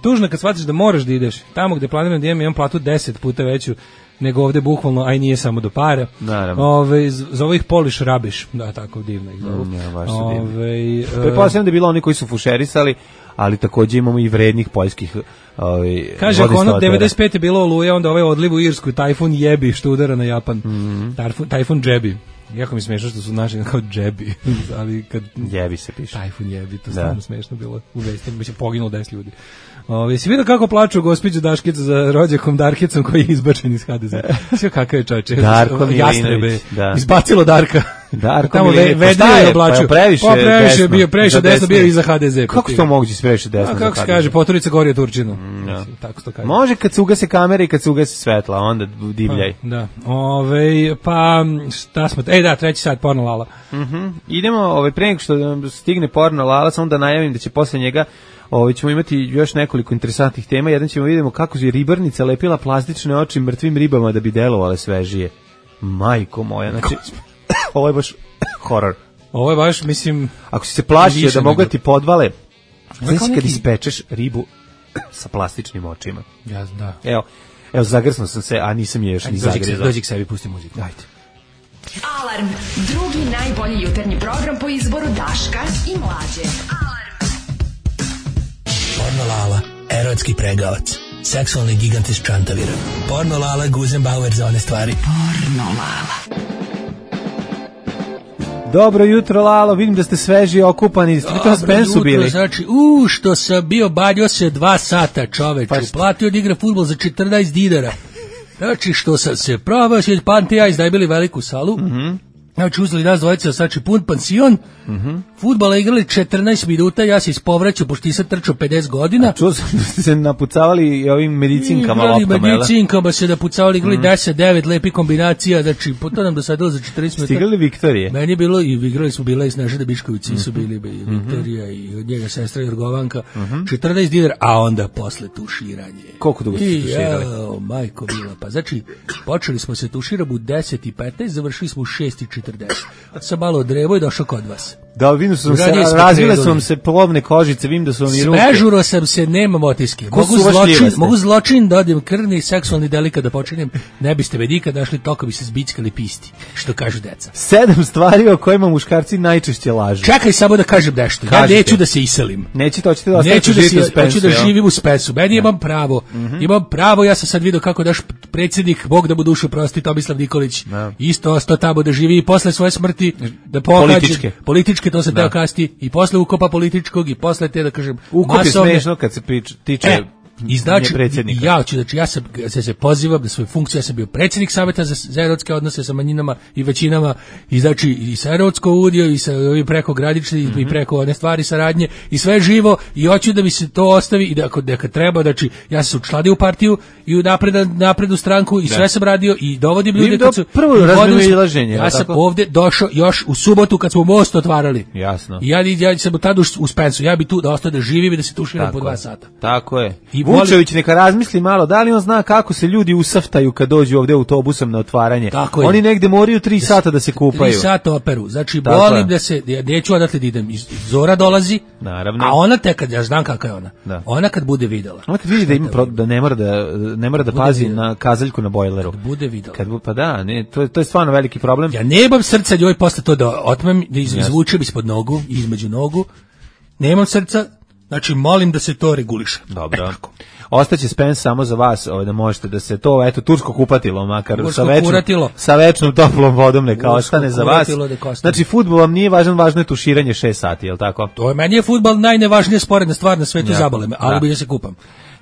Tužno kad shvatiš da moraš da ideš tamo gde planiram da imam platu 10 puta veću nego ovde bukvalno, aj nije samo do para. Naravno. Zove ih Poliš Rabiš, da, tako divno ih zovu. Baš su divno. Pretpostavljam da je bilo oni koji su fušerisali, ali takođe imamo i vrednih poljskih kaže, ako ono 95 je bilo Oluja, onda ovaj odliv u Irsku, tajfun jebi, što udara na Japan. Tajfun džebi. Jako mi smiješno što su naši kao džebi, ali kad... Jebi se piše. Tajfun jebi, to stvarno smiješno bilo u vestima, bi se poginulo 10 ljudi. Si vidio kako plaču gospođu Daškicu za rođakom Darkicom koji je izbačen iz HDZ? Sve kakav je čovječe. Darko Milinović. Izbacilo Darka. Darko Milinović. Vedrio je oblačio. Previše bio, previše desno bio i za HDZ. Kako se to moguće previše desno? Kako se kaže, poturica gori od Turčinu. Tako se to kaže. Može kad se ugase kamere i kad se ugase svetla, onda divljaj. Da. Pa šta smo... treći sat, porno Lala. Idemo, pre nego što stigne porno Lala, samo da najavim da će posle njega ćemo imati još nekoliko interesantnih tema. Jedan ćemo vidimo kako je ribarnica lepila plastične oči mrtvim ribama da bi delovale svežije. Majko moja, znači ovo je baš horor. Ovo je baš, mislim... Ako si se plašio da mogu ti podvale, znači kad ispečeš ribu sa plastičnim očima. Ja, da. Evo, zagrsnuo sam se, a nisam je još ni zagrizao. Dođi k sebi, pusti muziku. Dajte. Alarm, drugi najbolji jutarnji program po izboru Daška i Mlađe. Porno Lala, erotski pregavac, seksualni gigant iz Čantavira. Porno Lala, Guzenbauer za one stvari. Porno Lala. Dobro jutro, Lalo, vidim da ste sveži i okupani. Ste vi to na Spensu bili? Znači, što sam bio, badio se 2 sata, čoveče. Platio da igra fudbal za 14 dinara. Znači, što sam se probao, Pante i ja izdajbili veliku salu. Znači, uzeli nas dvojica, znači pun pansion, fudbala igrali 14 minuta, ja se ispovraćao, pošto nisam trčao 50 godina. A čuo sam da ste se napucavali i ovim medicinkama loptama, jel? Medicinkama se napucavali, igrali 10-9, lepi kombinacija, znači, to nam dosadilo za 40 minuta. Stigrali Viktorije? Meni je bilo, i igrali smo bila i Snežana Bišković, su bili i Viktorija i od njega sestra Jorgovanka, 14 dinara, a onda posle tuširanje. Koliko dugo ste tuširali? Majko bila, pa znači, počeli smo se tuširati u 10:15, završili smo u 6:40. Sam malo odrevo i došao kod vas. Da, vidim su razvile su vam se plovne kožice, vidim da su vam i ruke. Smežuro sam se, nemam otiske. Mogu zločin da odim krvni i seksualni delikat da počinem, ne biste me nikad našli, toko bi se zbickali pisti, što kažu deca. 7 stvari o kojima muškarci najčešće lažu. Čekaj samo da kažem nešto. Ja neću da se iselim. Nećete, hoćete da ostanete živjeti u Spensu. Hoću da živim u Spensu. Meni imam pravo. Imam pravo, ja sam sad vidio kako naš predsjednik, Bog da mu dušu prosti, Tomislav Nikolić, isto ostao tamo da živi i posle svoje smrti da pokaže političke, to se teo kasti, i posle ukopa političkog i posle te, da kažem, ukop je smešno kad se tiče i znači, ja se pozivam da svoju funkciju, ja sam bio predsjednik Saveta za erotske odnose sa manjinama i većinama, i znači i sa Erotsko udio i sa ovim preko gradične i preko one stvari saradnje i sve živo, i hoću da mi se to ostavi i da kad treba, znači ja sam se učladio u partiju i u naprednu stranku i sve sam radio i dovodim ljude kad su prvo razmimoilaženje. Ja sam ovde došao još u subotu kad smo most otvarali. Jasno. I ja sam tada u Spensu, ja bi tu da ostao da živim i da se tuširam po 2 sata. Tako je. Vučević neka razmisli malo, da li on zna kako se ljudi usaftaju kad dođu ovde autobusom na otvaranje. Oni negde moraju 3 sata da se kupaju. 3 sata operu. Znači, volim da se, neću odatle da idem. Zora dolazi, naravno. A ona tek, ja znam kakva je ona. Da. Ona kad bude videla. Ona kad vidi da ima da ne mora da pazi na kazaljku na bojleru. Kad bude videla. Pa da, ne, to je stvarno veliki problem. Ja nemam srca njoj posle to da otmem, da izvučem ispod nogu, između nogu. Nemam srca. Znači, molim da se to reguliše. Dobro. Ostaće Spens samo za vas, da možete da se to, tursko kupatilo, makar sa večnom toplom vodom neka ostane za vas. Znači, fudbal vam nije važan, važno je tuširanje 6 sati, je li tako? Meni je fudbal najnevažnija sporedna stvar na svetu, zabole me, ali bi ja se kupam.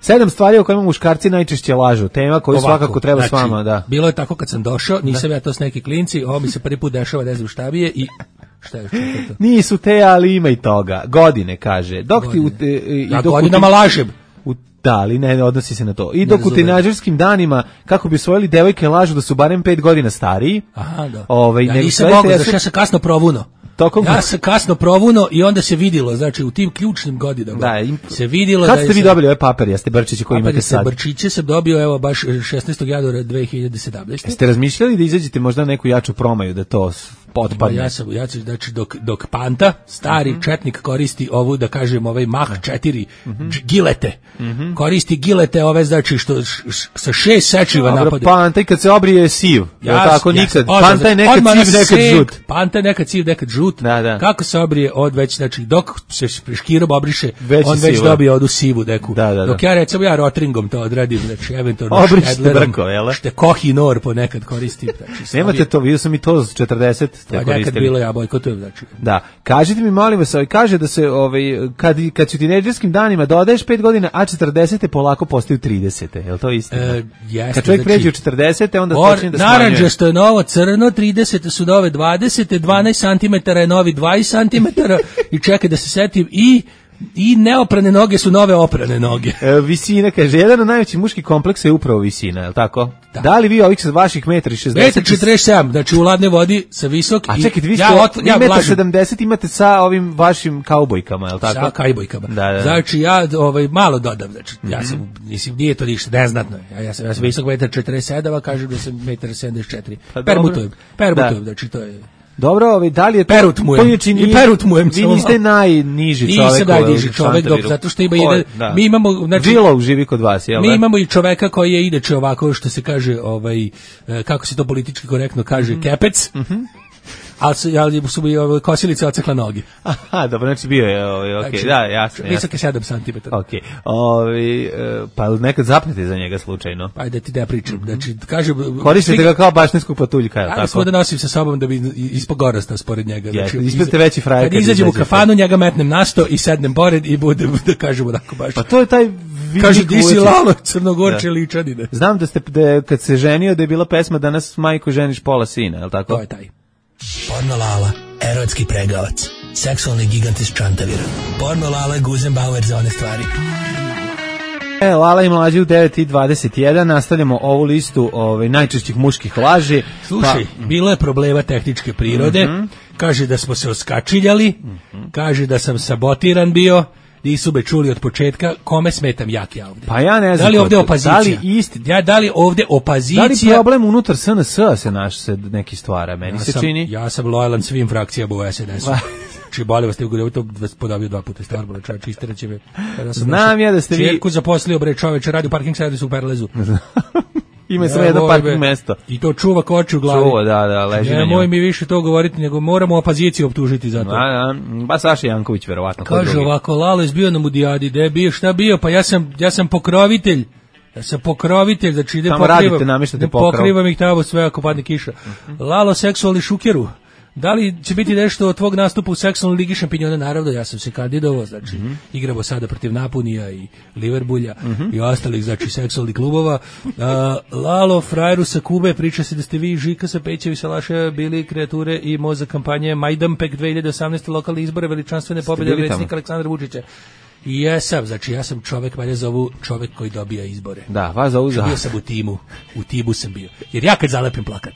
7 stvari o kojima muškarci najčešće lažu, tema koju svakako treba s vama, da. Bilo je tako kad sam došao, nisam ja to s neki klinci, ovo mi se prvi put dešava, ne znam šta bi je i... Šta je to? Nisu te, ali ima i toga. Godine, kaže. Godinama lažem. Da, ali ne odnosi se na to. I dok u teenagerskim danima, kako bi osvojili devojke, lažu da su barem 5 godina stariji. Aha, da. Ja nisam mogao, znači ja sam kasno provuno. Ja sam kasno provuno i onda se vidilo, znači u tim ključnim godinama se vidilo da je... Kad ste vi dobili ove papere, jeste Brčiće koji imate sad? Brčiće sam dobio, evo, baš 16. januara 2017. Jeste razmišljali da izađete možda neku jaču promaju, da to potpadne. Ja ću, znači, dok Panta, stari četnik, koristi ovu, da kažem, ovaj Mach 4 gilete, koristi gilete ove, znači, što sa 6 sečiva napade. Panta i kad se obrije je siv, tako nikad. Panta je nekad siv, nekad žut. Panta je nekad siv, nekad žut. Da. Kako se obrije od već, znači, dok se škirom obriše, on već sivo. dobije odu sivu neku. Da. Dok ja, recimo, Rotringom to odradim, znači, eventualno obrišite brko, jel? Šte Kohi Nor ponekad koristim. Znači, nemate to, vidio sam i to z 40 ste koristili. Nekad bilo, ja bojkotujem, znači. Da, kažite mi, molim vas, kaže da se, kad su tinejdžerskim danima dodaješ 5 godina, a 40 polako postaju 30, je li to istina? Jeste, kad čovjek pređe u 40, onda počne da smanjuje. Naranđasto je novo crno, 30 su nove 20, 12 cm je novi 20 cm i čekaj da se setim i neoprane noge su nove oprane noge. Visina, kaže, jedan od najvećih muških kompleksa je upravo visina, je li tako? Da li vi ovih sa vaših 1,60 m? 1,47 znači u ladnoj vodi sa visok. A čekajte, vi ste 1,70 m imate sa ovim vašim kaubojkama, je li tako? Sa kaubojkama. Da. Znači ja malo dodam, znači ja sam, mislim, nije to ništa, neznatno je. Ja sam visok 1,47 m, a kažem da sam 1,74 m. Permutujem, znači to je... Dobro, da li je to... Perutmujem. Vi niste najniži čovek. Nisam najniži čovek, zato što ima jedan... Mi imamo... Willow živi kod vas, jel? Mi imamo i čoveka koji je inače ovako, što se kaže, kako se to politički korektno kaže, kepec. Ali su mi kosilice ocekla noge. Aha, dobro, znači bio je, okej, da, jasno. Visoke 7 cm. Okej, pa nekad zapnete za njega slučajno. Pa da ti da pričam, znači, kažem... Koristite ga kao baštinskog patuljka, tako? Ja sam da nosim sa sobom da bi ispod gorasta spored njega. Znači, ispredite veći frajer. Kad izađem u kafanu, njega metnem na sto i sednem pored i budem, da kažem, onako baš... Pa to je taj... Kaže, di si Lalo, Crnogorče ličanine. Znam da kad se ženio, da je bila pesma Danas majko ženiš pola sina, je li tako? To je taj. Porno Lala, erotski pregavac, seksualni gigant iz Čantavira. Porno Lala, Guzenbauer za one stvari. Lala i mlađi u 9:21, nastavljamo ovu listu najčešćih muških laži. Slušaj, bilo je problema tehničke prirode, kaže da smo se oskačiljali, kaže da sam sabotiran bio, nisu me čuli od početka, kome smetam ja ovde? Pa ja ne znam. Da li ovde opozicija? Da li ovde opozicija? Da li problem unutar SNS-a se neki stvara? Meni se čini. Ja sam lojalan svim frakcijama u SNS-u. Či boli vas, to vas podavio 2 puta Starbole, čovječ, istiraće me. Znam ja da ste vi... Čerku zaposlio, bre, čovječe, radi u parking servisu u Perlezu. Ima samo jedno parking mesto. I to čuva koči u glavi. Čuva, da, leži na njoj. Nemoj mi više to govoriti, nego moramo opoziciju optužiti za to. Ba Saša Janković, verovatno. Kaže ovako, Lalo je bio na Mudijadi, da je bio, šta bio? Pa ja sam pokrovitelj. Ja sam pokrovitelj, znači ide pokrivam ih tamo sve ako padne kiša. Lalo, seksualni šukeru. Da li će biti nešto od tvog nastupa u seksualnoj ligi šampinjona? Naravno, ja sam se kandidovao, znači igramo sada protiv Napunija i Liverbulja i ostalih, znači, seksualnih klubova. Lalo, frajeru sa Kube, priča se da ste vi Žika sa Pećevi Salaša bili kreature i mozak kampanje Majdanpek 2018. lokalne izbore veličanstvene pobjede predsjednika Aleksandra Vučića. I jesam, znači ja sam čovek, mene zovu čovek koji dobija izbore. Da, vas zovu za... Bio sam u timu sam bio. Jer ja kad zalepim plakat,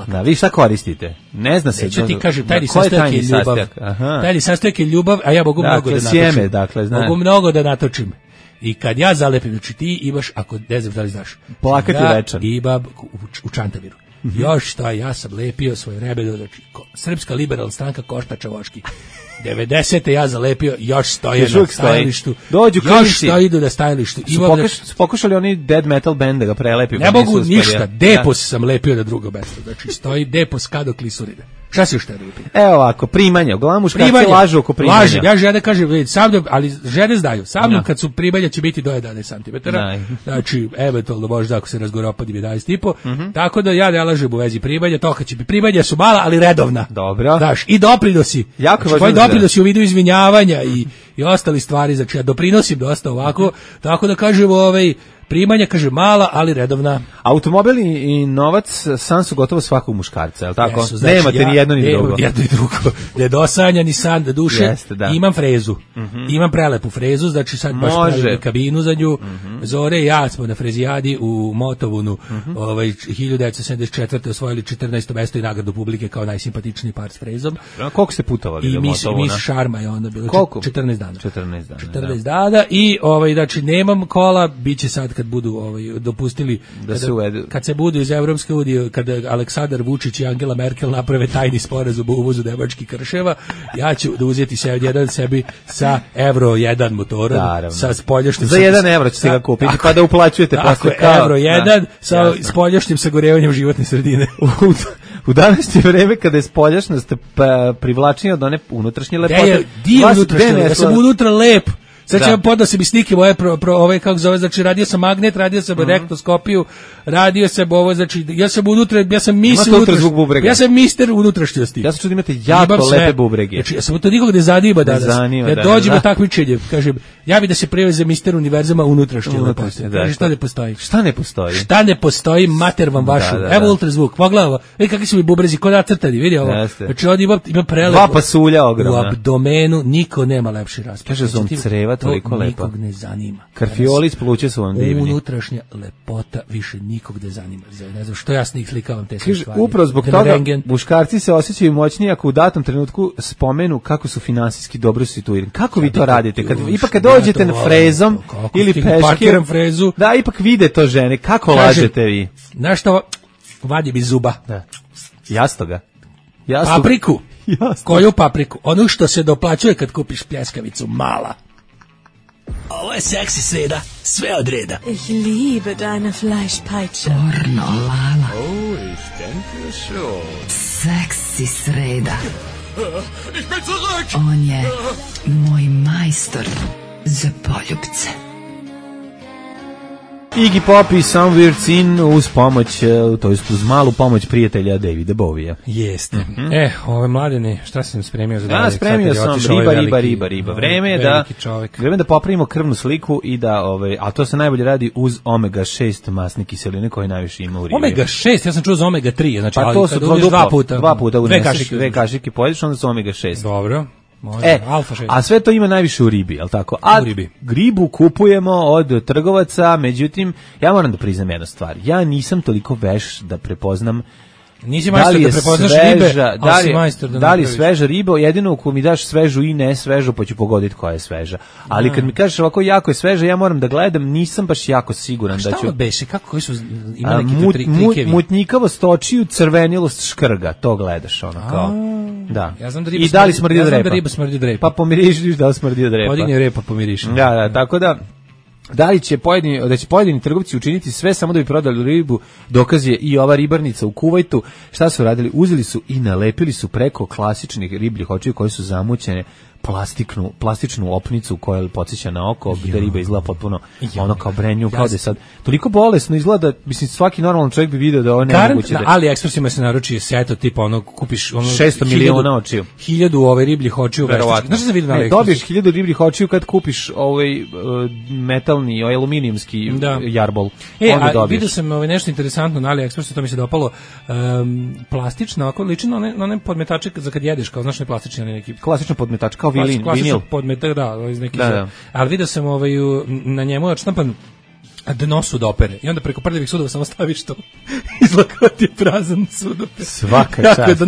Da, vi šta koristite? Ne zna se. Neću ti kažem, tajni sastojak je ljubav. Tajni sastojak je ljubav, a ja mogu mnogo da natočim. Sjeme, dakle, znam. Mogu mnogo da natočim. I kad ja zalepim, znači ti imaš, ako ne znam da li znaš, plakat je večan. Imam u Čantaviru. Još šta, ja sam lepio svoj rebedo, znači Srpska liberalna stranka Košta Čavoški. 90. ja zalepio, još stoje na stajalištu. Još što idu na stajalištu. Su pokušali oni dead metal band da ga prelepi? Ne mogu ništa, Depos sam lepio na drugo mesto. Znači stoji Depos Kado Klisurine. Šta si još te lepio? Evo ovako, primanja. Uglavnom muškarci lažu oko primanja. Laže, ja žene kažem, ali žene znaju. Sa mnom kad su primanja će biti do 11 cm. Znači, eventualno možda ako se razgoropadim 11,5. Tako da ja ne lažem u vezi primanja. To kad će biti primanja su mala, ali redovna. Dobro. Znaš, i doprinosi. Tvoji doprinosi u vidu izvinjavanja i ostali stvari. Znači, ja doprinosim dosta ovako. Tako da kažem, primanja, kaže, mala, ali redovna. Automobil i novac san su gotovo svakog muškarca, je li tako? Znači, nemate ni jedno ni drugo. Jedno i drugo. Nedosanja, ni san, duše. Jeste, da. Imam frezu. Imam prelepu frezu, znači sad baš pravim kabinu za nju. Zore i ja smo na frezijadi u Motovunu 1974. osvojili 14. mesto i nagradu publike kao najsimpatičniji par s frezom. Koliko ste putovali do Motovuna? I Miss Šarma je onda bilo. Koliko? 14 dana. 14 dana. 14 dana i znači nemam kola, bit će sad kad budu dopustili da se uvedu. Kad se budu iz Evropske unije, kada Aleksandar Vučić i Angela Merkel naprave tajni sporazum o uvozu nemačkih krševa, ja ću da uzeti jedan sebi sa Euro 1 motorom, sa spoljašnjim za 1 evro ćete ga kupiti, pa da uplaćujete posle kao Euro 1 sa spoljašnjim sagorevanjem životne sredine. U današnje vreme kada je spoljašnost privlačnija od one unutrašnje lepote. Ja sam unutra lep. Sad ćemo podao se mi slike moje ove kako zove, znači radio sam magnet, radio sam rektoskopiju, radio sam ovo, znači ja sam unutra, ja sam mister unutrašnjosti. Ja sam čuo da imate jako lepe bubrege. Znači ja sam to nikog ne zanima danas. Ja dođem u takmičenje, kažem, ja bih da se preveze mister univerzuma unutrašnje lepote. Kaže šta ne postoji? Šta ne postoji, mater vam vašu. Evo ultrazvuk, pogledaj, vidi kakvi su mi bubrezi, kod nacrtani, vidi ovo. Znači on ima prelepo. 2 pasulja ogromna. U abdomenu niko nema lepši raspad. Kaže zon creva toliko lepa. Nikog ne zanima. Karfioli iz pluća su vam divni. Unutrašnja lepota više nikog ne zanima. Ne znam što ja slikavam te sve stvari. Upravo zbog toga muškarci se osjećaju moćniji ako u datom trenutku spomenu kako su finansijski dobro situirani. Kako vi to radite? Kad dođete na frezom ili peške, da, ipak vide to žene. Kako lažete vi? Znaš što? Vadi mi zuba. Jastoga. Papriku. Koju papriku? Onu što se doplaćuje kad kupiš pljeskavicu, mala. Ovo je seksi sreda, sve od reda. Ich liebe deine Fleischpeitsche. Pornolala. Oh, ich denke schon. Seksi sreda. Ich bin zurück. On je moj majstor za poljubce. Iggy Pop i Somewhere In uz pomoć, to jest uz malu pomoć prijatelja Davida Bovija. Jeste. Ove mladene, šta sam spremio za dalje? Ja spremio sam riba. Vreme je da popravimo krvnu sliku i da, a to se najbolje radi uz omega 6 masne kiseline koje najviše ima u ribi. Omega 6, ja sam čuo za omega 3, znači pa to su dva puta uneseš, 2 kašike pojedeš, onda su omega 6. Dobro. A sve to ima najviše u ribi, jel tako? A ribu kupujemo od trgovaca, međutim, ja moram da priznam jednu stvar. Ja nisam toliko veš da prepoznam Nisi majstor da prepoznaš ribe, ali si majstor da li je sveža riba, jedino ako mi daš svežu i ne svežu, pa ću pogoditi koja je sveža. Ali kad mi kažeš ovako jako je sveža, ja moram da gledam, nisam baš jako siguran da ću... Šta beše, koji su, ima neki trikevi? Mutnjikavost očiju, crvenilost škrga, to gledaš ono kao... Da. Ja znam da i da li smrdi od repa? Ja znam da riba smrdi od repa. Pa pomirišiš da li smrdi od repa. Podigni repa, pomiriš. Da, tako da... Da li će pojedini trgovci učiniti sve samo da bi prodali ribu, dokaz je i ova ribarnica u Kuvajtu. Šta su radili? Uzeli su i nalepili su preko klasičnih ribljih očiju koje su zamućene plastičnu opnicu koja podsjeća na oko, gde riba izgleda potpuno ono kao brenju, kao da je sad toliko bolesno izgleda, mislim svaki normalan čovjek bi video da ovo nemoguće. Na AliExpressima se naruči seto tipa ono kupiš ono 600 miliona očiju. 1000 ribljih očiju. Znaš šta vidim na AliExpressu? Dobiješ 1000 ribljih očiju kad kupiš metalni, aluminijumski jarbol. A vidio sam nešto interesantno na AliExpressu, to mi se dopalo. Plastična, ako liči na one podmetače za kad jedeš, kao znaš ne plastični, neki klasičan podmetač kao vinil. Podmetak, iz neki ali vidio sam na njemu odštampan dno sudopere i onda preko prljavih sudova samo staviš to izlakati prazan sudoper. Svaka čast.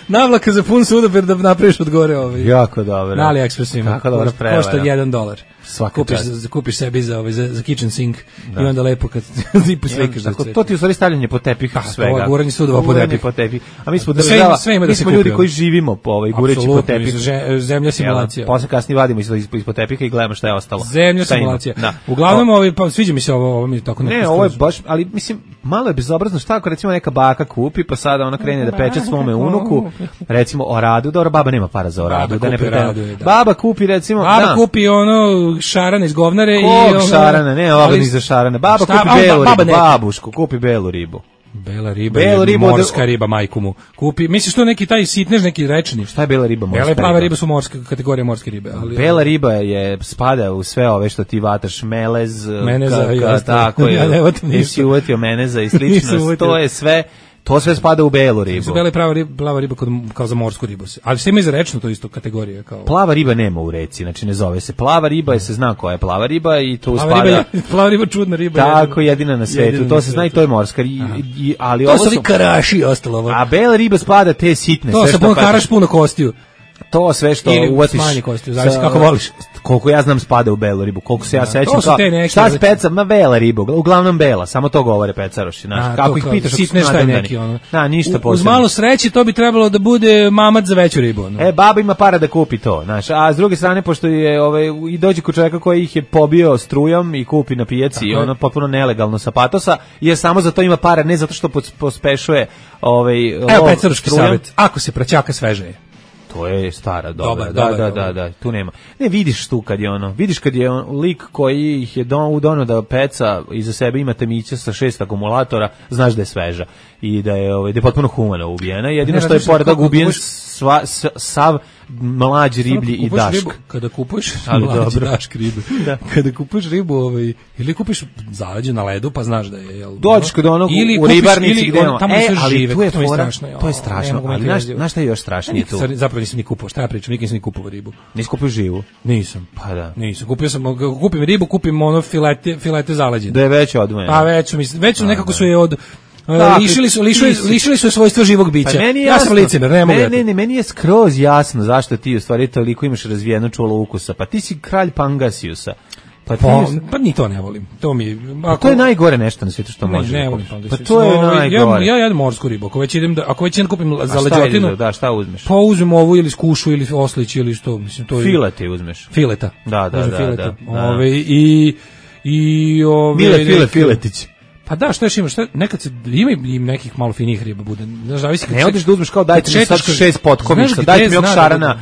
Navlaka za pun sudoper da napraviš od gore Jako dobro. Na AliExpressu ima. Košta $1. Kupiš sebi za kitchen sink i onda lepo kad zipu slikaš. To ti u stvari stavljanje po tepih svega. To je guranje sudova po tepih. A mi smo država, mi smo ljudi koji živimo po gureći po tepih. Zemlja simulacija. Posle kasnije vadimo ispod tepiha i gledamo šta je ostalo. Zemlja simulacija. Uglavnom, sviđa mi se ovo mi je tako ne, ovo je baš, ali mislim, malo je bezobrazno šta ako recimo neka baka kupi, pa sada ona krene da peče svome unuku, recimo oradu, dobro, baba nema para za oradu, da ne pretenduje. Baba kupi recimo, kupi ono šarane iz govnare i ono šarane, ne, ovo ni za šarane. Baba kupi belu ribu, babušku, kupi belu ribu. Bela riba, morska riba, majku mu. Kupi, misliš to neki taj sitnež, neki rečni? Šta je bela riba, morska riba? Bela i plava riba su kategorija morske ribe. Ali, bela riba spada u sve ove što ti vataš, melez, meneza, tako je, nisi uvetio meneza i slično, to je sve... To sve spada u belu ribu. Bela i plava riba kao za morsku ribu. Ali sve ima i za rečnu to isto kategorija. Kao... Plava riba nema u reci, znači ne zove se plava riba, se zna koja je plava riba i to spada... Plava riba čudna riba. Tako, jedina na svetu, to se zna i to je morska. Ali to su ovi karaši ostalo. A bela riba spada te sitne. To se puno karaš, puno kostiju. To sve što ili uvatiš. smanji kostiju, zavisi kako voliš. Koliko ja znam spada u belu ribu, koliko se ja sećam to su te neke, šta speca, ma bela riba, uglavnom bela, samo to govore pecaroši, znaš. Kako ih pitaš, sitne šta je neki ono. Da, ništa posebno. Uz malo sreće to bi trebalo da bude mamac za veću ribu, ono. Baba ima para da kupi to, znaš. A s druge strane, pošto je i dođe kod čovjeka koji ih je pobio strujom i kupi na pijaci i ono potpuno nelegalno sa patosa, jer samo za to ima para, ne zato što pospešuje evo pecaroški savjet, ako se praćaka sveže. To je stara, dobra. Da, tu nema. Ne, vidiš tu vidiš kad je lik koji ih je donio da peca iza sebe ima temića sa 6 akumulatora, znaš da je sveža i da je potpuno humano ubijena. Jedino što je pored toga ubijen sav mlađi riblji i dašk. Kada kupuješ mlađi dašk ribe, kada kupuješ ribu ili kupiš zaleđe na ledu pa znaš da je dođeš kod onog u ribarnici gde tamo sve žive, to je strašno, ali znaš šta je još strašnije tu? Zapravo nisam ni kupovao, šta ja pričam, nikad nisam ni kupovao ribu. Nisi kupio živu? Nisam. Pa da. Nisam, kupim ribu, kupim ono filete zaleđene. Da je već odvojeno. Pa već nekako su je od lišili su svojstvo živog bića. Pa ja sam licemer, ne mogu. Ne, meni je skroz jasno zašto ti u stvari toliko imaš razvijeno čulo ukusa. Pa ti si kralj Pangasiusa. Pa ni to ne volim. To mi to je najgore nešto na svijetu što može. Ne volim Pangasius. Pa to je najgore. Ja jedem morsku ribu. Ako već kupim za leđotinu, da, šta uzmeš? Pa uzmem ovu ili skušu ili oslić ili što, mislim to je. Filete uzmeš. Fileta. Da. Mile Filetić. Pa da, što još imaš? Nekad se ima i nekih malo finijih riba bude. Znaš, zavisi kad ne odeš da uzmeš kao dajte mi sad 6 potkovišta, dajte mi šarana,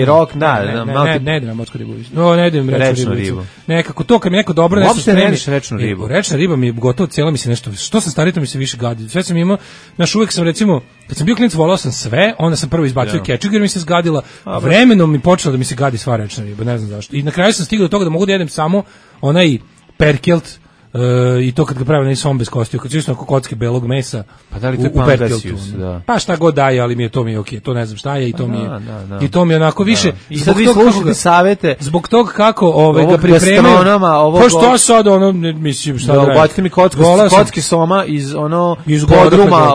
rok, ne idem na morsku ribu. Ne idem rečnu ribu. Nekako to kad mi neko dobro nešto spremi. Uopšte ne rečnu ribu. Rečna riba mi je gotovo cijela mi se nešto. Što sam stariji to mi se više gadi. Sve sam imao, znaš, uvek sam recimo kad sam bio klinac volao sam sve, onda sam prvo izbacio kečug jer mi se zgadila. Vremenom mi počelo da mi se gadi sva rečna riba, ne znam zašto. I na kraju sam stigao do toga da mogu da jedem samo onaj perkelt. I to kad ga pravi som bez kostiju, kad čisto kocke belog mesa. Pa da li to je Pangasius, da. Pa šta god daje, ali to mi je okej, to ne znam šta je i to mi je. I to mi je onako više. I sad vi slušate savete. Zbog toga kako ga pripremaju. Pa što sad mislim šta da. Ubacite mi kocke soma iz podruma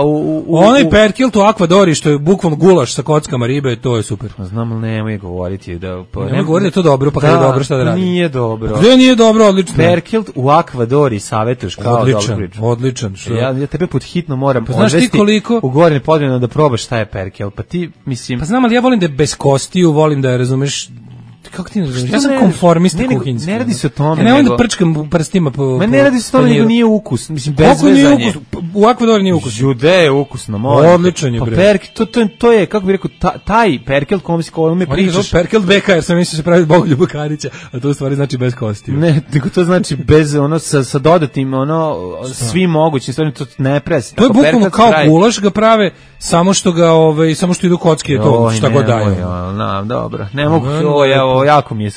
onaj perkelt u Akvadori što je bukvalno gulaš sa kockama ribe, to je super. Znam, ali nemoj govoriti da ne govorite to dobro, pa kad je dobro šta da radi. Nije dobro. Gde nije dobro, odlično. Perkelt u Akvadori savjetuješ kao dobro priču. Odličan. Ja tebe pod hitno moram odvesti u Gornje Podrinje da probaš šta je perkel. Pa ti, mislim... Pa znam, ali ja volim da je bez kostiju, volim da je, razumeš, kako ti ne razumeš? Ja sam konformista kuhinjski. Ne radi se o tome. Ja ne volim da prčkam prstima po... Ma ne radi se o tome, nego nije ukus. Mislim, bez vezanje. U Akvadoru nije ukus. Jude je ukusno, molim. Odličan je, bre. To je, kako bih rekao, taj perkel kome me pričaš. Perkel beka, jer sam mislio se pravi Bogoljuba Karića, a to u stvari znači bez kostiju. Ne, nego to znači bez, sa dodatim, svim mogućim stvarima, to ne presi. To je bukvalno kao gulaš ga prave, samo što idu kocke, to šta god daju. Dobro, ne mogu, jako mi je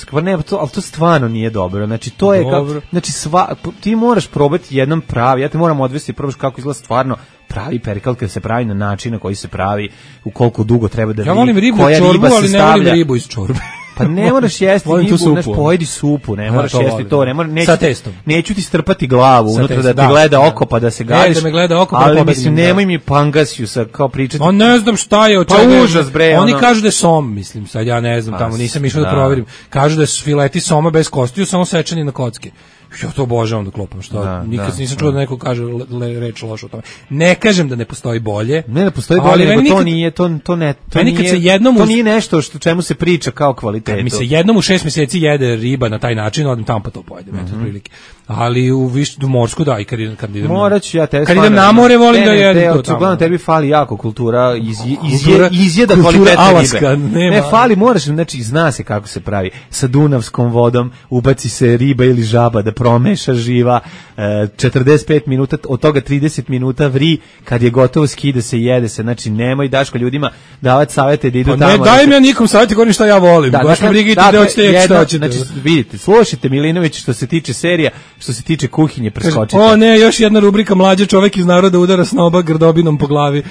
ali to stvarno nije dobro. Znači to je znači ti moraš probati jednom pravi. Ja te moram odvesti probaš kako izgleda stvarno pravi perkel kad se pravi na način na koji se pravi, u koliko dugo treba da ja volim ribu u čorbu, ali ne volim ribu iz čorbe. Pa ne moraš jesti ribu, pojedi supu, ne moraš jesti to, sa testom. Neću ti strpati glavu unutra da ti gleda oko pa da se gadiš. Da me gleda oko, ali mislim nemoj mi Pangasiusa kao pričati. On ne znam šta je, od čega. Užas bre. Oni kažu da je som, mislim, sad ja ne znam, tamo nisam išao da proverim. Kažu da su fileti soma bez kostiju, samo sečeni na kocke. Ja to obožavam da klopam, što nikad nisam čuo da neko kaže reč loše o tome. Ne kažem da ne postoji bolje. Ne postoji bolje, nego to nije, to nije nešto što čemu se priča kao kvalitetu. Mi se jednom u 6 mjeseci jede riba na taj način, odim tamo pa to pojedem, eto prilike. Ali u morsku da, i kad idem moraću ja kad idem na more volim da jedem to tamo. Uglavnom tebi fali jako kultura, izjeda kvalitete ribe. Ne fali, moraš, znači zna se kako se pravi. Sa dunavskom vodom ubaci se riba ili žaba da promeša živa, 45 minuta, od toga 30 minuta vri, kad je gotovo skida se, jede se. Znači nemoj Daško ljudima davati savjete da idu tamo. Ne dajem ja nikom savjeti, govorim šta ja volim. Baš me brigite da hoćete šta hoćete. Znači vidite, slušajte Milinović što se tiče serija, što se tiče kuhinje preskočite. O ne, još jedna rubrika mlađe čovek iz naroda udara snoba grdobinom po glavi.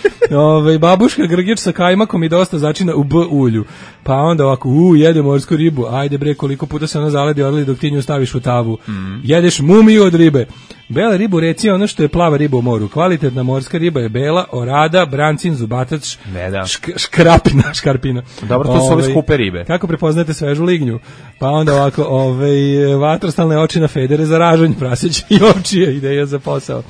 Babuška grgić sa kajmakom i dosta začina u B ulju. Pa onda ovako, jede morsku ribu. Ajde bre, koliko puta se ona zaledi odli dok ti nju staviš u tavu. Jedeš mumiju od ribe. Bela riba u reci je ono što je plava riba u moru. Kvalitetna morska riba je bela, orada, brancin, zubatac, škarpina. Dobro, to su ove skupe ribe. Kako prepoznate svežu lignju? Pa onda ovako, vatrostalne oči na federe za ražanj, praseće i ovčije, ideja za posao.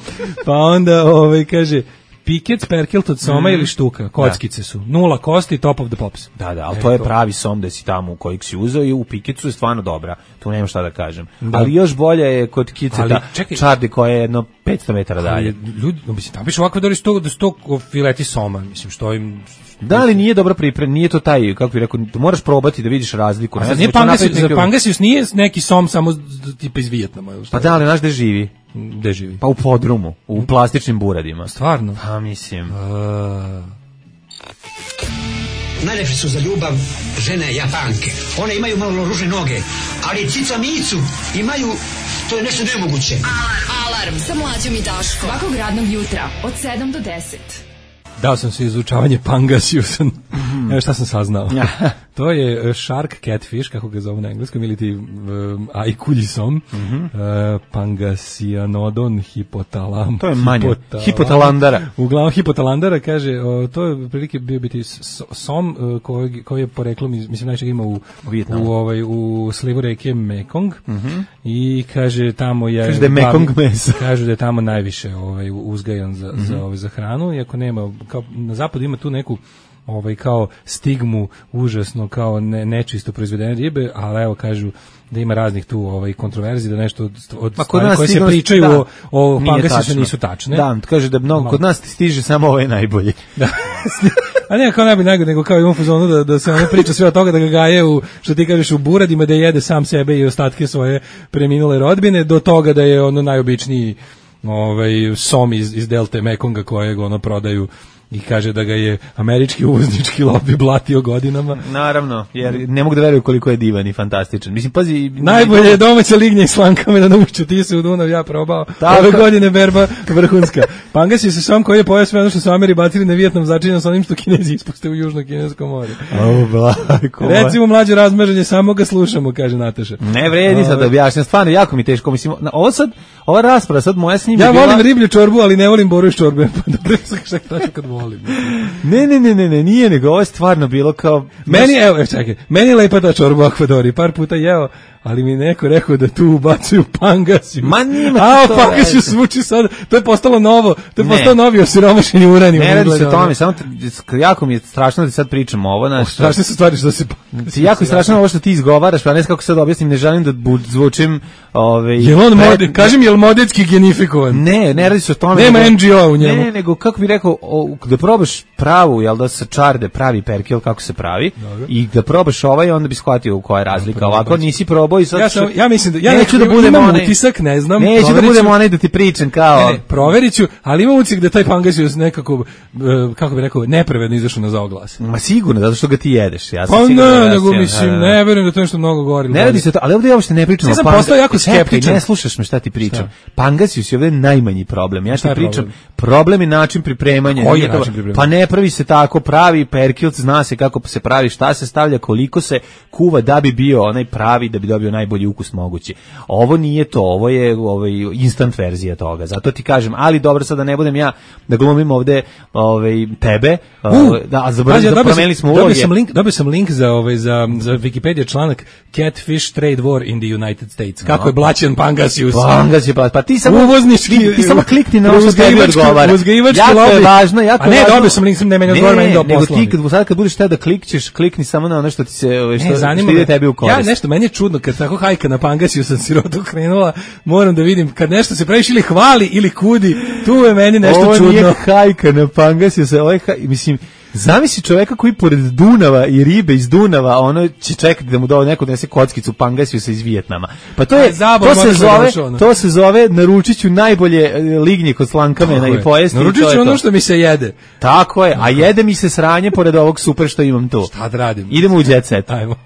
Pa onda, kaže, piket, sperkelt od soma ili štuka, kockice su. 0 kosti, top of the pops. Da, ali to je pravi som da si tamo u kojeg si uzeo i u pikecu je stvarno dobra. Tu nema šta da kažem. Da. Ali još bolje je kod kiceta čardi koja je jedno 500 metara dalje. Ljudi, mislim, tamo piše ovako da sto fileti soma, mislim, što im... Da li nije dobro priprem, nije to taj, kako bih rekao, moraš probati da vidiš razliku. Za Pangasius nije neki som samo tipa iz Vijetnama. Pa da, ali znaš gde živi? Gde živi? Pa u podrumu, u plastičnim buradima. Stvarno? Pa mislim. Najlepše su za ljubav žene Japanke. One imaju malo ružne noge, ali cica micu imaju, to je nešto nemoguće. Alarm sa Mlađom i Daškom. Svakog radnog jutra od 7 do 10. Dao sam se izučavanje Pangasiusa. Evo šta sam saznao. To je shark catfish, kako ga zovu na engleskom, ili ti aikuljisom. Pangasianodon hipotalam. To je manje. Hipotalandara. Uglavnom hipotalandara, kaže, to je prilike bio biti som koji je poreklom, mislim, najčeg ima u slivu reke Mekong. I kaže, tamo je... Kaže da je Mekong mesa. Kaže da je tamo najviše uzgajan za hranu, iako nema, kao na zapadu ima tu neku kao stigmu užasno kao nečisto proizvedene ribe, ali evo kažu da ima raznih tu kontroverzi, da nešto od stvari koje se pričaju o Pangasiusu nisu tačne. Da, kaže da mnogo kod nas stiže samo ovaj najbolji. Da. A ne kao najbolji, nego kao imam fazonu da se ono priča sve od toga da ga gaje u, što ti kažeš, u buradima, da jede sam sebe i ostatke svoje preminule rodbine, do toga da je ono najobičniji som iz delte Mekonga kojeg prodaju i kaže da ga je američki uvoznički lobby blatio godinama. Naravno, jer ne mogu da veruju koliko je divan i fantastičan. Mislim, pazi... Najbolje je domaća lignja i slankame na Nušću, ti se u Dunav, ja probao. Ove godine berba vrhunska. Pangasius je som koji je pojao sve ono što su Ameri bacili na Vijetnam, začinjeno sa onim što Kinezi ispuste u Južno Kinesko more. Recimo, mlađe razmaženje, samo ga slušamo, kaže Nataša. Ne vredi sad da objašnjam, stvarno jako mi teško. Mislim, ova rasprava sad moja s njim ja volim riblju čorbu, ali ne volim boru iz čorbe. Pa dobro, šta kad volim. Ne, nije, nego ovo je stvarno bilo kao... Meni je lepa ta čorba u Akvadori, par puta jeo, ali mi neko rekao da tu ubacuju Pangasius. Ma nima to Pangasius zvuči sad, to je postalo novo, to je postao novi osiromašeni uranijum. Ne radi se o tome, samo jako mi je strašno da sad pričam ovo. Strašne su stvari što se... Jako je strašno ovo što ti izgovaraš, pa ne znam kako sad objasnim, ne želim da zvučim... Kažem, je li modetski genifikovan? Ne radi se o tome. Nema NGO u njemu. Ne, nego kako bih rekao, da probaš pravu, jel da sa čarde pravi perkel kako se pravi, i da probaš onda bi shvatio koja je razlika. Ovako nisi probao i sad... Ja mislim da... neću da budem onaj... utisak, ne znam. Neću da budem onaj da ti pričam kao... Ne, proverit ću, ali imam utisak da taj Pangasius nekako, kako bih rekao, nepravedno izašao na zaoglas. Ma sigurno, zato što ga ti jedeš. Ja pa ne, nego mislim, ne verujem da to nešto mnogo govori. Ne radi se to, ali ovdje uopšte ne pričam o Pangasiusu. Ja sam postao jako skeptičan. Ne slušaš me šta ti pričam. Pangasius je ovdje najmanji problem. Ja ti pričam, problem je način pripremanja. Koji je način pripremanja? Pa ne pravi se tako, pravi perkil, zna se kako se pravi, šta se stavlja, koliko se kuva da bi bio onaj pravi, da bi dobio najbolji ukus mogući. Ovo nije to, ovo je instant verzija toga. Zato ti kažem, ali dobro, sad da ne budem ja da glumim ovde tebe, promenili smo uloge. Dobio sam link za Wikipedia članak Catfish Trade War in the United States. Kako je blaćen Pangasius. Pa ti samo uvoznički, ti samo klikni na ovo što tebi odgovara. Jako je važno, a ne, dobio sam link, ne meni odgovara, meni do posla. Nego sad kad budeš teo da klikni samo na ono što ti se što ide tebi u korist. Ja nešto, meni je čudno kad tako hajka na Pangasius sam sirotu krenula, moram da vidim kad nešto se previše ili hvali ili kudi, tu je meni nešto čudno. Ovo nije hajka na Pangasius, mislim, zamisli čoveka koji pored Dunava i ribe iz Dunava, ono će čekati da mu neko donese kockicu Pangasiusa iz Vijetnama. Pa to se zove naručit ću najbolje lignje kod slankamena i pojesti. Naručit ću ono što mi se jede. Tako je, a jede mi se sranje pored ovog super što imam tu. Šta da radim? Idemo u jet set. Ajmo.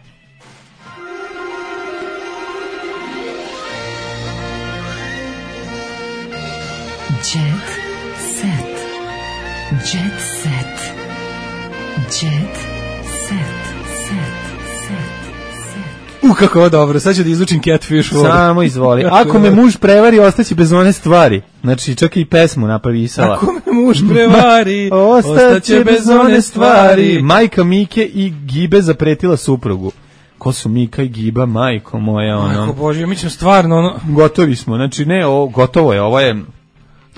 Kako ovo dobro, sad ću da izlučim Catfish vodu. Samo izvoli. Ako me muž prevari, ostaće bez one stvari. Znači, čak i pesmu napisala. Ako me muž prevari, ostaće bez one stvari. Majka Mike i Gibe zapretila suprugu. Ko su Mika i Giba, majko moja, ono. Majko Bože, mi ćemo stvarno, ono. Gotovi smo, znači ne, gotovo je, ovo je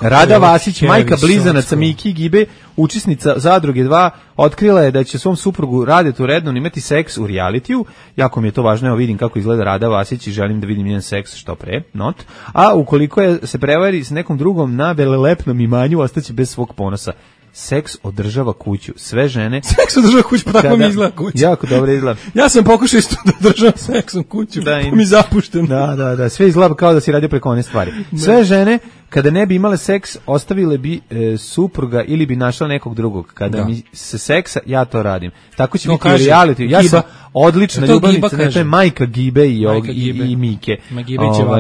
Rada Vasić, majka blizanaca Miki i Gibe, učesnica Zadruge 2, otkrila je da će svom suprugu Radetu Rednon imati seks u realitiju. Jako mi je to važno, evo vidim kako izgleda Rada Vasić i želim da vidim njen seks što pre, not. A ukoliko se prevari s nekom drugom na velelepnom imanju, ostaće bez svog ponosa. Seks održava kuću. Sve žene... Seks održava kuću, pa tako mi izgleda kuća. Jako dobro izgleda. Ja sam pokušao isto da održavam seksom kuću, pa mi zapušten. Da. Sve izgleda kao da si radio preko one stvari. Sve žene, kada ne bi imale seks, ostavile bi supruga ili bi našla nekog drugog. Kada mi se seksa, ja to radim. Tako će biti u reality. Ja sam odlična ljubavnica, to je majka Gibe i Mike.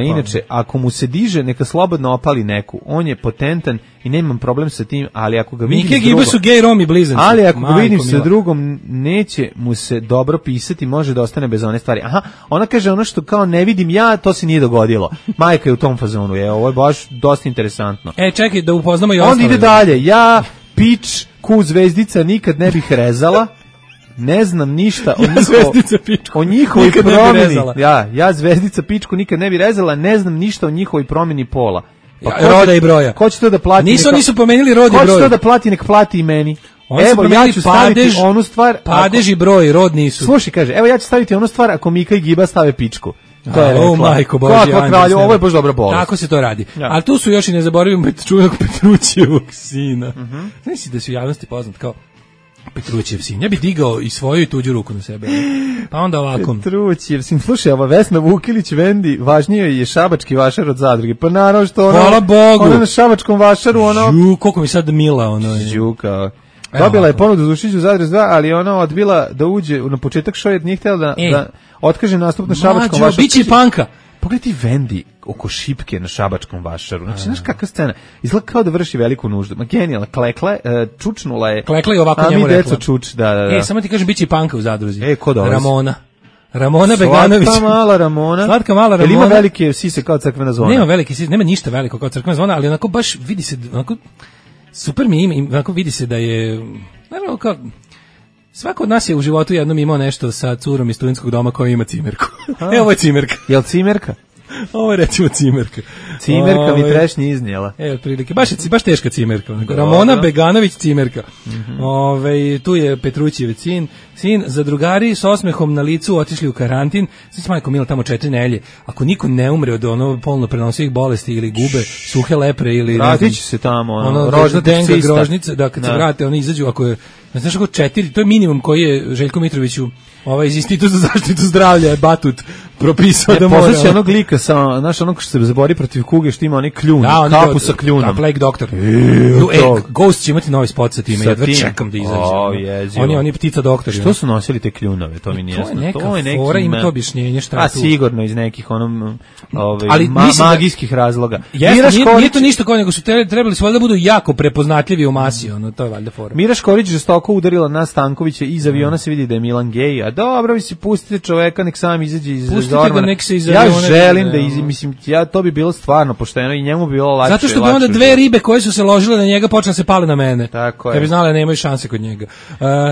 Inače, ako mu se diže, neka slobodno opali neku. On je potentan i nemam problem sa tim, ali ako ga vidim Mike Gibe su gej Romi blizanci. Ali ako ga vidim sa drugom, neće mu se dobro pisati, može da ostane bez one stvari. Aha, ona kaže ono što kao ne vidim ja, to se nije dogodilo. Majka je u tom fazonu. Ovo je baš dosta interesantno. Čekaj da upoznamo i ostale. On ide dalje. Ja, pič, ku zvezdica nikad ne bih rezala. Ne znam ništa o njihovoj promjeni. Ja zvezdica pičku nikad ne bi rezala, ne znam ništa o njihovoj promjeni pola. Roda i broja. Ko će to da plati? Nisu pomenuli rod i broj. Ko će to da plati, nek plati i meni. Evo, ja ću staviti onu stvar... Padež i broj, rod nisu. Slušaj, kaže, evo ja ću staviti onu stvar ako Mika i Giba stave pičku. To je rekla. Majko Božje, ovo je baš dobra bolest. Tako se to radi. Ali tu su još i ne zaboravimo čuvenog Petrućijevog sina. Znaš da su u javnosti poznat kao Petrućijev sin. Ja bih digao i svoju i tuđu ruku na sebe. Pa onda ovako. Petrućijev sin. Slušaj, ova Vesna Vukilić Vendi, važnije je šabački vašar od Zadruge. Pa naravno što ona... Hvala Bogu. Ona na šabačkom vašaru, ono... Koliko mi sad mila, ono... Žuka. Dobila je ponudu za ušiću Zadruge 2, ali ona odbila da uđe na početak šoja, nije htjela da otkaže nastup na šabačkom vašaru. Biće panka. Pogledaj ti Vendi oko šipke na šabačkom vašaru. Znači, znaš kakva scena? Izgleda kao da vrši veliku nuždu. Ma genijala, klekla, čučnula je. Klekla je ovako njemu rekla. A mi deco čuč, da. Samo ti kažem, biće i panka u Zadruzi. Ko dolazi? Ramona Beganović. Slatka mala Ramona. Jel ima velike sise kao crkvena zvona? Nema velike sise, nema ništa veliko kao crkvena zvona, ali onako baš vidi se, onako, super mi ima, onako vidi se da je, naravno kao, svako od nas je u životu jednom imao nešto sa curom iz studentskog doma koja ima cimerku. Evo ovo je cimerka. Jel cimerka? Ovo je recimo cimerka. Cimerka mi trešnje iznijela. Otprilike, baš teška cimerka. Ramona Beganović cimerka. Tu je Petrućijev sin, zadrugari s osmehom na licu otišli u karantin. Znači, majko mila, tamo 4 nedelje. Ako niko ne umre od polno prenosivih bolesti ili gube suhe lepre ili... Vratit će se tamo, denga, grožnice, da kad se vrate, oni izađu, ako je... Znaš kako 4, to je minimum koji je Željko Mitroviću iz Instituta za zaštitu zdravlja Batut propisao da mora. Poznaće onog lika sa, znaš, onog što se bori protiv kuge, što ima onaj kljun, kapu sa kljunom. Plague Doctor. Ghost će imati novi spot sa time, jedva čekam da izađe. Oni ptica doktori. Što su nosili te kljunove, to mi nije jasno. To je neka fora, ima to objašnjenje šta tu. A sigurno iz nekih magijskih razloga. Nije to ništa kao nego su trebali da budu jako prepoznatljivi u masi, to je valjda fora. Mira Škorić žestoko udarila na Stankovića, iz aviona se vidi da je Milan gej, a dobro, mislim, pustite čoveka, nek sam izađe iz Zormana. Ja želim da mislim, to bi bilo stvarno pošteno i njemu bi bilo lakše. Zato što bi onda dve ribe koje su se ložile na njega počne se pale na mene. Tako je. Ja bi znala da nemaju šanse kod njega.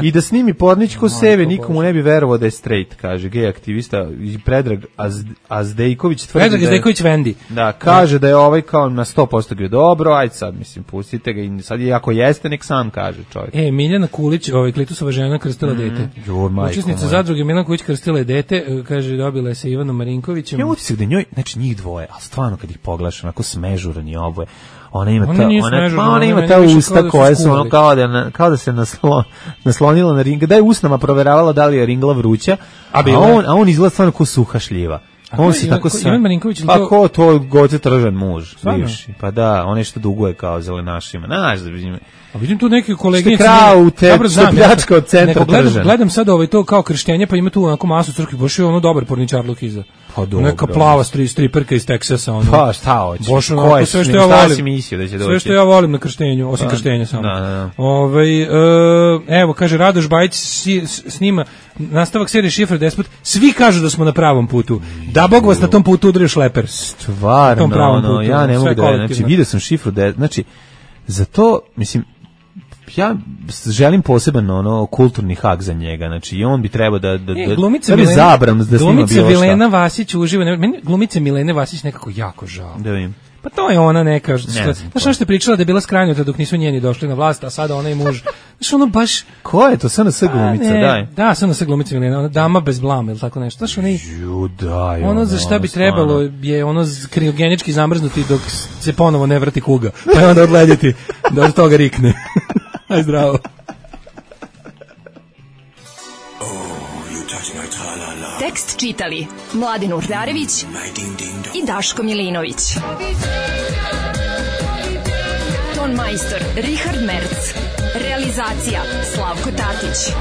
I da snimi porničko seve, nikomu ne bi verovao da je straight, kaže gej aktivista i Predrag Azdejković tvrdi. Predrag Azdejković Vendi. Da, kaže da je ovaj kao na 100% bio dobro, ajde sad, mislim, pustite ga i sad ako jeste, nek sam kaže čovjek. Miljana Kulić, Klitusova žena krstila dete. Učesnica Zadruge Milan Kulić krstila je dete, kaže dobila je sa Ivanom Marinkovićem. Ja utisak da njoj, znači njih dvoje, a stvarno kad ih pogledaš, onako smežuran je oboje. Ona ima ta usta koja su ono kao da se naslonila na ringa, da je usnama proveravala da li je ringla vruća, a on izgleda stvarno kao suha šljiva. On se tako Ivan Marinković, pa ko to Goce Tržan muž, bivši. Pa da, on je što duguje kao zelenašima. A vidim tu neki kolege pljačka od centra Tržan. Gledam sad to kao krštenje, pa ima tu onako masu crkvi, baš je ono dobar porničarluk iza. Pa dobro. Neka plava striperka iz Teksasa, ono. Pa šta hoćeš? Boš onako sve što ja volim. Sve što ja volim na krštenju, osim krštenja samo. Da. Evo, kaže Radoš Bajić snima nastavak serije Šifra Despot. Svi kažu da smo na pravom putu. Da Bog vas na tom putu udari šleper. Stvarno, ja ne mogu da, znači vidio sam Šifru Despot, znači za to, mislim, ja želim poseban kulturni hak za njega, znači i on bi trebao da glumica Milena Vasić uživa, meni glumice Milene Vasić nekako jako žao. Da vidim. Pa to je ona neka, znaš ono što je pričala da je bila skranjuta dok nisu njeni došli na vlast, a sada ona i muž, znaš ono baš... Ko je to, SNS glumica, daj? Da, SNS glumica Milena, ona dama bez blama ili tako nešto, znaš ono za šta bi trebalo je ono kriogenički zamrznuti dok se ponovo ne vrati kuga, pa je onda odledjeti da od toga rikne. Aj zdravo. Tekst čitali Mladin Urdarević i Daško Milinović. Ton majstor Richard Merc. Realizacija Slavko Tatić.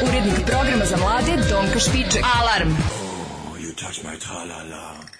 Urednik programa za mlade Donka Špiček. Alarm! Oh, you touch my tra-la-la.